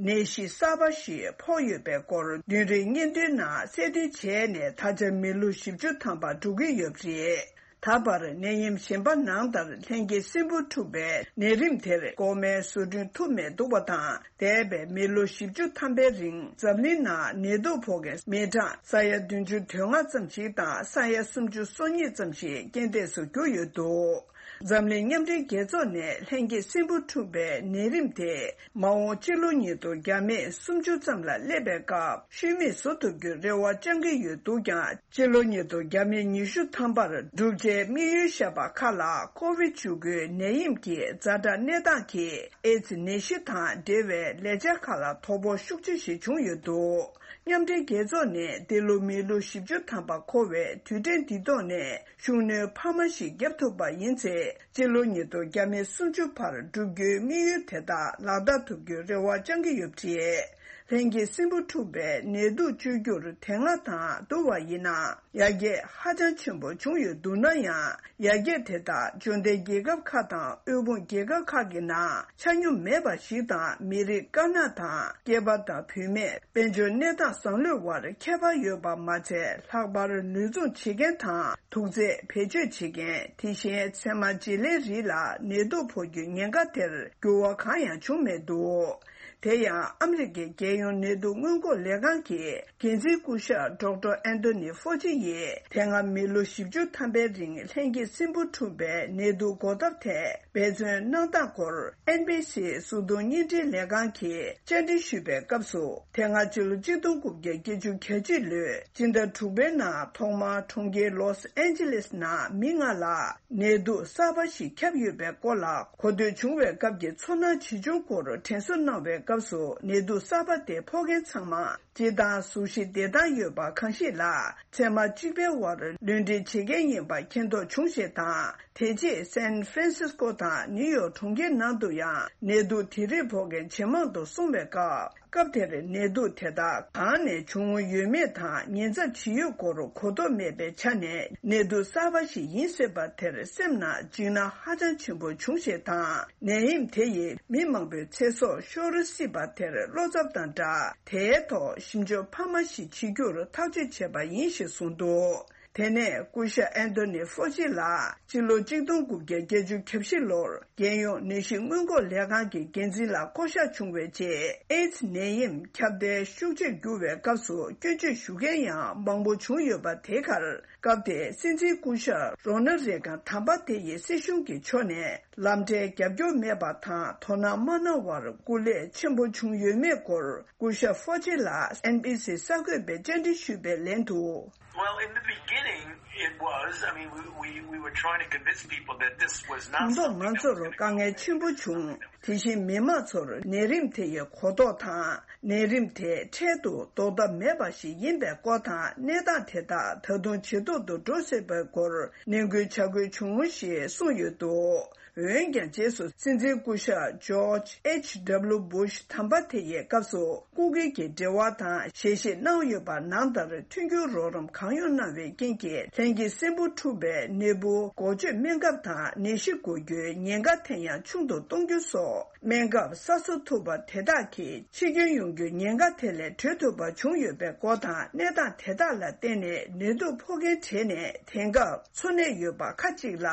ནད་གཞི་གསར་པ་ཞིག་ཕོག་ཡོད་པའི་སྐོར་བདུན་རེའི་སྙན་ཐོའི་ནང་གསལ་སྟོན་བྱས་ནས་ད་ཆ་མི་ལོ་བཞི་བཅུ་ཐམ་པ་འགྲོ་གི་ཡོད་པ་རེད། ད་བར་ནད་ཡམས་གཞན་པ་ནང་ལྟར་ལྷན་སྐྱེས་སྲིན་འབུ་འཁྲུགས་པའི་ནད་རིམས་དེར་ལྐོག་མའི་བཟོ་སྐྲུན་ཐུབ་མེད་འདུག་པ་དང་། འདས་པའི་མི་ལོ་བཞི་བཅུ་ཐམ་པའི་རིང་འཛམ་གླིང་ནང་ནད་དུག་ཕོག་མཁན་མི་གྲངས་ས་ཡ་བདུན་ཅུ་དོན་ལྔ་ཙམ་ཞིག་དང་ས་ཡ་སུམ་ཅུ་སོ་གཉིས་ཙམ་ཞིག་རྐྱེན་འདས་སུ་གྱུར་ཡོད་འདུག་འཛམ་གླིང་མཉམ་འབྲེལ་རྒྱལ་ཚོགས་ནས་ལྷན་སྐྱེས་སྲིན་འབུ་འཁྲུགས་པའི་ནད་རིམས་དེ་མ་འོངས་སྤྱི་ལོ་ཉིས་སྟོང་བརྒྱ་མེད་སུམ་ཅུ་ཙམ་ལ་སླེབས་པའི་སྐབས་ཤུལ་མེད་བཟོ་ཐུབ་རྒྱུའི་རེ་བ་བཅང་གི་ཡོད་འདུག་ཀྱང་། སྤྱི་ལོ་ཉིས་སྟོང་བརྒྱ་མེད་ཉི་ཤུ་ཐམ་པར་འགྲུབ་ཆེད་དམིགས་ཡུལ་བཞག་པ་ཁག་ལ་ཀོ་བིད་བཅུ་དགུའི་ནད་ཡམས་ཀྱི་ཛ་དྲག་གནས་སྟངས་ཀྱིས་ཨེ་ཙི་ནད་གཞི་དང་འབྲེལ་བའི་ལས་འཆར་ཁག་ལ་དོ་ཕོག་ཤུགས་ཆེ་ཞིག་བྱུང་ཡོད་འདུག་མཉམ་འབྲེལ་རྒྱལ་ཚོགས་ནས་འདི་ལོ་མི་ལོ་བཞི་བཅུ་ཐམ་པ་འཁོར་བའི་དུས་དྲན་འདི་ཐོག་ནས་ཤུགས་སྣོན་འཕར་མ་ཞིག་བརྒྱབ་ཐུབ་པ་ཡིན་ཚེ། སྤྱི་ལོ་ཉིས་སྟོང་ཉེར་གསུམ་བར་བསྒྲུབ་རྒྱུའི་དམིགས་ཡུལ་དེ་དག་ལག་བསྟར་ཐུབ་རྒྱུའི་རེ་བ་བཅང་གི་ཡོད་པ་རེད། ལྷན་སྐྱེས་སྲིན་འབུ་འཁྲུགས་པའི་ནད་དུག་བཅོས་བསྒྱུར་དེ་སྔ་དང་བསྡུར་བ་ཡིན་ན། ཡར་རྒྱས་ཧ་ཅང་ཆེན་པོ་བྱུང་ཡོད་འདུག་ན་ཡང་། ཡར་རྒྱས་དེ་དག་འབྱོར་ལྡན་རྒྱལ་ཁབ་ཁག་དང་དབུལ་ཕོངས་རྒྱལ་ཁབ་ཁག་གི་ནང་ཆ་སྙོམས་མེད་པ་ཞིག་དང་། མི་རིགས་དཀར་ནག་དང་སྐྱེས་པ་དང་བུད་མེད། དཔལ་འབྱོར་གནས་སྟངས་བཟང་ལོས་དབར་ཁྱད་པར་ཡོད་པ་མ་ཚད། ལྷག་པར་ནུས་འཛོམས་བྱེད་མཁན་དང་དུག་རྫས་བེད་སྤྱོད་བྱེད་མཁན། དེ་བཞིན་ཚད་མ་བརྗེ་ལེན་རིགས་ལ་ནད་དུག་ཕོག་རྒྱུའི་ཉེན་ཁ་དེར་འགྱུར་བ་གང་ཡང་བྱུང་མེད་འདུག་དེ་ཡང་ཨ་མི་རི་ཀའི་རྒྱལ་ཡོངས་ནད་དུག་སྔོན་འགོག་ལས་ཁང་གི་འགན་འཛིན་སྐུ་ཞབས་ཌོག་ཊར་ཨན་ཐོ་ནི་ཧྥོ་ཅི་ཡིས། དེ་སྔ་མི་ལོ་བཞི་བཅུ་ཐམ་པའི་རིང་ལྷན་སྐྱེས་སྲིན་འབུ་འཁྲུགས་པའི་ནད་དུག་འགོག་ཐབས་ཐད་འབད་བརྩོན་གནང་སྟངས་སྐོར། ཨེན་བྷི་སི་གཟུགས་མཐོང་བརྙན་འཕྲིན་ལས་ཁང་གིས་བཅར་འདྲི་ཞུས་པའི་སྐབས་སུ། དེ་སྔ་ཕྱི་ལོ་གཅིག་སྟོང་དགུ་བརྒྱ་བརྒྱད་ཅུ་གྱ་གཅིག་ལོའི་སྤྱི་ཟླ་དྲུག་པའི་ནང་ཐོག་མར་གྲོང་ཁྱེར་ལོས་ཨན་ཇི་ལེས་ནང་མི་ལྔ་ལ་ནད་དུག་གསར་པ་ཞིག་ཁྱབ་ཡོད་པའི་སྐོར་ལ་གོ་ཐོས་བྱུང་བའི་སྐབས་ཀྱི་ཚོར་སྣང་ཇི་བྱུང་སྐོར་དྲན་གསོ་གནང་བའི་སྐབས་སུ། ནད་དུག་གསར་པ་དེ་ཕོག་མཁན་ཚང་མ་སྤྱིར་བཏང་གཟུགས་གཞི་བདེ་ཐང་ཡོད་པ་གང་ཞིག་ལ་ཚད་མ་གཅིག་པའི་དབར་ལུས་འབྲེལ་བྱེད་མཁན་ཡིན་པ་མཁྱེན་རྟོགས་བྱུང་ཞེས་དང་། དེ་རྗེས་སན་ཧྥ་རན་སིས་ཀོ་དང་ནིའུ་ཡོག་གྲོང་ཁྱེར་ནང་དུ་ཡང་ནད་དུག་དེ་རིགས་ཕོག་མཁན་ཇེ་མང་དུ་སོང་བའི་སྐབས། སྐབས་དེར་ནད་དུག་དེ་དག་གང་ནས་བྱུང་ཡོད་མེད་དང་ཉེན་ཚབས་ཇི་ཡོད་སྐོར་གོ་རྟོགས་མེད་པའི་ཆ་ནས། ནད་དུག་གསར་པ་ཞིག་ཡིན་སྲིད་པ་དེར་སེམས་ནང་འཇིགས་སྣང་ཧ་ཅང་ཆེན་པོ་བྱུང་ཞེས་དང་། ནད་ཡམས་དེ་ཡིས་མི་མང་པོའི་ཚེ་སྲོག་ཤོར་སྲིད་པ་དེར་བློ་འཚབ་དང་སྦྲགས། དེའི་ཐོག་ཞིབ་འཇུག་འཕར་མ་ཞིག་བྱེད་རྒྱུར་ཐག་གཅོད་བྱས་པ་ཡིན་ཞེས་གསུངས་འདུག་དེ་ནས་སྐུ་ཞབས་ཨན་ཐོ་ནི་ཧྥོ་ཅི་ལགས་སྤྱི་ལོ་གཅིག་སྟོང་དགུ་བརྒྱ་བརྒྱད་ཅུ་གྱ་བཞི་ལོར་རྒྱལ་ཡོངས་ནད་གཞི་སྔོན་འགོག་ལས་ཁང་གི་འགན་འཛིན་ལ་བསྐོ་གཞག་བྱུང་བའི་རྗེས། ཨེ་ཛི་ནད་ཡམས་ཁྱབ་གདལ་ཤུགས་ཆེར་གྱུར་བའི་སྐབས་སུ་སྐྱོན་བརྗོད་ཞུ་མཁན་ཡང་མང་པོ་བྱུང་ཡོད་པ་དེ་ཁར། སྐབས་དེའི་སྲིད་འཛིན་སྐུ་ཞབས་རོ་ན་རེ་གན་དམ་པ་དེ་ཡི་སྲིད་གཞུང་གི་ཕྱོགས་ནས་ལམ་འབྲས་རྒྱབ་སྐྱོར་མེད་པ་དང་དོ་སྣང་མ་གནང་བར་སྐུ་ལས་ཆེན་པོ་བྱུང་ཡོད་མེད་སྐོར་སྐུ་ཞབས་ཧྥོ་ཅི་ལགས་ཨེན་བྷི་སི་གསར་འགོད་པའི་བཅར་འདྲི་ཞུས་པའི་ལན་དུ། Well, in the beginning, it was. I mean, we, we, we were trying to convince people that this was not དང་ཐོག་ང་ཚོར་དཀའ་ངལ་ཆེན་པོ་བྱུང་། དེ་བཞིན་མི་མང་ཚོར་ནད་རིམས་དེ་ཡི་གོ་རྟོགས་དང་། ནད་རིམས་དེ་འཕྲལ་དུ་ཟློག་ཐབས་མེད་པ་ཞིག་ཡིན་པའི་སྐོར་དང་། གནས་སྟངས་དེ་དག་ད་དུང་ཇེ་སྡུག་ཏུ་འགྲོ་སྲིད་པའི་སྐོར་ནན་སྐུལ་བྱ་དགོས་བྱུང་ཞེས་གསུངས་ཡོད་འདུག་འོན་ཀྱང་། རྗེས་སུ་སྲིད་འཛིན་སྐུ་ཞབས་ཇོརྗ་ཨེཆ་ཌབ་ལུ་སྦུ་ཤ་དམ་པ་དེ་ཡི་སྐབས་སུ་སྐུ་སྒེར་གྱི་འབྲེལ་བ་དང་ཞལ་བཞེས་གནང་ཡོད་པ་ནང་ལྟར་མཐུན་འགྱུར་རོགས་རམ་གང་ཡོང་གནང་བའི་རྐྱེན་གྱིས། ལྷན་སྐྱེས་སྲིན་འབུ་འཁྲུགས་པའི་ནད་འབུ་འགོག་བཅོས་སྨན་ཁབ་དང་ནད་གཞི་འགོ་རྒྱུའི་ཉེན་ཁ་དེ་ཡང་ཆུང་དུ་གཏོང་རྒྱུ་སོགས། སྨན་ཁབ་གསར་བཟོ་ཐུབ་པ་དེ་དག་གིས་འཆི་སྐྱོན་ཡོང་རྒྱུའི་ཉེན་ཁ་དེ་ལས་གྲོལ་ཐུབ་པ་བྱུང་ཡོད་པའི་སྐོར་དང་། གནས་སྟངས་དེ་དག་ལ་བརྟེན་ནས་ནད་དུག་ཕོག་མཁན་གྲས་ནས་དེང་སྐབས་འཚོ་གནས་ཡོད་པ་ཁག་ཅིག་ལ།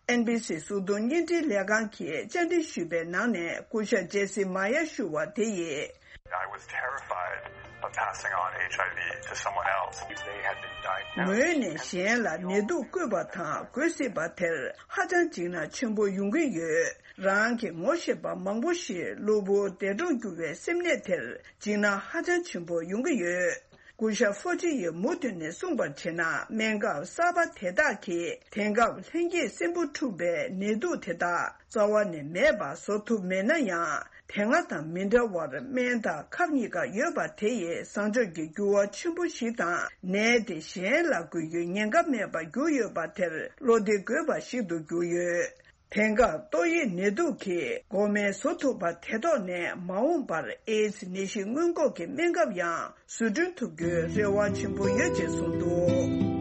ཨེན་བྷི་སི་གཟུགས་མཐོང་བརྙན་འཕྲིན་ལས་ཁང་གིས་བཅར་འདྲི་ཞུས་པའི་ནང་ནས་སྐུ་ཞབས་ཇེ་སི་མ་ཡ་ཞུ་བ་དེ་ཡིས། I was terrified of passing on H I V to someone else. They had been diagnosed. ངོས་ནས་གཞན་ལ་ནད་དུག་བསྐུས་པ་དང་འགོས་སྲིད་པ་དེར་ཧ་ཅང་འཇིགས་སྣང་ཆེན་པོ་ཡོང་གི་ཡོད། རང་གི་ངོ་ཤེས་པ་མང་པོ་ཞིག་གློ་བུར་འདས་གྲོངས་གྱུར་བའི་སེམས་ནད་དེར་འཇིགས་སྣང་ཧ་ཅང་ཆེན་པོ་ཡོང་གི་ཡོད། སྐུ་ཞབས་ཧྥོ་ཅི་ཡིས་མུ་མཐུད་ནས་གསུངས་པར་བྱས་ན། སྨན་ཁབ་གསར་པ་དེ་དག་གིས་དེང་སྐབས་ལྷན་སྐྱེས་སྲིན་འབུ་འཁྲུགས་པའི་ནད་དུག་དེ་དག་རྩ་བ་ནས་མེད་པ་བཟོ་ཐུབ་མེད་ན་ཡང་། དེ་སྔ་དང་མི་འདྲ་བར་སྨན་དང་ཁབ་གཉིས་ཀ་ཡོད་པ་དེ་ཡིས་བཟང་ཕྱོགས་ཀྱི་འགྱུར་བ་ཆེན་པོ་ཞིག་དང་། ནད་དེ་གཞན་ལ་འགོས་རྒྱུའི་ཉེན་ཁ་མེད་པར་གྱུར་ཡོད་པ་དེར་བློ་བདེ་དགོས་པ་ཞིག་ཏུ་གྱུར་ཡོད། དེང་སྐབས་ཏོག་དབྱིབས་ནད་དུག་གི་འགོག་སྨན་བཟོ་ཐུབ་པ་དེ་ཐོག་ནས། མ་འོངས་པར་ཨེ་ཛི་ནད་གཞི་སྔོན་འགོག་གི་སྨན་ཁབ་ཡང་བཟོ་སྐྲུན་ཐུབ་རྒྱུའི་རེ་བ་ཆེན་པོ་ཡོད་ཅེས་གསུངས་འདུག